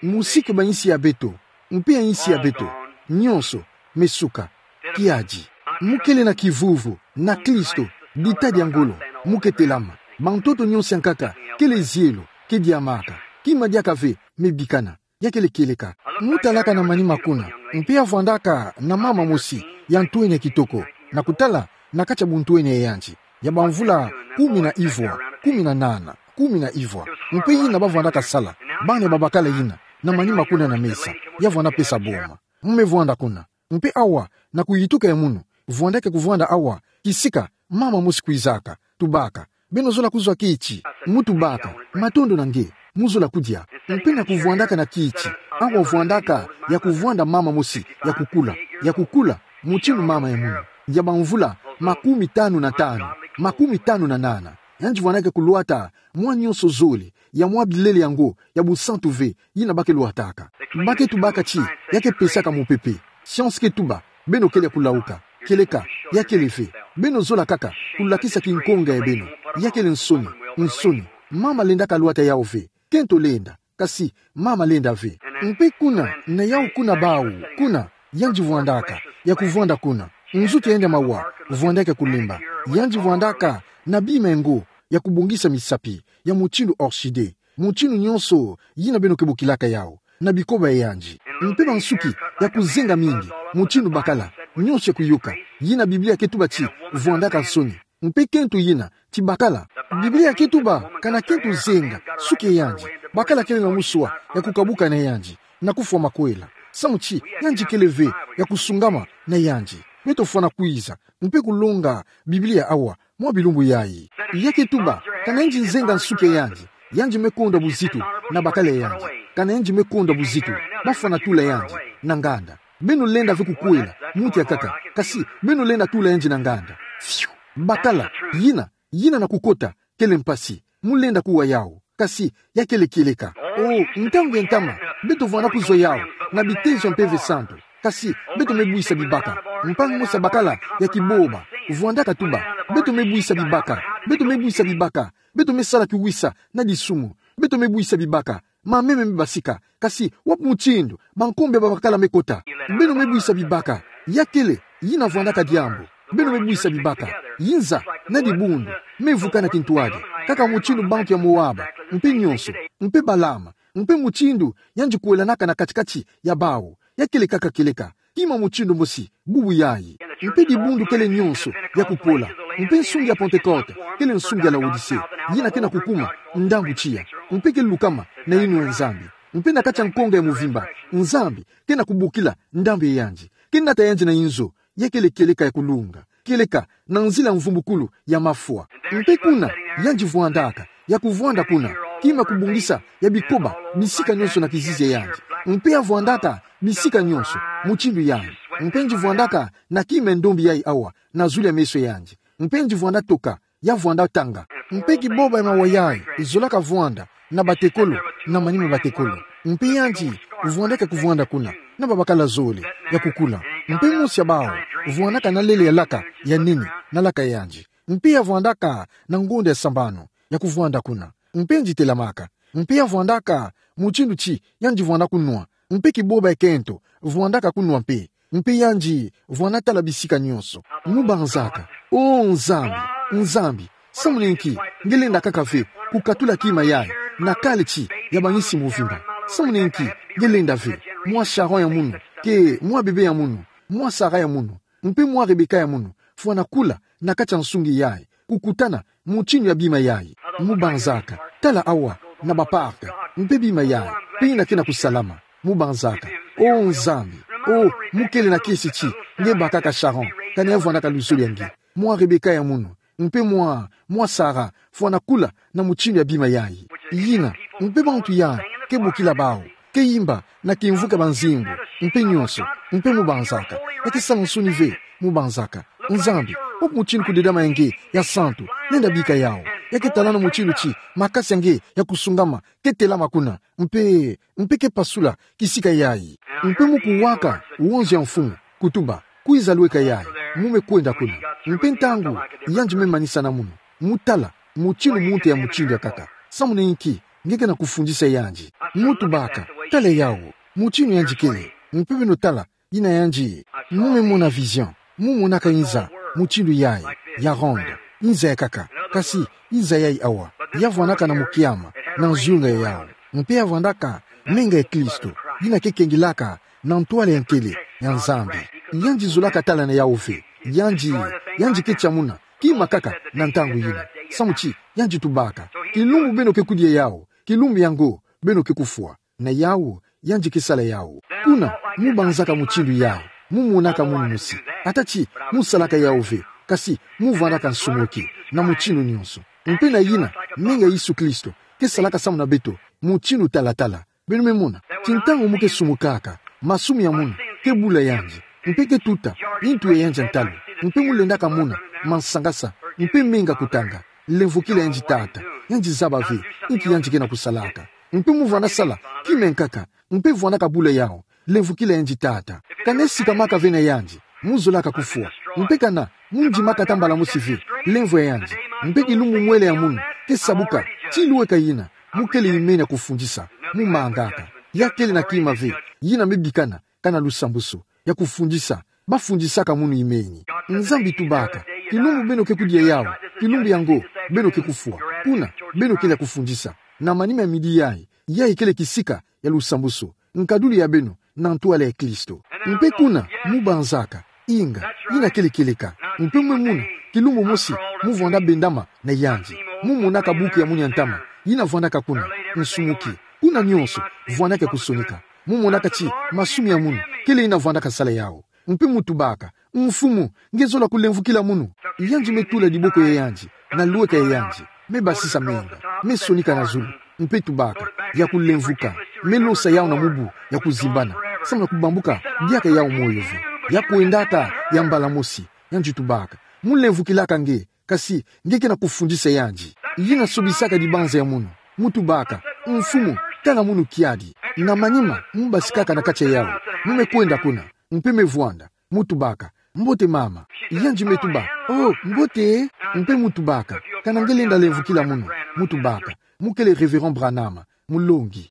Musiku ba insi ya beto, mpe ya insi ya beto, nyonso mesuka. Kiadi. Mu kele na kivuvu na Klisto, dita dia ngolo, mu ke telama. Bantoto nyonso ya nkaka kele zielo, ke diamaka. Kima diaka ve me bikana. Ya kele kieleka. Mu talaka na manima kuna, mpe ya vwandaka na mama mosi ya ntwenya kitoko, na kutala na kati ya buntwenya ya yandi, ya bamvula kumi na ivwa, kumi na nana, kumi na ivwa. Mpe yina bavwandaka sala, bana ya babakala yina, na manima kuna na mesa, ya vwanda pesa boma. Mu me vwanda kuna. Mpe awa, na kuyituka ya munu, vwandaka kuvwanda awa, kisika mama mosi kwizaka, tubaka: Beno zola kuzwa kiti? Mu tubaka: Matondo na nge, mu zola kudia. Mpe na kuvwandaka na kiti, awa vwandaka ya kuvwanda mama mosi ya kukula, ya kukula, mutindu mama ya munu, ya bamvula makumi tanu na tanu, makumi tanu na nana. Yandi vwandaka kulwata mwa nyonso zole ya mwa bilele yango ya busantu ve, yina ba ke lwataka. Ba ke tubaka ti ya ke pesaka mupepe. Science ke tuba: Beno kele ya kulauka. Kieleka, ya kele ve. Beno zola kaka kulakisa kinkonga ya beno. Ya kele nsoni, nsoni. Mama lendaka lwata yawu ve. Kento lenda, kasi mama lenda ve. Mpe kuna, na yawu kuna bawu, kuna, yandi vwandaka, ya kuvwanda kuna. Nzuki ya yandi ya mawa vwandaka kulemba. Yandi vwandaka na bima ya ngo ya kubongisa misapi, ya mutindu orchidée, mutindu nyonso yina beno ke bokilaka yawu, na bikoba ya yandi. Mpe bansuki ya kuzenga mingi, mutindu bakala, nyonso ya kuyoka, yina Biblia ke tuba ti vwandaka nsoni. Mpe kento yina, ti bakala, Biblia ke tuba kana kento zenga suki ya yandi, bakala kele na muswa ya kukabuka na yandi, na kufwa makwela. Samu ti yandi kele ve ya kusungama na yandi. Beto fwana kwiza mpe kulonga Biblia awa, mwa bilumbu yayi. Ya ke tuba, kana yandi zenga nsuki ya yandi, yandi me konda buzitu na bakala ya yandi. Kana yandi me konda buzitu, ba fwana tula yandi na nganda. Beno lenda ve kukwela muntu ya nkaka, kasi beno lenda tula yandi na nganda. Fiu! Bakala, yina, yina na kukota, kele mpasi. Mu lenda kuwa yawu. Kasi ya kele kieleka. O, ntangu ya ntama, beto vwanda kuzwa yawu na bitezo ya Mpeve Santu. Kasi beto me bwisa bibaka. Mpangi mosi ya bakala ya kiboba vwandaka tuba: Beto me bwisa bibaka. Beto me bwisa bibaka. Beto me sala kiwisa na disumu. Beto me bwisa bibaka. Mameme me basika. Kasi wapi mutindu bankombo ya babakala me kota? Beno me bwisa bibaka. Ya kele yina vwandaka diambu. Beno me bwisa bibaka. Inza na dibundu me vukana kintwadi, kaka mutindu bantu ya Moaba, mpe nyonso, mpe Balama, mpe mutindu yandi kwelanaka na kati-kati ya bawu. Ya kele kaka kieleka, kima mutindu mosi bubu yayi. Mpe dibundu kele nyonso ya kupola. Mpe nsungi ya Pantekote kele nsungi ya Laodicée, yina ke na kukuma ndambu tiya. Mpe ke lukama na yinwa ya Nzambi. Mpe na kati ya nkonga ya mvimba, Nzambi ke na kubokila ndambu ya yandi, ke nata yandi na inzo. Ya kele kieleka ya kulunga, kieleka na nzila ya mvumbukulu ya mafwa. Mpe kuna yandi vwandaka, ya kuvwanda kuna, kima kubongisa ya bikoba bisika nyonso na kizizi ya yandi. Mpe ya vwandaka bisika nyonso mutindu yayi. Mpe yandi vwandaka na kima ya ndombi yayi awa na zulu ya meso ya yandi. Mpe yandi vwanda toka, ya vwanda tanga. Mpe kiboba ya mawa yayi zolaka vwanda na batekolo, na manima batekolo. Mpe yandi vwandaka kuvwanda kuna na babakala zole ya kukula. Mpe mosi ya bawu vwandaka na lele ya laka ya nene na laka ya yandi. Mpe ya vwandaka na ngonda ya sambanu ya kuvwanda kuna. Mpe yandi telamaka. Mpe ya vwandaka mutindu ti yandi vwanda kunwa. Mpe kiboba ya kento vwandaka kunwa mpe. Mpe yandi vwanda tala bisika nyonso. Mu banzaka: O Nzambi, Nzambi, samu na inki nge lenda kaka ve kukatula kima yayi na kala ti ya bangisi mvimba? Samu na inki nge lenda ve mwa Sharon ya munu, ke mwa bebe ya munu, mwa Sara ya munu, mpe mwa Rebeka ya munu fwana kula na kati ya nsungi yayi, kukutana mutindu ya bima yayi? Mu banzaka: Tala awa na ba parc, mpe bima yayi, mpe yina ke na kusalama. Mu banzaka: O Nzambi, o, mu kele na kiese ti nge bakaka Sharon, kana ya vwandaka luzolo ya nge, mwa Rebeka ya munu, mpe mwa, mwa Sara fwana kula na mutindu ya bima yayi. Yina, mpe bantu ya ke bokila bawu, ke yimba na kimvuka ba nzimbu, mpe nyonso, mpe mubanzaka, ya ke sala nsoni ve, mubanzaka. Nzambi, wapi mutindu kudedama ya nge ya santu? Lenda bika yawu. Ya ke talana mutindu ti makasi ya nge ya kusungama ke telama kuna, mpe, mpe ke pasula kisika yayi. Mpe mu kuwaka wonzi ya mfumu, kutuba: Kwiza lweka yayi. Mu me kwenda kuna. Mpe ntangu yandi me manisa na munu, mu tala mutindu muntu ya mutindu ya kaka, samu na inki nge ke na kufundisa yandi. Mu tubaka: Tala yawu, mutindu yandi kele. Mpe beno tala, yina yandi. Mu me mona vision. Mu monaka inza mutindu yayi, ya ronde, inza ya kaka, kasi inza yayi awa, ya vwandaka na mukiama, na nzunga yawu. Mpe ya vwandaka menga ya Kristo, yina ke kengilaka na ntwala ya nkele ya Nzambi. Yandi zolaka tala na yawu ve. Yandi, yandi ke tia muna kima kaka na ntangu yina. Samu ti yandi tubaka: Kilumbu beno ke kudia yawu, kilumbu yango beno ke kufwa. Na yawu, yandi ke sala yawu. Kuna, mu banzaka mutindu yayi, mu monaka munu mosi. Ata ti mu salaka yawu ve, kasi mu vwandaka nsumuki na mutindu nyonso. Mpe na yina, menga Yesu Kristo ke salaka samu na beto, mutindu talatala. Beno me mona ti ntangu mu ke sumukaka, masumu ya munu ke bula yandi, mpe ke tuta intu ya yandi ya ntalu, mpe mu lendaka mona mansangasa, mpe menga kutanga. Lemvokila yandi Tata. Yandi zaba ve inki yandi ke na kusalaka. Mpe mu vwanda sala kima ya nkaka, mpe vwandaka bula yawu. Lemvokila yandi Tata. Kana sikamaka ve na yandi, mu zolaka kufwa. Mpe kana mu ndimaka ata mbala mosi ve lemvo ya yandi, mpe kilumbu mwela ya munu ke sabuka ti lweka yina mu kele imeni ya kufundisa, mu mangaka. Ya kele na kima ve, yina me bikana kana lusambusu ya kufundisa, bafundisaka munu imeni. Nzambi tubaka: Kilumbu beno ke kudia yawu, kilumbu yango beno ke kufwa. Kuna, beno kele ya kufundisa. Na manima ya midi yayi, yayi kele kisika ya lusambusu, nkadulu ya beno na ntwala ya Kristo. Mpe kuna, mu banzaka: Inga, yina kele kieleka. Mpe mu me mona kilumbu mosi mu vwanda bendama na yandi. Mu monaka buku ya munu ya ntama, yina vwandaka kuna, nsumuki. Kuna nyonso vwandaka ya kusonika. Mu monaka ti masumu ya munu kele yina vwandaka sala yawu. Mpe mu tubaka: Mfumu, nge zola kulemvokila munu? Yandi me tula diboko ya yandi na lweka ya yandi, me basisa menga, me sonika na zulu, mpe tubaka: Ya kulemvoka. Me losa yawu na mubu ya kuzimbana, samu na kubambuka diaka yawu moyo ve. Ya kwendaka ya mbala mosi. Yandi tubaka: Mu lemvokilaka nge, kasi nge ke na kufundisa yandi. Yina sobisaka dibanza ya munu. Mu tubaka: Mfumu, tala munu kiadi. Na manima mu basikaka na kati ya yawu, mu me kwenda kuna, mpe me vwanda. Mu tubaka: Mbote mama. Yandi me tuba: Oh, mbote. Mpe mu tubaka: Kana nge lenda lemvokila munu? Mu tubaka: Mu kele Révérend Branham, mulongi.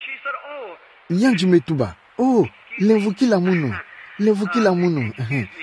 Yandi me tuba: Oh, lemvokila munu, lemvokila munu,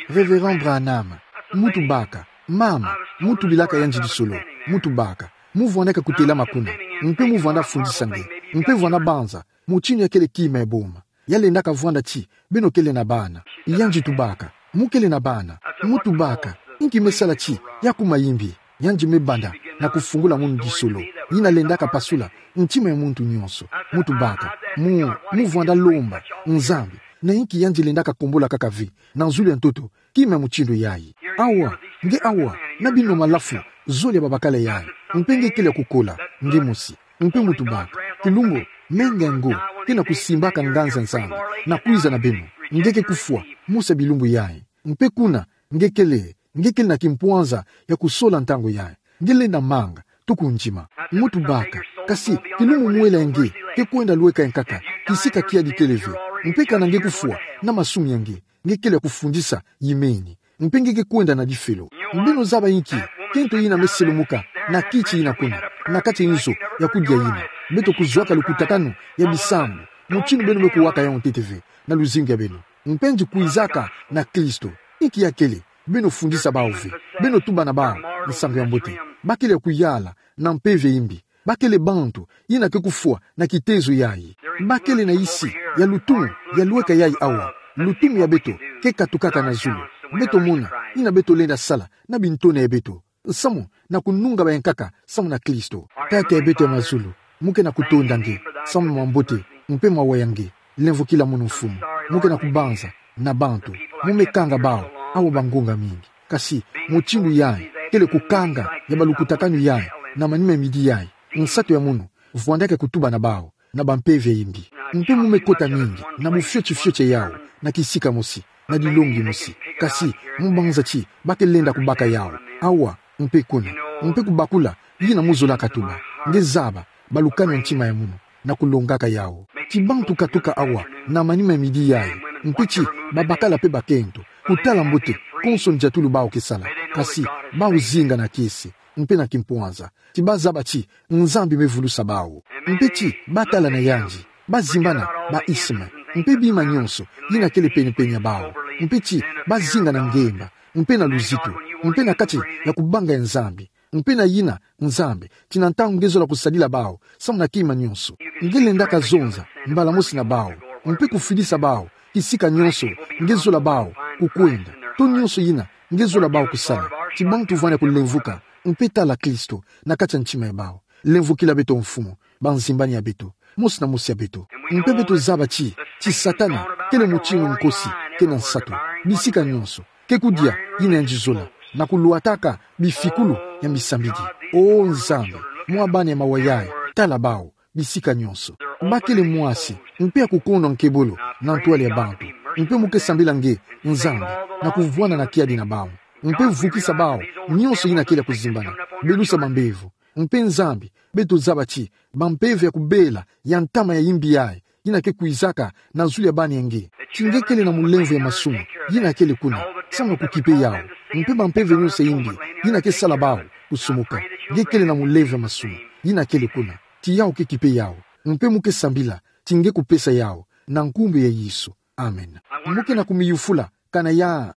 Révérend Branham. Mu tubaka: Mama, mu tubilaka yandi lisolo. Mu tubaka: Mu vwandaka kutelama kuna, mpe mu vwanda fundisa nge, mpe vwanda banza mutindu ya kele kima ya boma. Ya lendaka vwanda ti beno kele na bana. Yandi tubaka: Mu kele na bana? Mu tubaka: Inki me sala ti ya kuma imbi? Yandi me banda na kufungula munu lisolo. Yina lendaka pasula ntima ya muntu nyonso. Mu tubaka: Mu, mu vwanda lomba Nzambi na inki yandi lendaka kombola kaka ve na zulu ya ntoto kima ya mutindu yayi? Awa, nge awa, na bino malafu zole ya babakala yayi, mpe nge kele ya kukola nge mosi. Mpe mu tubaka: Kilumbu, menga yango ke na kusimbaka nganzi ya Nzambi na kwiza na beno. Nge ke kufwa mosi ya bilumbu yayi. Mpe kuna nge kele, nge kele na kimpwanza ya kusola ntangu yayi. Nge lenda manga tuku ndima. Mu tubaka: Kasi kilumbu mwela ya nge ke kwenda lweka ya nkaka, kisika kiadi kele ve. Mpe kana nge kufwa na masumu ya nge, nge kele ya kufundisa imeni, mpe nge ke kwenda na difelo. Beno zaba inki kento yina me selumuka na kiti yina kuna, na kati ya nzo ya kudia yina? Beto kuzwaka lukutakanu ya bisambu, mutindu beno me kuwaka yawu ntete ve na luzingu ya beno. Mpe nge kwizaka na Kristo, inki ya kele? Beno fundisa bawu ve. Beno tuba na bawu nsangu ya mbote. Ba kele ya kuyala na mpeve ya imbi. Ba kele bantu yina ke kufwa na kitezo yayi. Ba kele na isi ya lutumu ya lweka yayi awa. Lutumu ya beto ke katukaka na zulu. Beto mona yina beto lenda sala na bintona ya beto, samu na kununga baya nkaka samu na Kristo. Tata ya beto ya mazulu, mu ke na kutonda nge samu na mambote mpe mawa ya nge. Lemvokila munu, Mfumu. Mu ke na kubanza na bantu, mu me kanga bawu awa bangonga mingi. Kasi mutindu yayi kele kukanga ya balukutakanu yayi na manima ya midi yayi. Nsatu ya munu vwandaka kutuba na bawu na bampeve ya imbi. Mpe mu me kota mingi na bufioti fioti ya yawu, na kisika mosi, na dilongi mosi. Kasi mu banza ti ba ke lenda kubaka yawu awa mpe kuna, mpe kubakula yina mu zolaka tuba. Nge zaba, balukani ntima ya munu na kulongaka yawu. Ti bantu katuka awa na manima ya midi yayi, mpe ti babakala mpe bakento, kutala mbote konso ndiatulu bawu ke sala. Kasi bawu zinga na kiese mpe na kimpwanza, ti bazaba ti Nzambi me vulusa bawu. Mpe ti batala na yandi, bazimbana ba isme, mpe bima nyonso yina kele pene-pene ya bawu. Mpe ti bazinga na ngemba, mpe na luzitu, mpe na kati ya kubanga ya Nzambi, mpe na yina Nzambi ti na ntangu nge zola kusadila bawu samu na kima nyonso. Nge lendaka zonza mbala mosi na bawu, mpe kufidisa bawu kisika nyonso nge zola bawu kukwenda, to nyonso yina nge zola bawu kusala. Ti bantu vwani ya kulemvuka mpe tala Kristo na kati ya ntima ya bawu. Lemvukila beto Mfumu, banzimbani ya beto, mosi na mosi ya beto. Mpe beto zaba ti, ti Satana kele mutingu nkosi ke na nsatu, bisika nyonso, ke kudia yina yandi zola, na kulwataka bifikulu ya misambidi. O Nzambi, mwa bana ya mawa yayi, tala bawu bisika nyonso. Ba kele mwasi mpe ya kukondwa nkebolo na ntwala ya bantu, mpe mu ke sambila nge, Nzambi, na kuvwana na kiadi na bawu, mpe vukisa bawu nyonso yina kele ya kuzimbana, belusa bambevo. Mpe Nzambi, beto zaba ti bampeve ya kubela ya ntama ya imbi yayi yina ke kwizaka na zulu ya bana ya nge, ti nge kele na mulemvo ya masumu yina kele kuna samu na kukipe yawu. Mpe bampeve nyonso ya imbi yina ke sala bawu kusumuka, nge kele na mulemvo ya masumu yina kele kuna, ti yawu ke kipe yawu. Mpe mu ke sambila ti nge kupesa yawu na nkumbu ya Yesu. Amen. Mu ke na kumiyufula kana ya